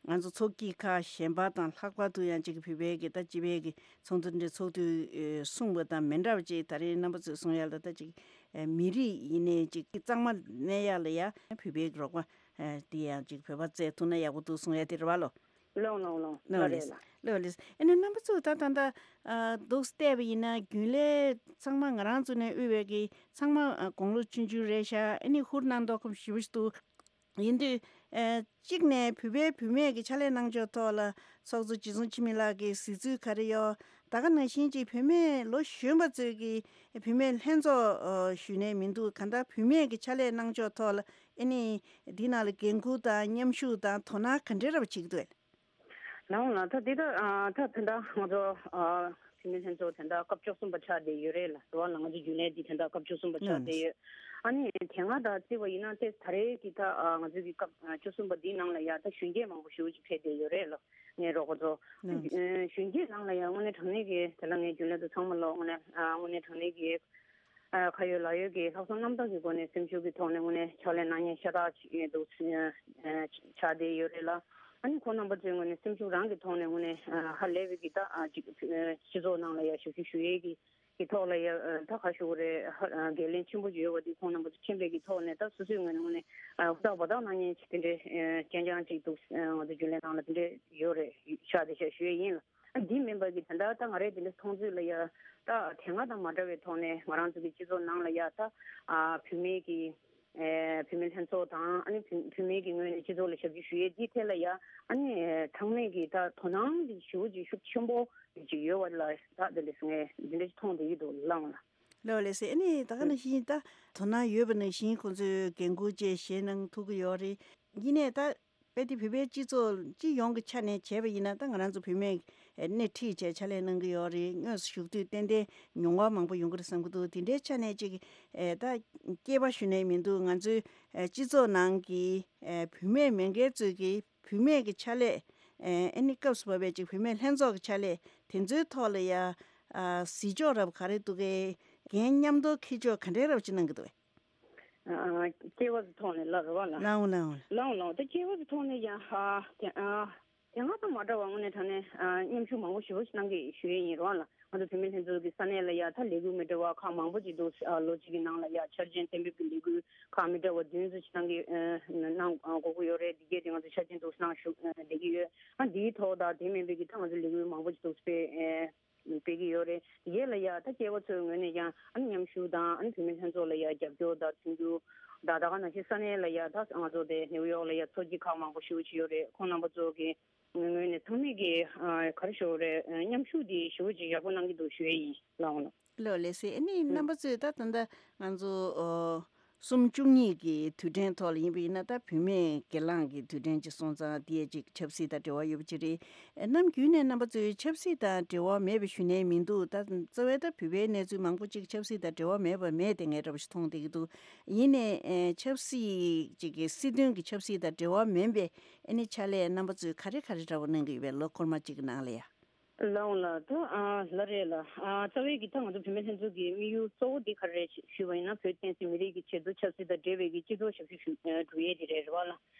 ང་ཚོ་ཚོགས་སྐྱིད་ཁག་གཞན་པ་དང་ལྷག་པར་དུ་ཡང་ཅིག་བོད་པའི་གི་ད་སྤྱི་པའི་གི་ཚོགས་འདུ་འདྲ་ཚོགས་དུས་ཨེ་གསུངས་པ་དང་མི་འདྲ་བ་ཅིག་ད་རེས་རྣམ་པ་ཚོས་གསུང་ཡ་ལ་ད་ཅིག་ཨེ་མི་རིགས་ཡིན་ནའི་ཅིག་གཙང་མ་གནས་ཡ་ལ་ཡ་བོད་པའི་གི་རོགས་པ་ཨེ་དེ་ཡང་ཅིག་བོད་པ་བཙལ་ཐུབ་ན་ཡག་པོ་འདུག་གསུང་ཡ་དེ་རེད་བ་ལོ། ལགས་ལགས་ལགས། ལགས་ལགས་རེད་ལགས། ལགས་ལགས། ཨ་ནི་རྣམ་པ་ཚོས་ད་ད་ལྟ་ཨ་འདུག་བལྟས་པ་ཡིན་ན་རྒྱུན་ལས་ཚང་མ་ང་རང་ཚོ་ནས་དབུས་པའི་གི་ཚང་མ་ཨ་དགུང་ལོ་ཆུང་ཆུང་རེད་ཤག་ཨ་ནི་ཧུར་གནང་མདོག་ཁམས་ཞེ་པོ་ཞིག་འདུག་ཡིན་དུས་ཨ་གཅིག་ནས་བོད་པའི་བུད་མེད་ཀྱི་ཕྱག་ལས་གནང་ཕྱོགས་ཐོག་ལ་ཚོགས་གཙོ་རྗེ་བཙུན་འཆི་མེད་ལགས་ཀྱི་གཟིགས་ཚུལ་ག་རེ་ཡོད། ད་ག་ནང་བཞིན་གྱི་བུད་མེད་ལོ་གཞོན་པ་ཚོས་ཀྱི་བུད་མེད་ལྷན་ཚོགས་ཨ་ཞུས་ནས་མི་འདུག་གང་ལྟར་བུད་མེད་ཀྱི་ཕྱག་ལས་གནང་ཕྱོགས་ཐོག་ལ་ཨ་ནི་འདི་ནང་ལ་འགན་འཁུར་དང་མཉམ་ཞུགས་དང་དོ་སྣང་ག་འདྲ་རབ་བྱེད་ཀྱི་འདུག་ལགས་འོང་ལགས། ད་འདི་ད་ཨ་ད་ད་ད་ང་ཚོ་ཨ་བུད་མེད་ལྷན་ཚོགས་དེ་འདྲ་སྐབས་བཅུ་གསུམ་པ་ཆགས་བསྡད་ཡོད་རེད་ལགས་སོ། ལགས་ང་ཚོ་རྒྱུན་ལས་འདི་དེ་འདྲ་སྐབས་བཅུ་གསུམ་པ་ཆགས་བསྡད་ཡོད། ཨ་ནི་དེ་སྔ་དང་བརྩིས་པ་ཡིན་ན་ཏེ་ད་རེས་ཀྱི་ད་ཨ་ང་ཚོའི་གི་སྐབས་ཨ་བཅུ་གསུམ་པ་འདིའི་ནང་ལ་ཡ་ད་གཞོན་སྐྱེས་མང་པོ་ཞེ་པོ་ཅིག་ཕེབས་བསྡད་ཡོད་རེད་ལགས། ངའི་རོགས་པ་ཚོ། ཨ་གཞོན་སྐྱེས་ནང་ལ་ཡང་དངོས་གནས་དྲང་གནས་ཀྱི་དེ་ལ་ངའི་རྒྱུན་ལས་ཚོ་ཚང་མ་ལོ་དངོས་གནས་ཨ་དངོས་གནས་དྲང་གནས་ཀྱི་ཨ་ཁ་ཡོད་ལག་ཡོད་ཀྱི་ལྷག་བསམ་རྣམ་དག་གི་སྒོ་ནས་སེམས་ཤུགས་ཀྱི་ཐོག་ནས་དངོས་གནས་ཕྱག་ལས་གནང་མཁན་ཤ་སྟག་ཅིག་འདུག་ཨ་ཆགས་བསྡད་ཡོད་རེད་ལགས། ཨ་ནི་ཁོང་རྣམ་པ་ཚོའི་ངོས་ནས་སེམས་ཤུགས་རང་གི་ཐོག་ནས་དངོས་གནས་ཨ་ཧ་ལས་པའི་གི་ད་ཨ་ཅིག་ཨ་སྤྱི་ཚོགས་ནང་ལ་ཡ་ཞབས་ཞུ་ཞུ་ཡས་ཀྱི་གི་ཐོག་ལ་ཡ་ཨ་ད་ག་ཞུ་དགོས་རེད། ཧ་ཨ་འགན་ལེན་ཆེན་པོ་ཅིག་ཡོད་པ་འདི་ཁོང་རྣམ་པ་ཚོ་མཁྱེན་པའི་གི་ཐོག་ནས་ད་སོ་སོའི་ངོས་ནས་དངོས་གནས་ཨ་ཧུར་ཐག་འབད་ཐག་གནང་མཁན་ཅིག་དེ་འདྲའི་ཨ་རྐྱང་རྐྱང་ཅིག་འདུག་ཨ་ང་ཚོ་རྒྱུན་ལས་ནང་ལ་དེ་འདྲའི་ཡོད་རེད། ཤག་དེ་ཤག་ཞུ་ཡས་ཡིན་ལགས། ཨ་འདི་མིན་པ་གི་ད་ལྟ་ད་ང་རའི་དེ་འདྲ་མཐོང་ཚུལ་ལ་ཡ་ད་དེ་སྔ་དང་མ་འདྲ་བའི་ཐོག་ནས་ང་རང་ཚོ་གི་སྤྱི་ཚོགས་ནང་ལ་ཡ་ད་ཨ་བུད་མེད་ཀྱི་ཨེ་བུད་མེད་ལྷན་ཚོགས་དང་། ཨ་ནི་བུད་བུད་མེད་ཀྱི་ངོས་ནས་སྤྱི་ཚོགས་ལ་ཞབས་ཞུ་ཞུ་ཡས་འདི་ཐད་ལ་ཡ་ཨ་ནི་ཚང་མས་ཀྱི་ད་དོ་སྣང་འདི་ཞེ་པོ་ཅིག་ཤུགས་ཆེན་པོ་ཅིག་ཡོད་པ་ལ་ད་དེ་འདྲ་ངས་འདི་འདྲ་ཞིག་མཐོང་བསྡད་ཀྱི་འདུག་ལགས་འོང་ལགས། ལགས་ལགས་སོ། ཨ་ནི་ད་ག་ནང་བཞིན་ད་དོ་སྣང་ཡོད་པ་ནང་བཞིན་ཁོང་ཚོས་འགན་འཁུར་བཅས་བཞེས་གནང་ཐུབ་ཀྱི་ཡོད་རེད། ཡིན་ནའི་ད་དཔེ་དེ་བོད་པའི་སྤྱི་ཚོགས་སྤྱི་ཡོངས་ཀྱི་ཆ་ནས་བྱས་པ་ཡིན་ན་ད་ང་རང་ཚོ་བུད་མེད་སྣེ་ཁྲིད་བྱས་ཕྱག་ལས་གནང་གི་ཡོད་རེད། དངོས་སུ་ཞུགས་དུས་ཏན་ཏན་མྱོང་བ་མང་པོ་ཡོང་གི་རེད་བསམ་གྱི་འདུག་དེ་འདྲའི་ཆ་ནས་ཅིག་ཨེ་ད་སྐྱེས་པ་ཞུ་ནས་མི་འདུག་ང་ཚོའི་ཨེ་སྤྱི་ཚོགས་ནང་གི་ཨེ་བུད་མེད་མི་སྒེར་ཚོས་ཀྱི་བུད་མེད་ཀྱི་ཕྱག་ལས་ཨེ་ཨ་ནི་སྐབས་སུ་བབས་པའི་ཅིག་བུད་མེད་ལྷན་ཚོགས་ཀྱི་ཕྱག་ལས་དེ་ཚོའི་ཐོག་ལ་ཡ་ཨ་གཟིགས་ཕྱོགས་རབ་ག་རེ་འདུག་གས། འགན་མཉམ་དུ་འཁྱེར་ཕྱོགས་ག་འདྲའི་རབ་ཅིག་གནང་གི་འདུག་གས། ཨ་སྐྱེས་བུ་ཚོའི་ཐོག་ནས་ལབ་རེད་བ་ལགས། ལགས་འོང་ལགས་འོང་། ལགས་འོང་ལགས་འོང་། ད་སྐྱེས་བུ་ཚོའི་ཐོག་ནས་ཡང་ཨ་དེ་ཨ་དེ་སྔ་དང་མ་འདྲ་བ་དངོས་གནས་དྲང་གནས་ཨ་མཉམ་ཞུགས་མང་པོ་ཞེ་པོ་ཞིག་གནང་གི་ཞུ་ཡས་ཡིན་རེད་བ་ལགས། ང་ཚོ་བུད་མེད་ལྷན་ཚོགས་ཀྱི་ས་གནས་ལ་ཡ་ད་ལས་འགུལ་མི་འདྲ་བ་ཁག་མང་པོ་ཅིག་འདུག་ཨ་ལོ་གཅིག་གི་ནང་ལ་ཡ་འཆར་ཅན་གཏན་འབེབས་ཀྱི་ལས་འགུལ་ཁག་མི་འདྲ་བ་བདུན་ཙམ་ཞིག་གནང་གི་ཨ་གནང་དགོས་ཀྱི་ཡོད་རེད། འདི་གས་དེ་ང་ཚོ་འཆར་ཅན་འདུག་གནང་ཞུ་ཨ་བསྡད་ཀྱི་ཡོད། ཨ་འདིའི་ཐོག་དང་དེ་མིན་པའི་གི་ད་ང་ཚོ་ལས་འགུལ་མང་པོ་ཅིག་འདུག་སྤེལ་ཨ་སྤེལ་གྱི་ཡོད་རེད། དེ་གས་ལ་ཡ་ད་སྐྱེས་བུ་ཚོའི་ངོས་ནས་ཀྱང་ཨ་ནི་མཉམ་ཞུགས་དང་། ཨ་ནི་བུད་མེད་ལྷན་ཚོགས་ལ་ཡ་རྒྱབ་སྐྱོར་དང་མཐུན་འགྱུར་དང་། ད་ག་ནང་བཞིན་ས་གནས་ལ་ཡ་ད་ང་ཚོ་དེ་ནེའུ་ཡོག་ལ་ཡ་ཚོགས་སྐྱིད་ཁག་མང་པོ་ཞེ་པོ་ཅིག་ཡོད་རེད། ཁོང་རྣམ་པ་ཚོ་གི་ངོས་ནས་ཚང་མས་ཀྱི་ཨ་ག་རེ་ཞུ་དགོས་རེད། ཨ་མཉམ་ཞུགས་དེ་ཞེ་པོ་ཅིག་ཡག་པོ་གནང་གི་འདུག་ཞུ་ཡས་ཡིན། ལགས་འོང་ལགས། ལགས་ལགས་སེ། ཨ་ནི་ཨུ། རྣམ་པ་ཚོས་ད་ད་ལྟ་ང་ཚོ་ཨོ་གསུམ་བཅུ་གཉིས་ཀྱི་དུས་དྲན་ཐོག་ལ་ཡིན་པ་ཡིན་ན། ད་བུད་མེད་སྒེར་ལངས་ཀྱི་དུས་དྲན་ཅིག་སོང་ཙང་དེ་ཅིག་ཆབ་སྲིད་དང་འབྲེལ་བ་ཡོད་པ་ཅིག་རེད། ཨ་ནམ་རྒྱུན་ནས་རྣམ་པ་ཚོས་ཆབ་སྲིད་དང་འབྲེལ་བ་མེད་པ་ཞུ་ནས་མི་འདུག་ད་རྩ་བའི་ད་བོད་པའི་གནས་ཚུལ་མང་པོ་ཅིག་ཆབ་སྲིད་དང་འབྲེལ་བ་མེད་པ་མེད་དེ་ངས་འདྲ་པོ་ཞིག་མཐོང་བསྡད་ཀྱི་འདུག་ཡིན་ནའི་ཨེ་ཆབ་སྲིད་ཅིག་གི་སྲིད་དོན་གྱི་ཆབ་སྲིད་དང་འབྲེལ་བ་མིན་པའི་ཨ་ནི་ཕྱག་ལས་རྣམ་པ་ཚོས་ག་རེ་ག་རེ་འདྲ་པོ་གནང་གི་ཡོད་པས་ལོ་འཁོར་མ་གཅིག་གི་ནང་ལ་ཡ། ལགས་འོང་ལགས། ད་ཨ་ལགས་རེད་ལགས། ཨ་རྩ་བའི་གི་ད་ང་ཚོ་བུད་མེད་ལྷན་ཚོགས་ཀྱི་དམིགས་ཡུལ་གཙོ་བོ་འདི་ག་རེ་རེད་ཞུས་པ་ཡིན་ན། བོད་བསྟན་སྲིད་མི་རིགས་ཀྱི་ཆེད་དུ་ཆབ་སྲིད་དང་འབྲེལ་བའི་གི་སྤྱི་ཚོགས་ཞབས་ཞུ་ཞུ་ཨ་སྒྲུབ་ཡས་དེ་རེད་རེད་བ་ལགས།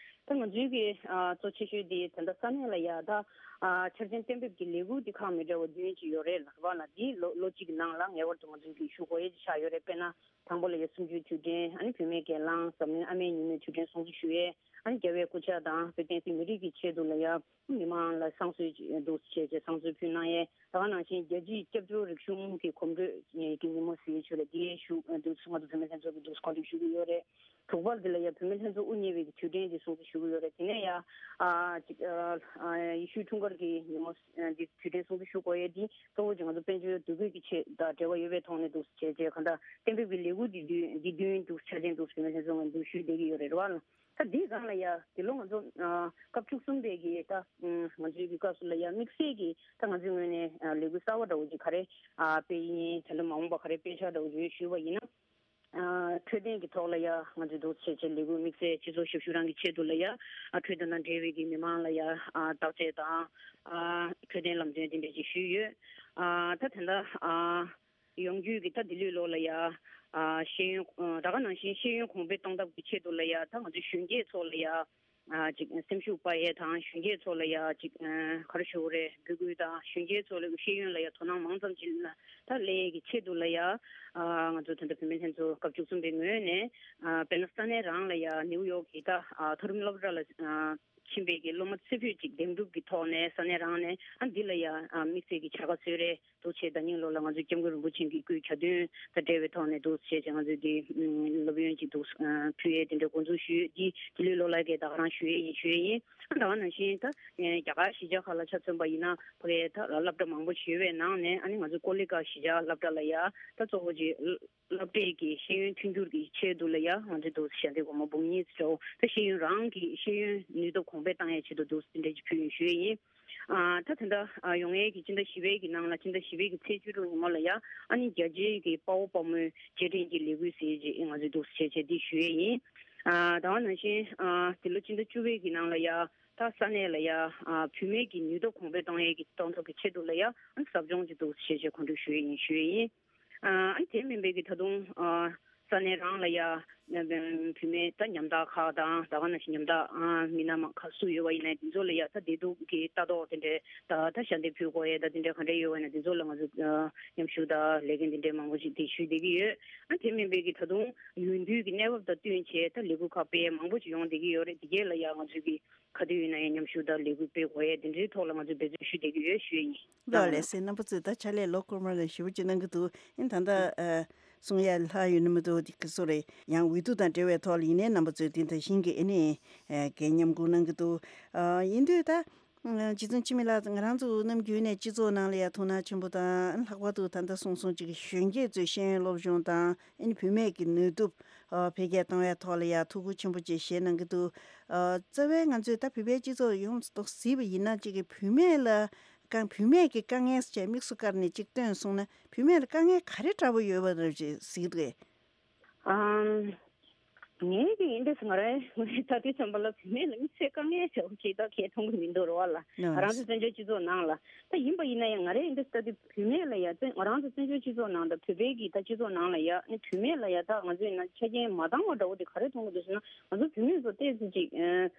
ད་ང་ཚོའི་གི་ཨ་གཙོ་ཆེ་ཤོས་དེ་ད་ལྟ་ས་གནས་ལ་ཡ་ད་ཨ་འཆར་ཅན་གཏན་འབེབས་ཀྱི་ལས་འགུལ་འདི་ཁག་མི་འདྲ་བ་བདུན་ཅིག་ཡོད་རེད་ལགས་རེད་བ་ལགས། འདི་ལོ་ལོ་གཅིག་གི་ནང་ལ་ངེས་པར་དུ་ང་ཚོའི་གི་ཞུ་དགོས་ཡས་ཅིག་ཆགས་ཡོད་རེད། དཔེར་ན་དང་པོ་ལ་ཡ་གསུམ་བཅུའི་དུས་དྲན། ཨ་ནི་བུད་མེད་སྒེར་ལངས། འཛམ་གླིང་ཨ་མའི་ཉིན་མོའི་དུས་དྲན་སྲུང་བརྩི་ཞུ་ཡས། ཨ་ནི་རྒྱལ་བའི་སྐུ་ཕྱག་དང་བོད་བསྟན་སྲིད་མི་རིགས་ཀྱི་ཆེད་དུ་ལ་ཡ་མི་མང་ལ་བསང་གསོལ་འདུག་བྱས་བྱས་བསང་གསོལ་ཕུལ་གནང་ཡས། ད་ག་ནང་བཞིན་རྒྱལ་སྤྱིའི་སྐྱབས་བཅོལ་རིག་གཞུང་གི་གོམ་བགྲོད་ཀྱི་ཉིན་མོ་ཟེར་ཆོག་ལ་འདི་ཞུ་འདུག་ང་ཚོ་བུད་མེད་ལྷན་ཚོགས་ཀྱི་འདུག་གོ་སྒྲིག་ཞུ་གི་ཡོད་རེད། དྲུག་པར་འདི་ལ་ཡ་བུད་མེད་ལྷན་ཚོགས་དབུ་བརྙེས་པའི་དུས་དྲན་འདི་སྲུང་བརྩི་ཞུ་གི་ཡོད་རེད། དེ་ནས་ཡ་ཨ་ཅིག་ཨ་ཨ་ཡེ་ཤུའི་འཁྲུངས་སྐར་གྱི་ཉིན་མོ་འདི་དུས་དྲན་སྲུང་བརྩི་ཞུ་དགོས་ཡས་འདི་གཙོ་བོ་ཅིག་ང་ཚོ་དཔལ་འབྱོར་འདུ་འགོད་ཀྱི་ཆེད་དང་འབྲེལ་བ་ཡོད་པའི་ཐོག་ནས་འདུག་བྱས་རྗེས་གང་ལྟར་གཏན་འབེབས་ཀྱི་ལས་འགུལ་འདི་དུས་འདི་བདུན་འདུག་ཆ་ཅན་འདུག་བུད་མེད་ལྷན་ཚོགས་ངོས་འདུག་ཞུས་བསྡད་ཀྱི་ཡོད་རེད་བ། ད་འདིའི་སྒང་ལ་ཡ་འདི་ལོ་ང་ཚོ་ཨ་སྐབས་བཅུ་གསུམ་པའི་གི་ད་ང་ཚོའི་གི་སྐབས་སུ་ལ་ཡ་དམིགས་བསལ་གྱི་ད་ང་ཚོའི་ངོས་ནས་ཨ་ལས་འགུལ་གསར་བ་འདྲ་བོ་ཅིག་ག་རེ་ཨ་སྤེལ་ཡིན། ད་ལོ་མ་འོངས་པ་ག་རེ་སྤེལ་འཆར་འདྲ་བོ་ཅིག་ཞུས་པ་ཡིན་ན། ཨ་འཕྲོད་བསྟེན་གྱི་ཐོག་ལ་ཡ་ང་ཚོས་འདུག་བྱས་བྱས་ལས་འགུལ་དམིགས་བསལ་སྤྱི་ཚོགས་ཞབས་ཞུ་རང་གི་ཆེད་དུ་ལ་ཡ་ཨ་འཕྲོད་བསྟེན་དང་འབྲེལ་བའི་གི་མི་མང་ལ་ཡ་ཨ་བརྟག་དཔྱད་དང་ཨ་འཕྲོད་བསྟེན་ལམ་སྟོན་དེ་འདྲ་ཅིག་ཞུས་ཡོད། ཨ་ད་དེ་འདྲ་ཨ་ཡོང་རྒྱུ་གི་ད་འདི་ལོའི་ལོ་ལ་ཡ་ཨ་ཤེས་ཡོན་ཨ་ད་ག་ནང་བཞིན་ཤེས་ཡོན་གོང་འཕེལ་གཏོང་ཐབས་ཀྱི་ཆེད་དུ་ལ་ཡ་ད་ང་ཚོའི་གཞོན་སྐྱེས་ཚོ་ལ་ཡ་ཨ་ཅིག་སེམས་ཤུགས་སྤར་ཡས་དང་གཞོན་སྐྱེས་ཚོ་ལ་ཡ་ཅིག་ཨ་ག་རེ་ཞུ་དགོས་རེད། འབོད་སྐུལ་དང་གཞོན་སྐྱེས་ཚོ་ལ་ཤེས་ཡོན་ལ་ཡ་དོ་སྣང་མང་ཙམ་ཅིག་ལ་ད་སླེབས་ཡས་ཀྱི་ཆེད་དུ་ལ་ཡ་ཨ་ང་ཚོ་ད་ལྟ་བུད་མེད་ལྷན་ཚོགས་སྐབས་བཅུ་གསུམ་པའི་ངོས་ནས་ཨ་དཔེར་ན་ས་གནས་རང་ལ་ཡ་ནིའུ་ཡོག་གི་ད་ཨ་མཐོ་རིམ་སློབ་གྲྭ་ལ་ཨ་ཕྱིན་པའི་གི་སློབ་མ་ཚེ་འཕོས་ཅིག་འདེམས་སྒྲུག་གི་ཐོག་ནས་ས་གནས་རང་ནས་ཨ་འདི་ལ་ཡ་ཨ་དམིགས་བསལ་གྱི་བྱ་དགའ་སྩོལ་རེ་འདུག་བྱས་ད་ཉིན་ལོ་ལ་ང་ཚོས་སྐྱབས་མགོན་རིན་པོ་ཆེ་གི་སྐུའི་གྱ་སྟོན་དང་འབྲེལ་བའི་ཐོག་ནས་འདུག་བྱས་བྱས་ང་ཚོས་འདི་སློབ་ཡོན་ཅིག་འདུག་ཕུལ་ཡས་དེ་འདྲའི་འགོ་འཛུགས་ཞུས། འདི་དེ་ལོའི་ལོ་ལ་གས་ད་ག་རང་ཞུ་ཡས་ཡིན་ཞུ་ཡས་ཡིན། ཨ་ད་ག་ནང་བཞིན་ད་རྒྱ་གར་གཞིས་ཆགས་ཁག་ལ་ཆ་མཚོན་པ་ཡིན་ན་ཕ་གའི་ད་སློབ་གྲྭ་མང་པོ་ཞིག་ཡོད་པའི་ནང་ནས་ཨ་ནི་ང་ཚོའི་ཀོ་ལི་གྷལ་གཞིས་ཆགས་སློབ་གྲྭ་ལ་ཡ་ད་གཙོ་བོ་ཅིག་སློབ་གྲྭའི་གི་ཤེས་ཡོན་མཐུན་འགྱུར་གྱི་ཆེད་དུ་ལ་ཡ་ང་ཚོས་འདུག་ཞལ་འདེབས་སྒོར་མོ་འབུམ་གཉིས་ཙམ་འདྲ་བོ་ད་ཤེས་ཡོན་རང་གི་ཤེས་ཡོན་ནུས་སྟོབས་གོང་འཕེལ་བཏང་ཡས་ཆེད་དུ་འདུག་དེ་འདྲ་ཅིག་ཕུལ་ཡིན་ཞུ་ཡས་ཡིན། ཨ་ད་དེ་འདྲ་ཨ་ཡོང་ཡས་ཀྱི་སྤྱི་ཟླ་བཞི་པའི་གི་ནང་ལ་སྤྱི་ཟླ་བཞི་པའི་གི་ཚེས་བཅུ་དྲུག་ཉིན་མོ་ལ་ཡ་ཨ་ནི་རྒྱ་ཆེའི་གི་དཔའ་བོ་དཔའ་མོའི་རྗེས་དྲན་གྱི་ལས་འགུལ་ཟེར་ཅིག་ང་ཚོས་འདུག་བྱས་བྱས་འདི་ཞུ་ཡས་ཡིན། ཨ་ད་ག་ནང་བཞིན་ཨ་འདི་ལོ་སྤྱི་ཟླ་བཅུ་པའི་གི་ནང་ལ་ཡ་ད་ས་གནས་ལ་ཡ་ཨ་བུད་མེད་ཀྱི་ནུས་སྟོབས་གོང་འཕེལ་གཏོང་ཡས་ཀྱི་གཏོང་ཐབས་ཀྱི་ཆེད་དུ་ལ་ཡ་ཨ་ཟབ་སྦྱོང་ཅིག་འདུག་བྱས་བྱས་གོ་སྒྲིག་ཞུ་ཡས་ཡིན་ཞུ་ཡས་ཡིན། ཨ་ནི་དེ་མིན་པའི་གི་ད་དུང་ཨ་ས་གནས་རང་ལ་ཡ་བུད་མེད་ད་ཉམ་ཐག་ཁག་དང་ད་ག་ནང་བཞིན་ཉམ་ཐག་ཨ་མི་སྣ་མང་ཁག་སུ་ཡོད་པ་ཡིན་ན་དེ་ཚོ་ལ་ཡ་ད་བདེ་སྡུག་གི་ལྟ་རྟོག་དེ་འདྲའི་ད་ད་ཞལ་འདེབས་ཕུལ་དགོས་ཡས་ད་དེ་འདྲའི་ག་འདྲ་ཡོད་པ་ཡིན་ན་དེ་ཚོ་ལ་ང་ཚོ་ཨ་མཉམ་ཞུགས་དང་ལས་འགན་དེ་འདྲའི་མང་པོ་ཞིག་དེ་ཞུས་བསྡད་ཀྱི་ཡོད། ཨ་དེ་མིན་པའི་གི་ད་དུང་ཡུལ་དུས་ཀྱི་གནས་བབ་དང་བསྟུན་བྱས་ད་ལས་འགུལ་ཁག་སྤེལ་ཡས་མང་པོ་ཞིག་ཡོང་བསྡད་ཀྱི་ཡོད་རེད། དེ་གས་ལ་ཡ་ང་ཚོས་གི་ག་དུས་ཡིན་ན་ཡང་མཉམ་ཞུགས་དང་ལས་འགུལ་སྤེལ་དགོས་ཡས་དེ་འདྲའི་ཐོག་ལ་ང་ཚོས་འབད་བརྩོན་ཞུ་བསྡད་ཀྱི་ཡོད་ཞུ་ཡས་ཡིན། ལགས་ལགས་སེ། རྣམ་པ་ཚོས་ད་ཕྱག་ལས་ལོ་འཁོར་མ་ལ་ཞེ་པོ་ཅིག་གནང་གི་འདུག་ཨིན་ད་ལྟ་ཨ་གསུང་ཡ་ལྷག་ཡོད་ན་མི་འདུག་དེ་ག་སོ་རེད། ཡང་འོས་བསྡུ་དང་འབྲེལ་བའི་ཐོག་ལ་ཡིན་ནའི་རྣམ་པ་ཚོས་དེ་ད་བཞིན་གྱི་ཨེ་ནི་ཨ་གས་མཉམ་སྒུག་གནང་གི་འདུག་ཨ་ཡིན་དུས་ད་ཨ་རྗེ་བཙུན་འཆི་མེད་ལགས་ང་རང་ཚོ་ནམ་རྒྱུན་ནས་སྤྱི་ཚོགས་ནང་ལ་ཡ་ཐུགས་སྣང་ཆེན་པོ་དང་ལྷག་པར་དུ་ད་ལྟ་གསུང་སོང་ཅིག་གཞོན་སྐྱེས་ཚོའི་ཤེས་ཡོན་སློབ་སྦྱོང་དང་ཨེ་ནི་བུད་མེད་ཀྱི་ནུས་སྟོབས་ཨ་འཕེལ་རྒྱས་གཏོང་བའི་ཐོག་ལ་ཡ་ཐུགས་ཁུར་ཆེན་པོ་ཅིག་བཞེས་གནང་གི་འདུག་ཨ་རྩ་བའི་ང་ཚོས་ད་བོད་པའི་སྤྱི་ཚོགས་ཡོངས་སུ་གཟིགས་པ་ཡིན་ན་གཅིག་གི་བུད་མེད་ལ་དཀའ་བུད་མེད་ཀྱི་དཀའ་ངལ་ཅེས་དམིགས་སུ་བཀར་ནས་གཅིག་བཏོན་སོང་ན་བུད་མེད་ལ་དཀའ་ངལ་ག་རེ་འདྲ་པོ་ཡོད་པ་རེད་ཅེས་གཟིགས་འདུག་ཨམ། ངས་ཀྱི་ཡིན་འདྲ་སོང་ང་རེད། ངས་ད་དུས་ཙམ་པ་ལ་བུད་མེད་ལ་དམིགས་བསལ་དཀའ་ངལ་ཆེ་བ་ཞིག་ད་གས་མཐོང་གི་མི་འདུག་རེད་བ་ལ། ང་རང་ཚོ་བཙན་བྱོལ་སྤྱི་ཚོགས་ནང་ལ་ད་ཡིན་པ་ཡིན་ན་ཡང་ང་རེ་ཡིན་འདྲ་ད་དུས་བུད་མེད་ལ་ཡ་ང་རང་ཚོ་བཙན་བྱོལ་སྤྱི་ཚོགས་ནང་དང་བོད་པའི་གི་ད་སྤྱི་ཚོགས་ནང་ལ་ཡ་ནི་བུད་མེད་ལ་ཡ་ད་ང་ཚོ་ཡིན་ན་ཆ་རྐྱེན་མ་འདང་བ་འདྲ་བོ་དེ་ག་རེ་མཐོང་གི་འདུག་ཟེར་ན། ང་ཚོ་བུད་མེད་ཚོ་ཏོག་ཙམ་ཅིག་ཨ་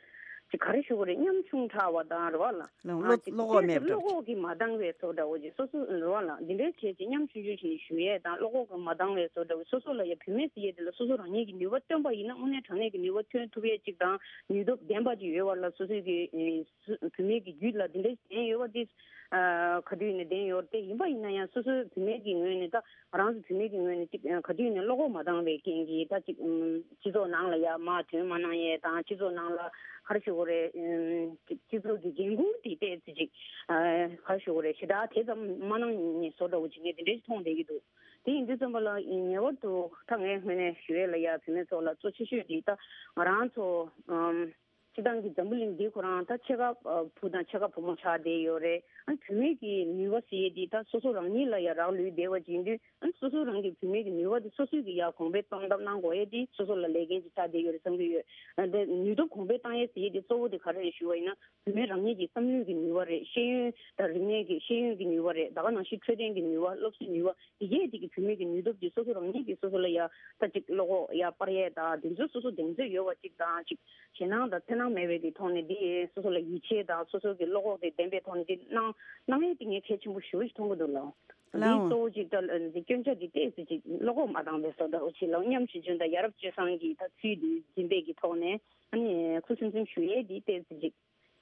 ཅིག་ག་རེ་ཞུ་དགོས་རེད། ཉམ་ཆུང་དྲགས་པ་དང་རེད་བ་ལ། བློ་ཨ་ཅིག་བློ་ཁོག་མེད་པ་འདྲ་བློ་ཅིག་ཁོག་གི་མ་འདང་བའི་བཟོ་འདྲ་བོ་ཅིག་སོ་སོ་རེད་བ་ལ། འདི་འདྲའི་བྱས་ཅིག་ཉམ་ཆུང་ཆུང་ཞིག་ནས་ཞུ་ཡས་དང་བློ་ཁོག་གི་མ་འདང་བའི་བཟོ་འདྲ་བོ་སོ་སོ་ལ་ཡ་བུད་མེད་ཟེར་ཡས་དེ་ལ་སོ་སོ་རང་ཉིད་ཀྱི་ནུས་པ་བཏོན་པ་ཡིན་ན་དངོས་གནས་དྲང་གནས་ཀྱི་ནུས་པ་ཐོན་ཐུབ་ཡས་ཅིག་དང་ནུས་སྟོབས་ལྡན་པ་ཅིག་ཡོད་བ་ལ། སོ་སོའི་གི་ཨེ་བུད་མེད་ཀྱི་རྒྱུད་ལ་འདི་འདྲའི་ཞེན་ཡོད་པ་འདི་ཨ་ག་དུས་ནས་ལྡན་ཡོད་རེད། དེ་ཡིན་པ་ཡིན་ན་ཡང་སོ་སོའི་བུད་མེད་ཀྱི་ངོས་ནས་ད་ང་རང་ཚོ་བུད་མེད་ཀྱི་ངོས་ནས་ཅིག་ཨ་ག་དུས་ནས་བློ་ཁོག་མ་འདང་བའི་རྐྱེན་གྱིས་ད་ཅིག་ཨམ་སྤྱི་ཚོགས་ནང་ལ་ཡ་མར་ཐོན་མ་གནང་ཡས་དང་། སྤྱི་ཚོགས་ནང་ལ་ག་རེ་ཞུ་དགོས་རེད། ཨམ་ཅིག་སྤྱི་ཚོགས་ཀྱི་འགན་ཁུར་དེ་ཏོག་ཙམ་ཅིག་ཨ་ག་རེ་ཞུ་དགོས་རེད། ཞེ་དྲག་དེ་ཙམ་མ་གནང་ནས་བཟོ་འདྲ་བོ་ཅིག་ངས་དེ་འདྲ་ཞིག་མཐོང་བསྡད་ཀྱི་འདུག་དེ་ཡིན་དུས་ཙམ་པ་ལ་ངེས་པར་དུ་ད་ངའི་ངོས་ནས་ཞུ་ཡས་ལ་ཡ་བུད་མེད་ཚོ་ལ་གཙོ་ཆེ་ཤོས་འདི་ད་ང་རང་ཚོ་ཨམ། སྤྱི་བཏང་གི་འཛམ་བུ་གླིང་འདི་ཁོ་རང་ད་ཕྱེད་ཀ་ཨ་བུ་དང་ཕྱེད་ཀ་བུ་མོ་ཆགས་བསྡད་ཡོད་རེད། ཨ་བུད་མེད་ཀྱི་ནུས་པ་ཟེར་ཡས་འདི་ད་སོ་སོ་རང་ཉིད་ལ་ཡ་རག་ལུས་བསྡད་པ་ཅིག་ཡིན་དུས། ཨ་སོ་སོ་རང་གི་བུད་མེད་ཀྱི་ནུས་པ་འདི་སོ་སོས་ཀྱི་ཡ་གོང་འཕེལ་གཏོང་ཐབས་གནང་དགོས་ཡས་འདི་སོ་སོ་ལ་ལས་འགན་ཅིག་ཆགས་བསྡད་ཡོད་རེད་བསམ་གྱི་ཡོད། ཨ་དེ་ནུས་སྟོབས་གོང་འཕེལ་བཏང་ཡས་ཟེར་ཡས་འདི་གཙོ་བོ་དེ་ག་རེ་རེད་ཞུ་བ་ཡིན་ན། བུད་མེད་རང་ཉིད་ཀྱི་བསམ་བློའི་གི་ནུས་པ་རེད། ཤེས་ཡོན་དང་རིག་གནས་ཀྱི་ཤེས་ཡོན་གྱི་ནུས་པ་རེད། ད་ག་ནང་བཞིན་འཕྲོད་བསྟེན་གྱི་ནུས་པ། སློབ་གསོའི་ནུས་པ། དེ་གས་དེ་གི་བུད་མེད་ཀྱི་ནུས་སྟོབས་དེ་སོ་སོ་རང་ཉིད་ཀྱིས་སོ་སོ་ལ་ཡ་ད་ཅིག་བློ་ཁོག་ཡ་སྤར་ཡས་དང་། དེ་ཚོ་སོ་སོ་གདེང་ཚོད་ཡོད་པ་ཅིག་དང་། ཅིག་ཞེད་སྣང་དང་འཚེར་སྣང་ མེད་པའི་གི་ཐོག་ནས་འདི་སོ་སོ་ལ་ཡིད་ཆེས་དང་སོ་སོ་གི་བློ་ཁོག་དེ་ལྡན་པའི་ཐོག་ནས་འདི་གནང་གནང་ཡས་དེ་ངས་གལ་ཆེན་པོ་ཞེ་པོ་ཞིག་མཐོང་གི་འདུག་ལགས། ལགས་འདི་འོང་། གཙོ་བོ་ཅིག་ད་འདི་སྐྱོན་ཆ་འདི་ཏོག་ཙམ་ཅིག་བློ་ཁོག་མ་འདང་བའི་བཟོ་འདྲ་བོ་ཅིག་ལགས། སྙམ་ཞིག་བྱུང་། ད་ཡ་རབས་སྤྱོད་བཟང་གི་ད་ཚུལ་འདི་འཛིན་པའི་གི་ཐོག་ནས་ཨ་ནི་ཁུ་སིམ་སིམ་ཞུ་ཡས་འདི་ཏོག་ཙམ་ཅིག་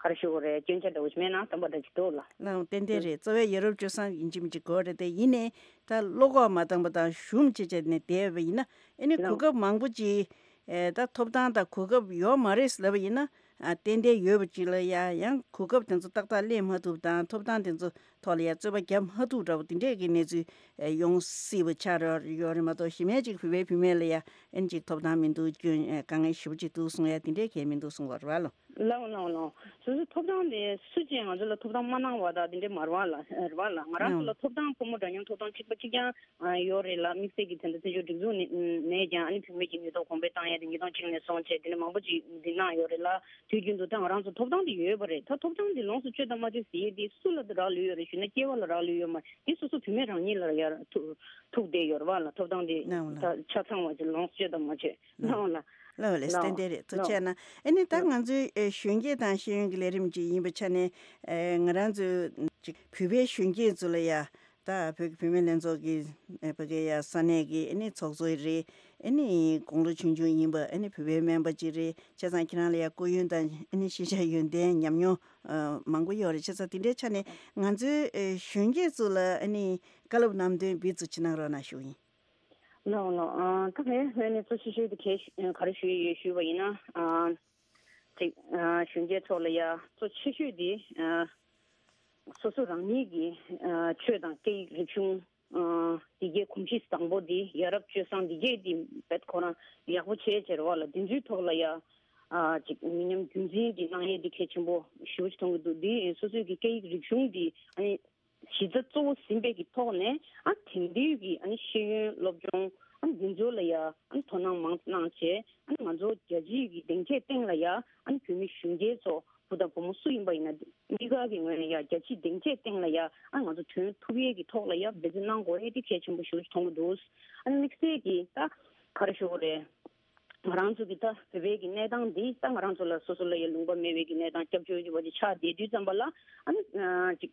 ག་རེ་ཞུ་དགོས་རེད། སྐྱོན་ཆ་འདྲ་བོ་ཞིག་མེད་ན་བསམ་པ་འདྲ་ཅིག་འདུག་ལགས། ལགས་འོང་། ཏན་ཏན་རེད། གཙོ་བོ་ཡ་རབས་སྤྱོད་བཟང་ཡིན་གཅིག་མིན་གཅིག་དགོས་རེད་དེ། ཡིན་ནའི་ད་བློ་ཁོག་མ་འདང་པ་དང་ཞུམ་བྱས་བྱས་ནས་བསྡད་པ་ཡིན་ན་ཨ་ནི་ལགས་གོ་འོང་། སྐབས་མང་པོ་ཅིག་ཨེ་ད་ཐོབ་ཐང་དང་གོ་སྐབས་ཡོད་མ་རེད་ལབ་པ་ཡིན་ན། ཨ་ཏན་ཏན་ཡོད་པ་ཅིག་ལ་ཡ་ཡང་གོ་སྐབས་དེ་ཚོ་ཏག་ཏག་ལེན་མ་ཐུབ་དང་ཐོབ་ཐང་དེ་ཚོ་ཐོག་ལ་ཡ་རྩོད་པ་རྒྱབ་མ་ཐུབ་འདྲ་བོ་དེ་འདྲས་ཀྱི་གནས་ཚུལ་ཨེ་ཡོང་སྲིད་པ་ཆགས་ཡོད་རེད་མ་གཏོགས། གཞི་མེད་ཅིག་བོད་པའི་བུད་མེད་ལ་ཡ་ཨེ་ཅིག་ཐོབ་ཐང་མི་འདུག་སྐྱོན་ཨེ་དཀའ་ངལ་ཞེ་པོ་ཅིག་འདུག་གསུང་ཡ་དེ་འདྲས་གལ་མི་འདུག་གསུང་བ་རེད་བ་ལོ། ལགས་འོང་། ལགས་འོང་། ལགས་འོང་། སོ་སོའི་ཐོབ་ཐང་དེ་སུ་གཅིག་ང་ཚོ་ལ་ཐོབ་ཐང་མ་གནང་བ་དང་དེ་འདྲས་མ་རེད་བ་ལགས། རེད་བ་ལགས། ང་རང་ཚོ་ལ་ལགས་འོང་། ཐོབ་ཐང་ཕོ་མོ་འདྲ་མཉམ་ཐོབ་ཐང་གཅིག་པ་གཅིག་རྐྱང་ཨ་ཡོད་རེད་ལགས། དམིགས་བསལ་གྱི་དེ་འདྲ་བཙན་བྱོལ་སྒྲིག་འཛུགས་ནས་ནས་ཀྱང་ཨ་ནི་བུད་མེད་ཀྱི་ཉེན་རྟོག་གོང་འཕེལ་བཏང་ཡས་དེ་ཉིས་སྟོང་གཅིག་ནས་བཟུང་བྱས་དེ་འདྲ་མང་པོ་ཅིག་འཛིན་གནང་ཡོད་རེད་ལགས། དུས་རྒྱུན་དུ་ད་ང་རང་ཚོ་ཐོབ་ཐང་དེ་ཡོད་པ་རེད། ད་ཐོབ་ཐང་དེ་ལོངས་སུ་སྤྱོད་དང་མ་སྤྱོད་ཟེར་ཡས་དེ་སུ་ལ་རག་ལུས་ཡོད་རེད་ཞུས་ན་སྐྱེ་བ་ལ་རག་ལུས་ཡོད་མ་རེད། དེ་སོ་སོ་བུད་མེད་རང་ཉིད་ལ་ཡར་ཐུག་ཐུག་བསྡད་ཡོད་རེད་བ་ལགས། ཐོབ་ཐང་དེ་ལགས་འོང་ལགས། ད་ཆ་ཚང་བ་ཅིག་ལོངས་སུ་སྤྱོད་དང་མ་སྤྱོད། ལགས་འོང་ལགས། ལགས་འོང་ལགས། ལགས་འོང་། ཏན་ཏན་རེད། ཐུགས་རྗེ་ཆེ་གནང་། ཨ་ནི་ད་ལགས་ང་ཚོའི་ཨེ་གཞོན་སྐྱེས་དང་ཤེས་ཡོན་གྱི་ལས་རིམ་ཅིག་ཡིན་པའི་ཆ་ནས་ཨེ་ང་རང་ཚོའི་ཅིག་བོད་པའི་གཞོན་སྐྱེས་ཚོ་ལ་ཡ་ད་བོད་ཀྱི་བུད་མེད་ལྷན་ཚོགས་ཀྱི་ཨེ་ཕ་གི་ཡ་ས་གནས་ཀྱི་ཨ་ནི་ཚོགས་གཙོ་རེད། ཨ་ནི་དགུང་ལོ་ཆུང་ཆུང་ཡིན་པ་ཨ་ནི་བོད་པའི་སྨན་པ་ཅིག་རེད། བྱས་ཙང་ཁྱེད་རང་ལ་ཡ་སྐུ་ཡོན་དང་ཨ་ནི་ཤེས་བྱ་ཡོན་ཏན་ཉམས་མྱོང་ཨ་མང་པོ་ཡོད་རེད། བྱས་ཙང་དེ་འདྲའི་ཆ་ནས་ང་ཚོའི་ཨེ་གཞོན་སྐྱེས་ཚོ་ལ་ཨ་ནི་བཀའ་སློབ་གནང་དོན་འབུལ་ཚུལ་ཅིག་གནང་རོགས་གནང་ཞུ་ཡིན། ལགས་འོང་ལགས། ཨ་ད་ངས་སྔོན་ནས་གཙོ་ཆེ་ཤོས་དེ་གས་ག་རེ་ཞུ་ཡི་ཡོད་ཞུས་པ་ཡིན་ན། ཨ་ཅིག་ཨ་གཞོན་སྐྱེས་ཚོ་ལ་ཡ་གཙོ་ཆེ་ཤོས་དེ་ཨ་སོ་སོ་རང་ཉིད་ཀྱི་ཨ་ཆོས་དང་སྐད་ཡིག་རིག་གཞུང་ཨ་འདི་གའི་གོམས་གཤིས་བཟང་པོ་འདི་ཡ་རབས་སྤྱོད་བཟང་འདི་གའི་འདི་བེད་ཁོ་རང་ཡག་པོ་བྱས་བྱས་རེད་བ་ལགས། འདི་ཚོའི་ཐོག་ལ་ཡ་ཨ་ཅིག་མི་ཉམས་རྒྱུན་འཛིན་འདི་གནང་ཡས་འདི་གལ་ཆེན་པོ་ཞེ་པོ་ཅིག་མཐོང་གི་འདུག་འདི་སོ་སོའི་གི་སྐད་ཡིག་རིག་གཞུང་འདི་ཨ་ནི་གཞི་རྩ་གཙོ་བོ་ཟིན་པའི་གི་ཐོག་ནས་ཨ་དེང་དུས་ཀྱི་ཨ་ནི་ཤེས་ཡོན་སློབ་སྦྱོང་ཨ་ནི་འདི་ཚོ་ལ་ཡ་ཨ་ནི་དོ་སྣང་མང་ཙམ་གནང་བྱས། ཨ་ནི་ང་ཚོ་རྒྱལ་སྤྱིའི་གི་སྡིངས་ཆའི་སྟེང་ལ་ཡ་ཨ་ནི་བོད་མི་གཞོན་སྐྱེས་ཚོ་བུ་དང་བུ་མོ་སུ་ཡིན་པ་ཡིན་ན་འདི་ག་གི་ངོས་ནས་ཡ་རྒྱལ་སྤྱིའི་སྡིངས་ཆའི་སྟེང་ལ་ཡ་ཨ་ནི་ང་ཚོ་ཐོན་ཐུབ་ཡས་ཀྱི་ཐོག་ལ་ཡ་འབད་བརྩོན་གནང་དགོས་ཡས་དེ་གལ་ཆེན་པོ་ཞེ་པོ་ཅིག་མཐོང་གི་འདུག་ཨ་ནི་དམིགས་བསལ་གྱི་ད་ག་རེ་ཞུ་དགོས་རེད། ང་རང་ཚོ་གི་ད་བོད་པའི་གི་གནས་སྟངས་འདི་ད་ང་རང་ཚོ་ལ་སོ་སོ་ལ་ཡ་ལུང་པ་མེད་པའི་གི་གནས་སྟངས་སྐྱབས་བཅོལ་གྱི་བ་ཅིག་ཆགས་བསྡད་དུས་ཙམ་པ་ལ་ཨ་ནི་ཅིག་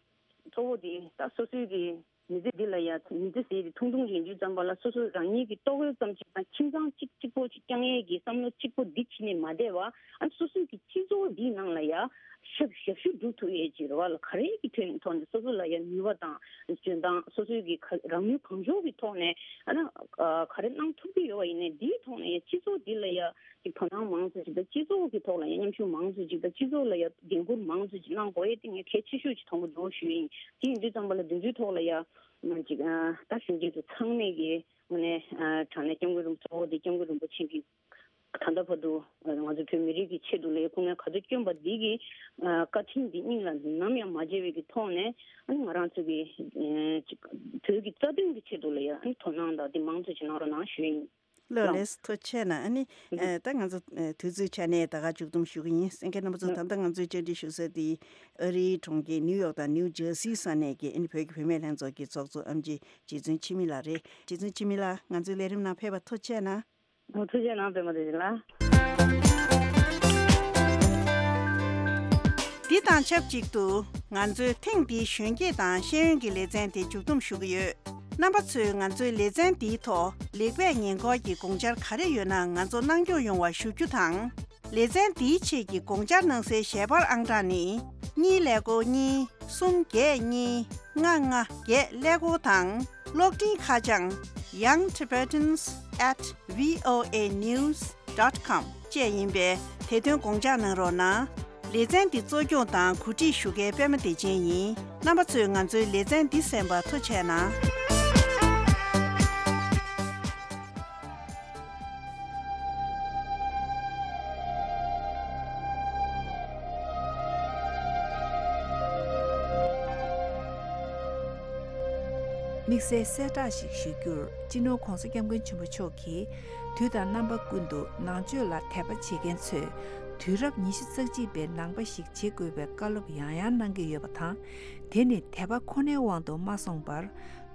གཙོ་བོ་དེ་ད་སོ་སོའི་གི་མི་ཚེ་འདི་ལ་ཡ་མི་ཚེ་ཟེར་དེ་ཐུང་ཐུང་ཡིན་དུས་ཙམ་པ་ལ་སོ་སོ་རང་ཉིད་ཀྱི་ལྟོ་གོས་ཙམ་ཅིག་དང་ཁྱིམ་ཚང་གཅིག་གཅིག་པོ་ཅིག་བསྐྱང་ཡས་ཀྱི་བསམ་བློ་གཅིག་པོ་འདི་བྱས་ནས་མ་བསྡད་པ་ཨ་ནི་སོ་སོའི་གི་སྤྱི་ཚོགས་འདིའི་ནང་ལ་ཡ་ཞབས་ཞབས་ཞུ་སྒྲུབ་ཐུབ་ཡས་ཅིག་རེད་བ་ལགས། ག་རེ་གི་ཐོག་ནས་ཐོག་ནས་སོ་སོ་ལ་ཡ་ནུས་པ་དང་འཇོན་ཐང་སོ་སོའི་གི་ག་རང་ནུས་གང་ལྕོགས་ཀྱི་ཐོག་ནས་ཨ་ནི་ཨ་ག་རེ་གནང་ཐུབ་ཀྱི་ཡོད་པ་ཡིན་ནའི་འདིའི་ཐོག་ནས་ཡ་སྤྱི་ཚོགས་འདི་ལ་ཡ་ཅིག་དོ་སྣང་མང་ཙམ་ཅིག་དང་སྤྱི་ཚོགས་ཀྱི་ཐོག་ལ་ཡ་མཉམ་ཞུགས་མང་ཙམ་ཅིག་དང་སྤྱི་ཚོགས་ལ་ཡ་འགན་འཁུར་མང་ཙམ་ཅིག་གནང་དགོས་ཡས་དེ་ངས་གལ་ཆེ་ཤོས་ཅིག་མཐོང་གི་འདུག་ཞུ་ཡིན། དེ་ཡིན་དུས་ཙམ་པ་ལ་འདི་ཚོའི་ཐོག་ལ་ཡ་ཅིག་ཨ་ད་གཞོན་སྐྱེས་ཚོ་ཚང་མས་ཀྱི་དངོས་གནས་ཨ་དྲང་གནས་སྐྱབས་མགོན་རིན་པོ་གཙོ་བོ་དེ་སྐྱབས་མགོན་རིན་པོ་ཆེ་གིས་ད་ལྟ་བར་དུ་ང་ཚོ་བོད་མི་རིགས་ཀྱི་ཆེད་དུ་ལ་ཡ་སྐུ་ངལ་ག་ཚོད་བསྐྱོན་པ་འདི་གི་ཨ་བཀའ་དྲིན་འདི་སྙིང་ལ་ནམ་ཡང་མ་བརྗེད་པའི་གི་ཐོག་ནས་ཨ་ནི་ང་རང་ཚོ་གི་ཨ་ཅིག་བོད་ཀྱི་རྩ་དོན་གྱི་ཆེད་དུ་ལ་ཡ་ཨ་ནི་དོ་སྣང་དང་འདི་མང་ཙམ་ཅིག་གནང་རོགས་གནང་ཞུ་ཡིན། ལགས་ལགས། ཐུགས་རྗེ་ཆེ་གནང་། ཨ་ནི་ཨ་ད་ང་ཚོ་ཨ་དུས་ཚོད་ཆ་ནས་ད་ག་མཇུག་བསྡོམས་ཞུ་གི་ཡིན། གསན་མཁན་རྣམ་པ་ཚོ་ད་ལྟ་ང་ཚོས་བཅར་འདྲི་ཞུ་ས་དེ་ཨ་རིའི་གྲོང་ཁྱེར་ནིའུ་ཡོག་དང་ནིའུ་ཇར་སིའི་ས་གནས་ཀྱི་ཨ་ནི་བོད་ཀྱི་བུད་མེད་ལྷན་ཚོགས་ཀྱི་ཚོགས་གཙོ་ཨེམ་ཆི་རྗེ་བཙུན་འཆི་མེད་ལགས་རེད། རྗེ་བཙུན་འཆི་མེད་ལགས་ང་ཚོའི་ལས་རིམ་ནང་ཕེབས་པར་ཐུགས་རྗེ་ཆེ་གནང་། ཨོ་ཐུགས་རྗེ་གནང་པད་མ་བདེ་ཆེན་ལགས། འདི་དང་ཆབས་ཅིག་ཏུ་ང་ཚོས་ཐེངས་འདིའི་གཞོན་སྐྱེས་དང་ཤེས་ཡོན་གྱི་ལེ་ཚན་དེ་མཇུག་བསྡོམས་ཞུ་གི་ཡོད། རྣམ་པ་ཚོས་ང་ཚོའི་ལེ་ཚན་འདིའི་ཐོག་ལེགས་སྤེལ་ཉེས་འགོག་གི་དགོངས་འཆར་ག་རེ་ཡོད་ན་ང་ཚོ་གནང་སྐྱོང་ཡོང་བ་ཞུ་རྒྱུ་དང་། ལེ་ཚན་འདིའི་ཆེད་ཀྱི་དགོངས་འཆར་གནང་སའི་ཞལ་པར་ཨང་གྲངས་ནི། གཉིས་ཀླད་ཀོར་གཉིས། གསུམ་བརྒྱད་གཉིས། ལྔ་ལྔ་བརྒྱད་ཀླད་ཀོར་དང་། གློག་འཕྲིན་ཁ་བྱང་young tibetans at voa news dot com བཅས་ཡིན་པས་དེ་དོན་དགོངས་འཇགས་གནང་རོགས་གནང་། ལེ་ཚན་འདི་གཙོ་སྐྱོང་དང་གོ་སྒྲིག་ཞུ་མཁན་པད་མ་བདེ་ཆེན་ཡིན། རྣམ་པ་ཚོས་ང་ཚོའི་ལེ་ཚན་འདི་གསན་པར་ཐུགས་རྗེ་གནང་། དམིགས་བསལ་གསལ་བསྒྲགས་ཤིག་ཞུ་རྒྱུར། སྤྱི་ནོར་༧གོང་ས་༧སྐྱབས་མགོན་ཆེན་པོ་མཆོག་གིས་དུས་དང་རྣམ་པ་ཀུན་ཏུ་ནང་ཆོས་ལ་དད་པ་བྱེད་མཁན་ཚོས་དུས་རབས་ཉི་ཤུ་རྩ་གཅིག་པའི་ནང་པ་ཞིག་བྱེད་དགོས་པའི་བཀའ་སློབ་ཡང་ཡང་གནང་གི་ཡོད་པ་དང་། དེ་ནི་དད་པ་ཁོ་ནའི་དབང་དུ་མ་སོང་བར།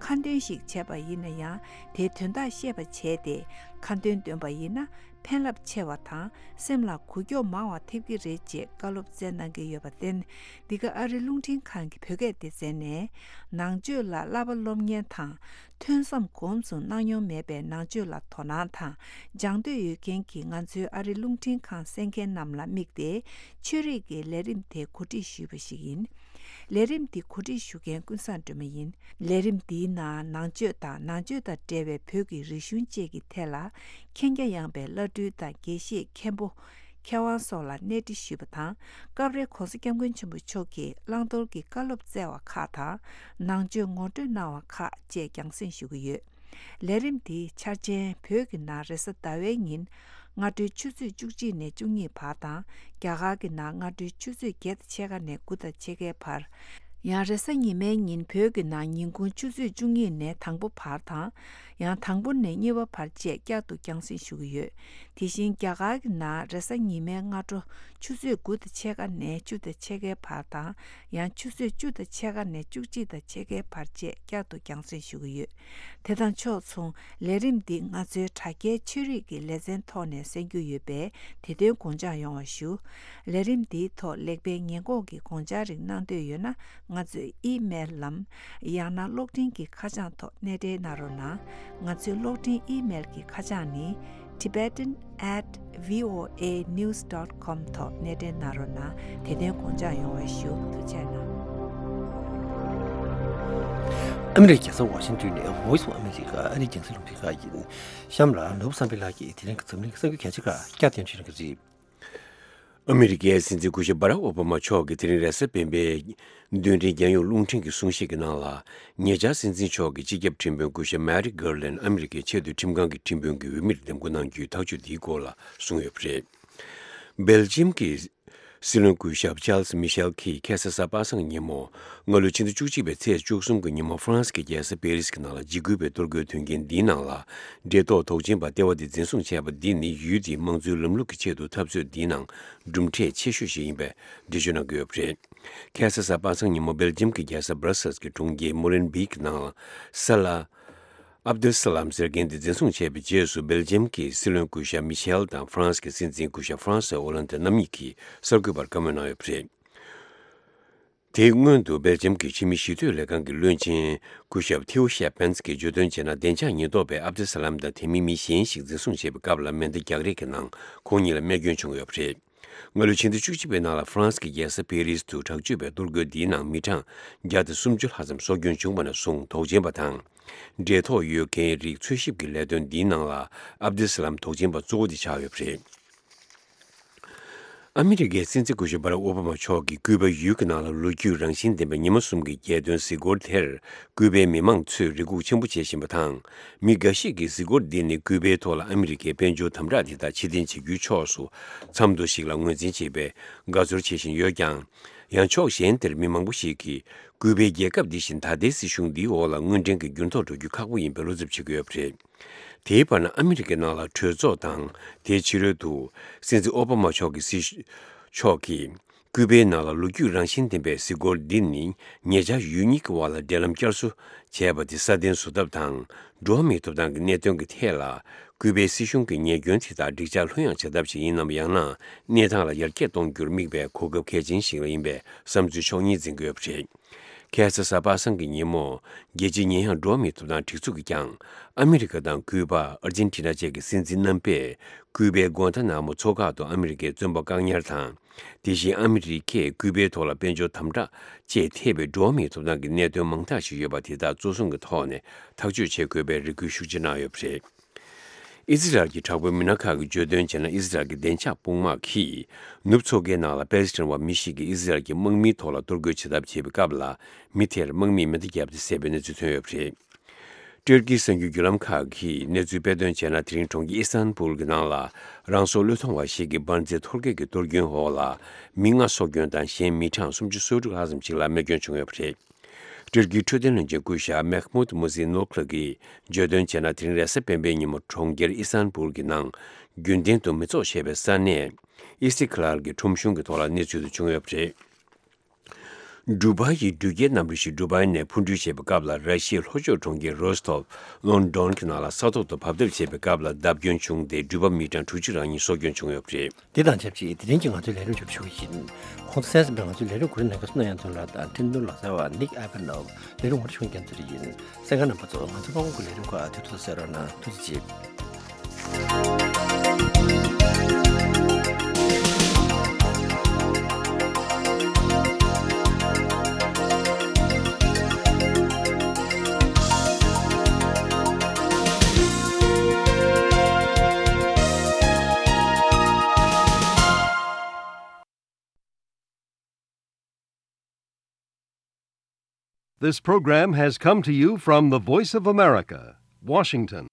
ཁ་འདོན་ཞིག་བྱས་པ་ཡིན་ན་ཡང་དེའི་དོན་དག་ཤེས་པ་བྱས་ཏེ་ཁ་འདོན་འདོན་པ་ཡིན་ན་ཕན་རླབས་ཆེ་བ་དང་སེམས་ལ་འགུལ་སྐྱོད་མང་བ་ཐེབས་ཀྱི་རེད་ཅེས་བཀའ་སློབ་སྩལ་གནང་གི་ཡོད་པར་བརྟེན། འདི་ག་ཨ་རི་རླུང་འཕྲིན་ཁང་གི་བོད་སྐད་སྡེ་ཚན་ནས་ནང་ཆོས་ལ་བསླབ་པ་སློབ་གཉེར་དང་ཐོས་བསམ་གོམས་སུ་གནང་མྱོང་མེད་པའི་ནང་ཆོས་ལ་དོ་སྣང་དང་སྦྱང་འདོད་ཡོད་མཁན་གྱི་ང་ཚོའི་ཨ་རི་རླུང་འཕྲིན་ཁང་གསན་མཁན་རྣམས་ལ་དམིགས་ཏེ་ཆོས་རིག་གི་ལས་རིམ་དེ་གོ་སྒྲིག་ཞུས་པ་ཞིག་ཡིན། ལས་རིམ་འདི་གོ་སྒྲིག་ཞུ་མཁན་ཀུན་བཟང་སྒྲོལ་མ་ཡིན། ལས་རིམ་འདིའི་ནང་ནང་ཆོས་དང་ནང་ཆོས་དང་འབྲེལ་བའི་བོད་ཀྱི་རིག་གཞུང་བཅས་ཀྱི་ཐད་ལ་མཁྱེན་རྒྱ་ཡངས་པའི་བླ་སྤྲུལ་དང་དགེ་བཤེས་མཁན་པོ། མཁས་དབང་སོགས་ལ་གནས་འདྲི་ཞུས་པ་དང་སྐབས་རེ་༸གོང་ས་༸སྐྱབས་མགོན་ཆེན་པོ་མཆོག་གིས་བླང་དོར་གྱི་བཀའ་སློབ་སྩལ་བ་ཁག་དང་ནང་ཆོས་ངོ་སྤྲོད་གནང་བ་ཁག་བཅས་རྒྱང་སྲིང་ཞུ་གི་ཡོད། ལས་རིམ་འདིའི་འཆར་ཅན་བོད་ཀྱི་ནང་རེས་གཟའ་ཟླ་བའི་ཉིན་སྔ་དྲོའི་ཆུ་ཚོད་བཅུ་གཅིག་ནས་བཅུ་གཉིས་བར་དང་རྒྱ་གར་གྱི་ནང་སྔ་དྲོའི་ཆུ་ཚོད་བརྒྱད་དང་ཕྱེད་ཀ་ནས་དགུ་དང་ཕྱེད་ཀའི་བར། ཡང་རེས་གཟའ་ཉི་མའི་ཉིན་བོད་ཀྱི་ནང་ཉིན་གུང་ཆུ་ཚོད་བཅུ་གཉིས་ནས་དང་པོ་བར་དང་། ཡང་དང་པོ་ནས་གཉིས་པ་བར་བཅས་བསྐྱར་དུ་རྒྱང་སྲིང་ཞུ་གི་ཡོད། དེ་བཞིན་རྒྱ་གར་གྱི་ནང་རེས་གཟའ་ཉི་མའི་སྔ་དྲོ་ཆུ་ཚོད་དགུ་དང་ཕྱེད་ཀ་ནས་བཅུ་དང་ཕྱེད་ཀའི་བར་དང་། ཡང་ཆུ་ཚོད་བཅུ་དང་ཕྱེད་ཀ་ནས་བཅུ་གཅིག་དང་ཕྱེད་ཀའི་བར་བཅས་བསྐྱར་དུ་རྒྱང་སྲིང་ཞུ་གི་ཡོད། དེ་དང་ཕྱོགས་མཚུངས་ལས་རིམ་འདི་ང་ཚོའི་དྲ་རྒྱའི་ཆོས་རིག་གི་ལེ་ཚན་ཐོག་ནས་གསན་རྒྱུ་ཡོད་པས་དེ་དོན་དགོངས་འཇགས་ཡོང་བ་ཞུ། ལས་རིམ་འདིའི་ཐོག་ལེགས་སྤེལ་ཉེས་འགོག་གི་དགོངས་འཆར་རིགས་གནང་འདོད་ཡོད་ན་ང་ཚོའི་ཨི་མེལ་ལམ། ཡང་ན་གློག་འཕྲིན་གྱི་ཁ་བྱང་ཐོག་གནས་འབྲེལ་གནང་རོགས་གནང་། ང་ཚོའི་གློག་འཕྲིན་ཨི་མེལ་གྱི་ཁ་བྱང་ནི། tibetan at voanews dot com ཐོག་གནས་འབྲེལ་གནང་རོགས་གནང་། དེ་དོན་དགོངས་འཇགས་ཡོང་བ་ཞུ། ཐུགས་རྗེ་གནང་། ཨ་མི་རི་ཀའི་རྒྱལ་ས་ཝ་ཤིང་ཏོན་ནས་Voice of America ཨ་རིའི་རྒྱང་སྲིང་རླུང་འཕྲིན་ཁང་ཡིན། གཤམ་ལ་ནོར་བུ་བསམ་འཕེལ་ལགས་ཀྱིས་དེ་རིང་གི་འཛམ་གླིང་གི་གསར་འགྱུར་གལ་ཆེ་ཁག་བསྐྱར་ཟློས་བྱེད་གནང་གི་རེད། ཨ་མི་རི་ཀའི་སྲིད་འཛིན་སྐུ་ཞབས་Barack Obama མཆོག་གིས་དེ་རིང་རེས་གཟའ་སྤེན་པའི་རྡུལ་ཕྲན་རྒྱང་ཡོལ་རླུང་འཕྲིན་གྱི་གསུང་བཤད་ཀྱི་ནང་ལ། ཉེ་ཆར་སྲིད་འཛིན་མཆོག་གི་སྤྱི་ཁྱབ་ཁྲིམས་དཔོན་སྐུ་ཞབས་Merrick Garland ཨ་མི་རི་ཀའི་ཆེས་མཐོའི་ཁྲིམས་ཁང་གི་ཁྲིམས་དཔོན་གྱི་འོས་མིར་འདེམས་བསྐོ་གནང་རྒྱུའི་ཐག་གཅོད་འདིའི་སྐོར་ལ་གསུངས་ཡོད་པ་རེད། སྦེལ་ཇིམ་གྱི་སྲིད་བློན་སྐུ་ཞབས་Charles Michel གྱིས་ཁ་སང་གཟའ་པ་སངས་ཉིན་མོ། སྔ་ལོའི་ཕྱི་ཟླ་བཅུ་གཅིག་པའི་ཚེས་བཅུ་གསུམ་གྱི་ཉིན་མོ་ཧྥ་རན་སི་གི་རྒྱལ་ས་པེ་རི་སི་གི་ནང་ལ་འཇིགས་སྐུལ་བའི་གཏོར་རྒོལ་དོན་རྐྱེན་འདིའི་ནང་ལ། འབྲས་ཐོག་དོགས་ཅན་པ་ལྟེ་བ་དེ་འཛིན་བཟུང་བྱས་པ་འདི་ནི་ཡུལ་དེའི་དམངས་གཙོའི་ལམ་ལུགས་ཀྱི་ཆེད་དུ་འཐབ་རྩོད་འདིའི་ནང་གྲུབ་འབྲས་ཆེ་ཤོས་ཤིག་ཡིན་པའི་འགྲེལ་བརྗོད་གནང་གི་ཡོད་པ་རེད། ཁ་སང་གཟའ་པ་སངས་ཉིན་མོ་སྦེལ་ཇིམ་གྱི་རྒྱལ་ས་Brussels གྱི་གྲོང་ཁྱེར་Molenbeek ནང་ལ་ས་ལ། Abdel Salam ཟེར་མཁན་དེ་འཛིན་བཟུང་བྱས་པའི་རྗེས་སུ་སྦེལ་ཇིམ་གྱི་སྲིད་བློན་སྐུ་ཞབས་མི་ཤེལ་དང་ཧྥ་རན་སི་གི་སྲིད་འཛིན་སྐུ་ཞབས་François Hollande རྣམ་གཉིས་ཀྱིས་གསར་འགོད་པར་བཀའ་མོལ་གནང་ཡོད་པ་རེད། དེའི་སྔོན་དུ་སྦེལ་ཇམ་གྱི་ཕྱི་མི་ཞི་གཏོད་ལས་ཁང་གི་བློན་ཆེན་སྐུ་ཞབས་ཐེའུ་ཤེ་ཕན་ཙི་གིས་བརྗོད་དོན་བྱས་ན། བདེ་འཇགས་ཉེན་རྟོག་པས་ཨབ་དེ་ས་ལམ་དང་དེ་མིན་མི་གཞན་ཞིག་འཛིན་བཟུང་བྱས་པའི་སྐབས་ལ་མེ་མདའ་རྒྱག་རེས་ཀྱི་ནང་ཁོང་གཉིས་ལ་རྨས་སྐྱོན་བྱུང་ཡོད་པ་རེད། སྔ་ལོའི་ཕྱི་ཟླ་བཅུ་གཅིག་པའི་ནང་ལ་ཧྥ་རན་སི་གི་རྒྱལ་ས་པེ་རིས་དུ་དྲག་སྤྱོད་པའི་གཏོར་རྒོལ་འདིའི་ནང་མི་གྲངས་བརྒྱ་དང་སུམ་ཅུ་ལྷག་ཙམ་སྲོག་སྐྱོན་བྱུང་བ་ནས་བཟུང་དོགས་ཅན་པ་དང་། འབྲེལ་ཐོགས་ཡོད་མཁན་རིགས་འཚོལ་ཞིབ་ཀྱི་ལས་དོན་འདིའི་ནང་ལ་ཨབ་དེ་ས་ལམ་དོགས་ཅན་པ་གཙོ་བོ་དེ་ཆགས་ཡོད་པ་རེད། ཨ་མི་རི་ཀའི་སྲིད་འཛིན་སྐུ་ཞབས་བྷ་རག་ཨོ་བྷ་མ་མཆོག་གིས་ཀུའུ་པ་ཡུལ་གྱི་ནང་ལ་ལོ་རྒྱུས་རང་བཞིན་ལྡན་པའི་ཉི་མ་གསུམ་གྱི་རྒྱལ་སྟོན་གཟིགས་སྐོར་དེར་ཀུའུ་པའི་མི་མང་ཚོས་རེ་སྒུག་ཆེན་པོ་བྱེད་བཞིན་པ་དང་། མི་འགའ་ཞིག་གིས་གཟིགས་སྐོར་འདི་ནི་ཀུའུ་པའི་ཐོག་ལ་ཨ་མི་རི་ཀའི་དཔལ་འབྱོར་དམ་དྲག་དེ་དག་ཕྱིར་འཐེན་བྱེད་རྒྱུའི་ཕྱོགས་སུ་མཚམས་འདྲི་ཞིག་ལ་ངོས་འཛིན་བྱེད་པའི་དགའ་ཚོར་བྱེད་བཞིན་ཡོད་ཀྱང་། ཡང་ཕྱོགས་གཞན་དེར་མི་མང་པོ་ཞིག་གིས་ཀུའུ་པའི་རྒྱལ་ཁབ་འདི་བཞིན་ད་ལྟའི་སྲིད་གཞུང་འདིའི་འོག་ལ་དངོས་འབྲེལ་གྱི་འགྱུར་ལྡོག་འགྲོ་རྒྱུ་ཁག་པོ་ཡིན་པའི་བློ་འཚབ་བྱེད་ཀྱི་ཡོད་པ་རེད། དེའི་བར་ན་ཨ་མི་རི་ཀའི་ནང་ལ་གྲོས་ཚོགས་དང་དེའི་ཕྱི་རོལ་དུ་སྲིད་འཛིན་ཨོ་བྷ་མ་མཆོག་གི་སྲིད་ཕྱོགས་ཀྱིས་ཀུའུ་པའི་ནང་ལ་ལོ་རྒྱུས་རང་བཞིན་ལྡན་པའི་གཟིགས་སྐོར་འདི་ནི་ཉེ་ཆར་ཡུལ་གཉིས་ཀྱི་དབར་ལ་འབྲེལ་ལམ་བསྐྱར་གསོ་བྱས་པ་དེ་སྲ་བརྟན་བཟོ་ཐབས་དང་། འགྲོ་བ་མིའི་ཐོབ་ཐང་གི་གནད་དོན་གྱི་ཐད་ལ་ཀུའུ་པའི་སྲིད་གཞུང་གི་ཉེས་སྐྱོན་དེ་དག་འགྲིག་འཇགས་ལྷོད་ཡངས་བྱ་ཐབས་ཤིག་ཡིན་ནམ། ཡང་ན་གནས་སྟངས་ལ་ཡར་རྒྱས་གཏོང་རྒྱུར་དམིགས་པའི་གོ་སྐབས་གལ་ཆེན་ཞིག་ལ་ཡིན་པའི་བསམ་ཚུལ་ཕྱོགས་གཉིས་འཛིན་གྱི་ཡོད་པ་རེད། ཁ་སང་གཟའ་པ་སངས་ཀྱི་ཉིན་མོ། རྒྱལ་སྤྱིའི་ཉེ་ཡངས་འགྲོ་བ་མིའི་ཐོབ་ཐང་སྒྲིག་འཛུགས་ཀྱིས་ཀྱང་། ཨ་མི་རི་ཀ་དང་ཀུའུ་པ། ཨར་ཇེན་ཊི་ན་བཅས་ཀྱི་སྲིད་འཛིན་རྣམ་པས་ཀུའུ་པའི་གུའན་ཐ་ན་མོ་མཚོ་ཁག་ཏུ་ཨ་མི་རི་ཀའི་བཙོན་པ་བཀག་ཉར་དང་། དེ་བཞིན་ཨ་མི་རི་ཀས་ཀུའུ་པའི་ཐོག་ལ་དཔལ་འབྱོར་དམ་དྲག་བཅས་ཐེབས་པའི་འགྲོ་བ་མིའི་ཐོབ་ཐང་གི་གནད་དོན་མང་དག་ཞིག་ཡོད་པ་དེ་དག་གཙོ་བཟུང་གི་ཐོག་ནས་ཐག་གཅོད་བྱེད་དགོས་པའི་རེ་སྐུལ་ཤུགས་ཆེ་གནང་ཡོད་པ་རེད། ཨི་ཟི་རལ་གྱི་དྲག་པོའི་མི་སྣ་ཁག་གིས་བརྗོད་དོན་བྱས་ན། ཨི་ཟི་རལ་གྱི་བདེ་འཇགས་དཔུང་དམག་གིས་ནུབ་མཚོ་ཁའི་ནང་ལ་པེ་ལེ་སི་ཐན་བ་མི་ཞིག་གིས་ཨི་ཟི་རལ་གྱི་དམག་མིའི་ཐོག་ལ་གཏོར་རྒོལ་བྱེད་ཐབས་བྱས་པའི་སྐབས་ལ། མི་དེར་དམག་མིས་མེ་མདའ་བརྒྱབ་སྟེ་བསད་པའི་གནས་ཚུལ་ཐོན་ཡོད་པ་རེད། ཏུར་ཀིའི་གསར་འགྱུར་བརྒྱུད་ལམ་ཁག་གིས་གནས་ཚུལ་སྤེལ་དོན་བྱས་ན། དེ་རིང་གྲོང་ཁྱེར་ཨི་སྟན་བུལ་གྱི་ནང་ལ་རང་སྲོག་བློས་གཏོང་བ་ཞིག་གིས་འབར་རྫས་འཐོར་གེགས་ཀྱི་གཏོར་སྐྱོན་འོག་ལ་མི་ལྔ་སྲོག་སྐྱོན་དང་། གཞན་མི་གྲངས་སུམ་ཅུ་སོ་དྲུག་ལྷག་ཙམ་ཞིག་ལ་རྨས་སྐྱོན་བྱུང་ཡོད་པ་རེད། ཏུར་ཀིའི་འཕྲོད་བསྟེན་བློན་ཆེན་སྐུ་ཞབས་མེག་མུད་མུ་ཟི་ནོ་ཁླུ་གིས་བརྗོད་དོན་བྱས་ན། དེ་རིང་རེས་གཟའ་སྤེན་པའི་ཉིན་མོ་གྲོང་ཁྱེར་ཨི་སྟན་བུལ་གྱི་ནང་རྒྱུན་ལྡན་དུ་མི་ཚོགས་བཞད་པའི་ས་གནས་ཨི་སི་ཁི་ལར་གྱི་ཁྲོམ་གཞུང་གི་ཐོག་ལ་གནས་ཚུལ་དེ་བྱུང་ཡོད་པ་རེད། འབྲུག་པ་ཡི་འགྲུལ་སྐྱེལ་གནམ་གྲུ་ཞིག་འབྲུག་པའི་ནས་འཕུར་འགྲུལ་བྱེད་པའི་སྐབས་ལ། ར་ཤི་ཡའི་ལྷོ་ཕྱོགས་གྲོང་ཁྱེར་རོ་སི་ཐོབ་ལོན་ཌོན་གྱི་ནང་ལ་ས་ཐོག་ཏུ་བབས་ཐབས་བྱེད་པའི་སྐབས་ལ་བརྡབ་སྐྱོན་བྱུང་སྟེ། འགྲུལ་པ་མི་གྲངས་དྲུག་ཅུ་རང་ཉིད་སྲོག་སྐྱོན་བྱུང་ཡོད་པ་རེད། འདི་དང་ཆབས་ཅིག་དེ་རིང་གི་ང་ཚོའི་ལས་རིམ་མཇུག་སྒྲིལ་ཞུ་གི་ཡིན། ཁོང་ཚོ་གསན་གཟིགས་པའི་ང་ཚོའི་ལས་རིམ་གོ་རིམ་ལེན་མཁན་སུ་ན་ཡང་དོན་ལགས་དང་འཕྲིན་གཏོང་ལག་རྩལ་བ་ནིག་ཨེ་པན་ནོབ། ལས་རིམ་ངོ་སྤྲོད་ཞུ་མཁན་ཚོ་རེ་ཡིན། གསན་མཁན་རྣམ་པ་ཚོ། ང་ཚོ་ཕ་བོང་གི་ལས་རིམ་ཁག་དེ་ཚོ་གསན་རོགས་གནང་། ཐུགས་རྗེ་ཆེ། This program has come to you from the Voice of America, Washington.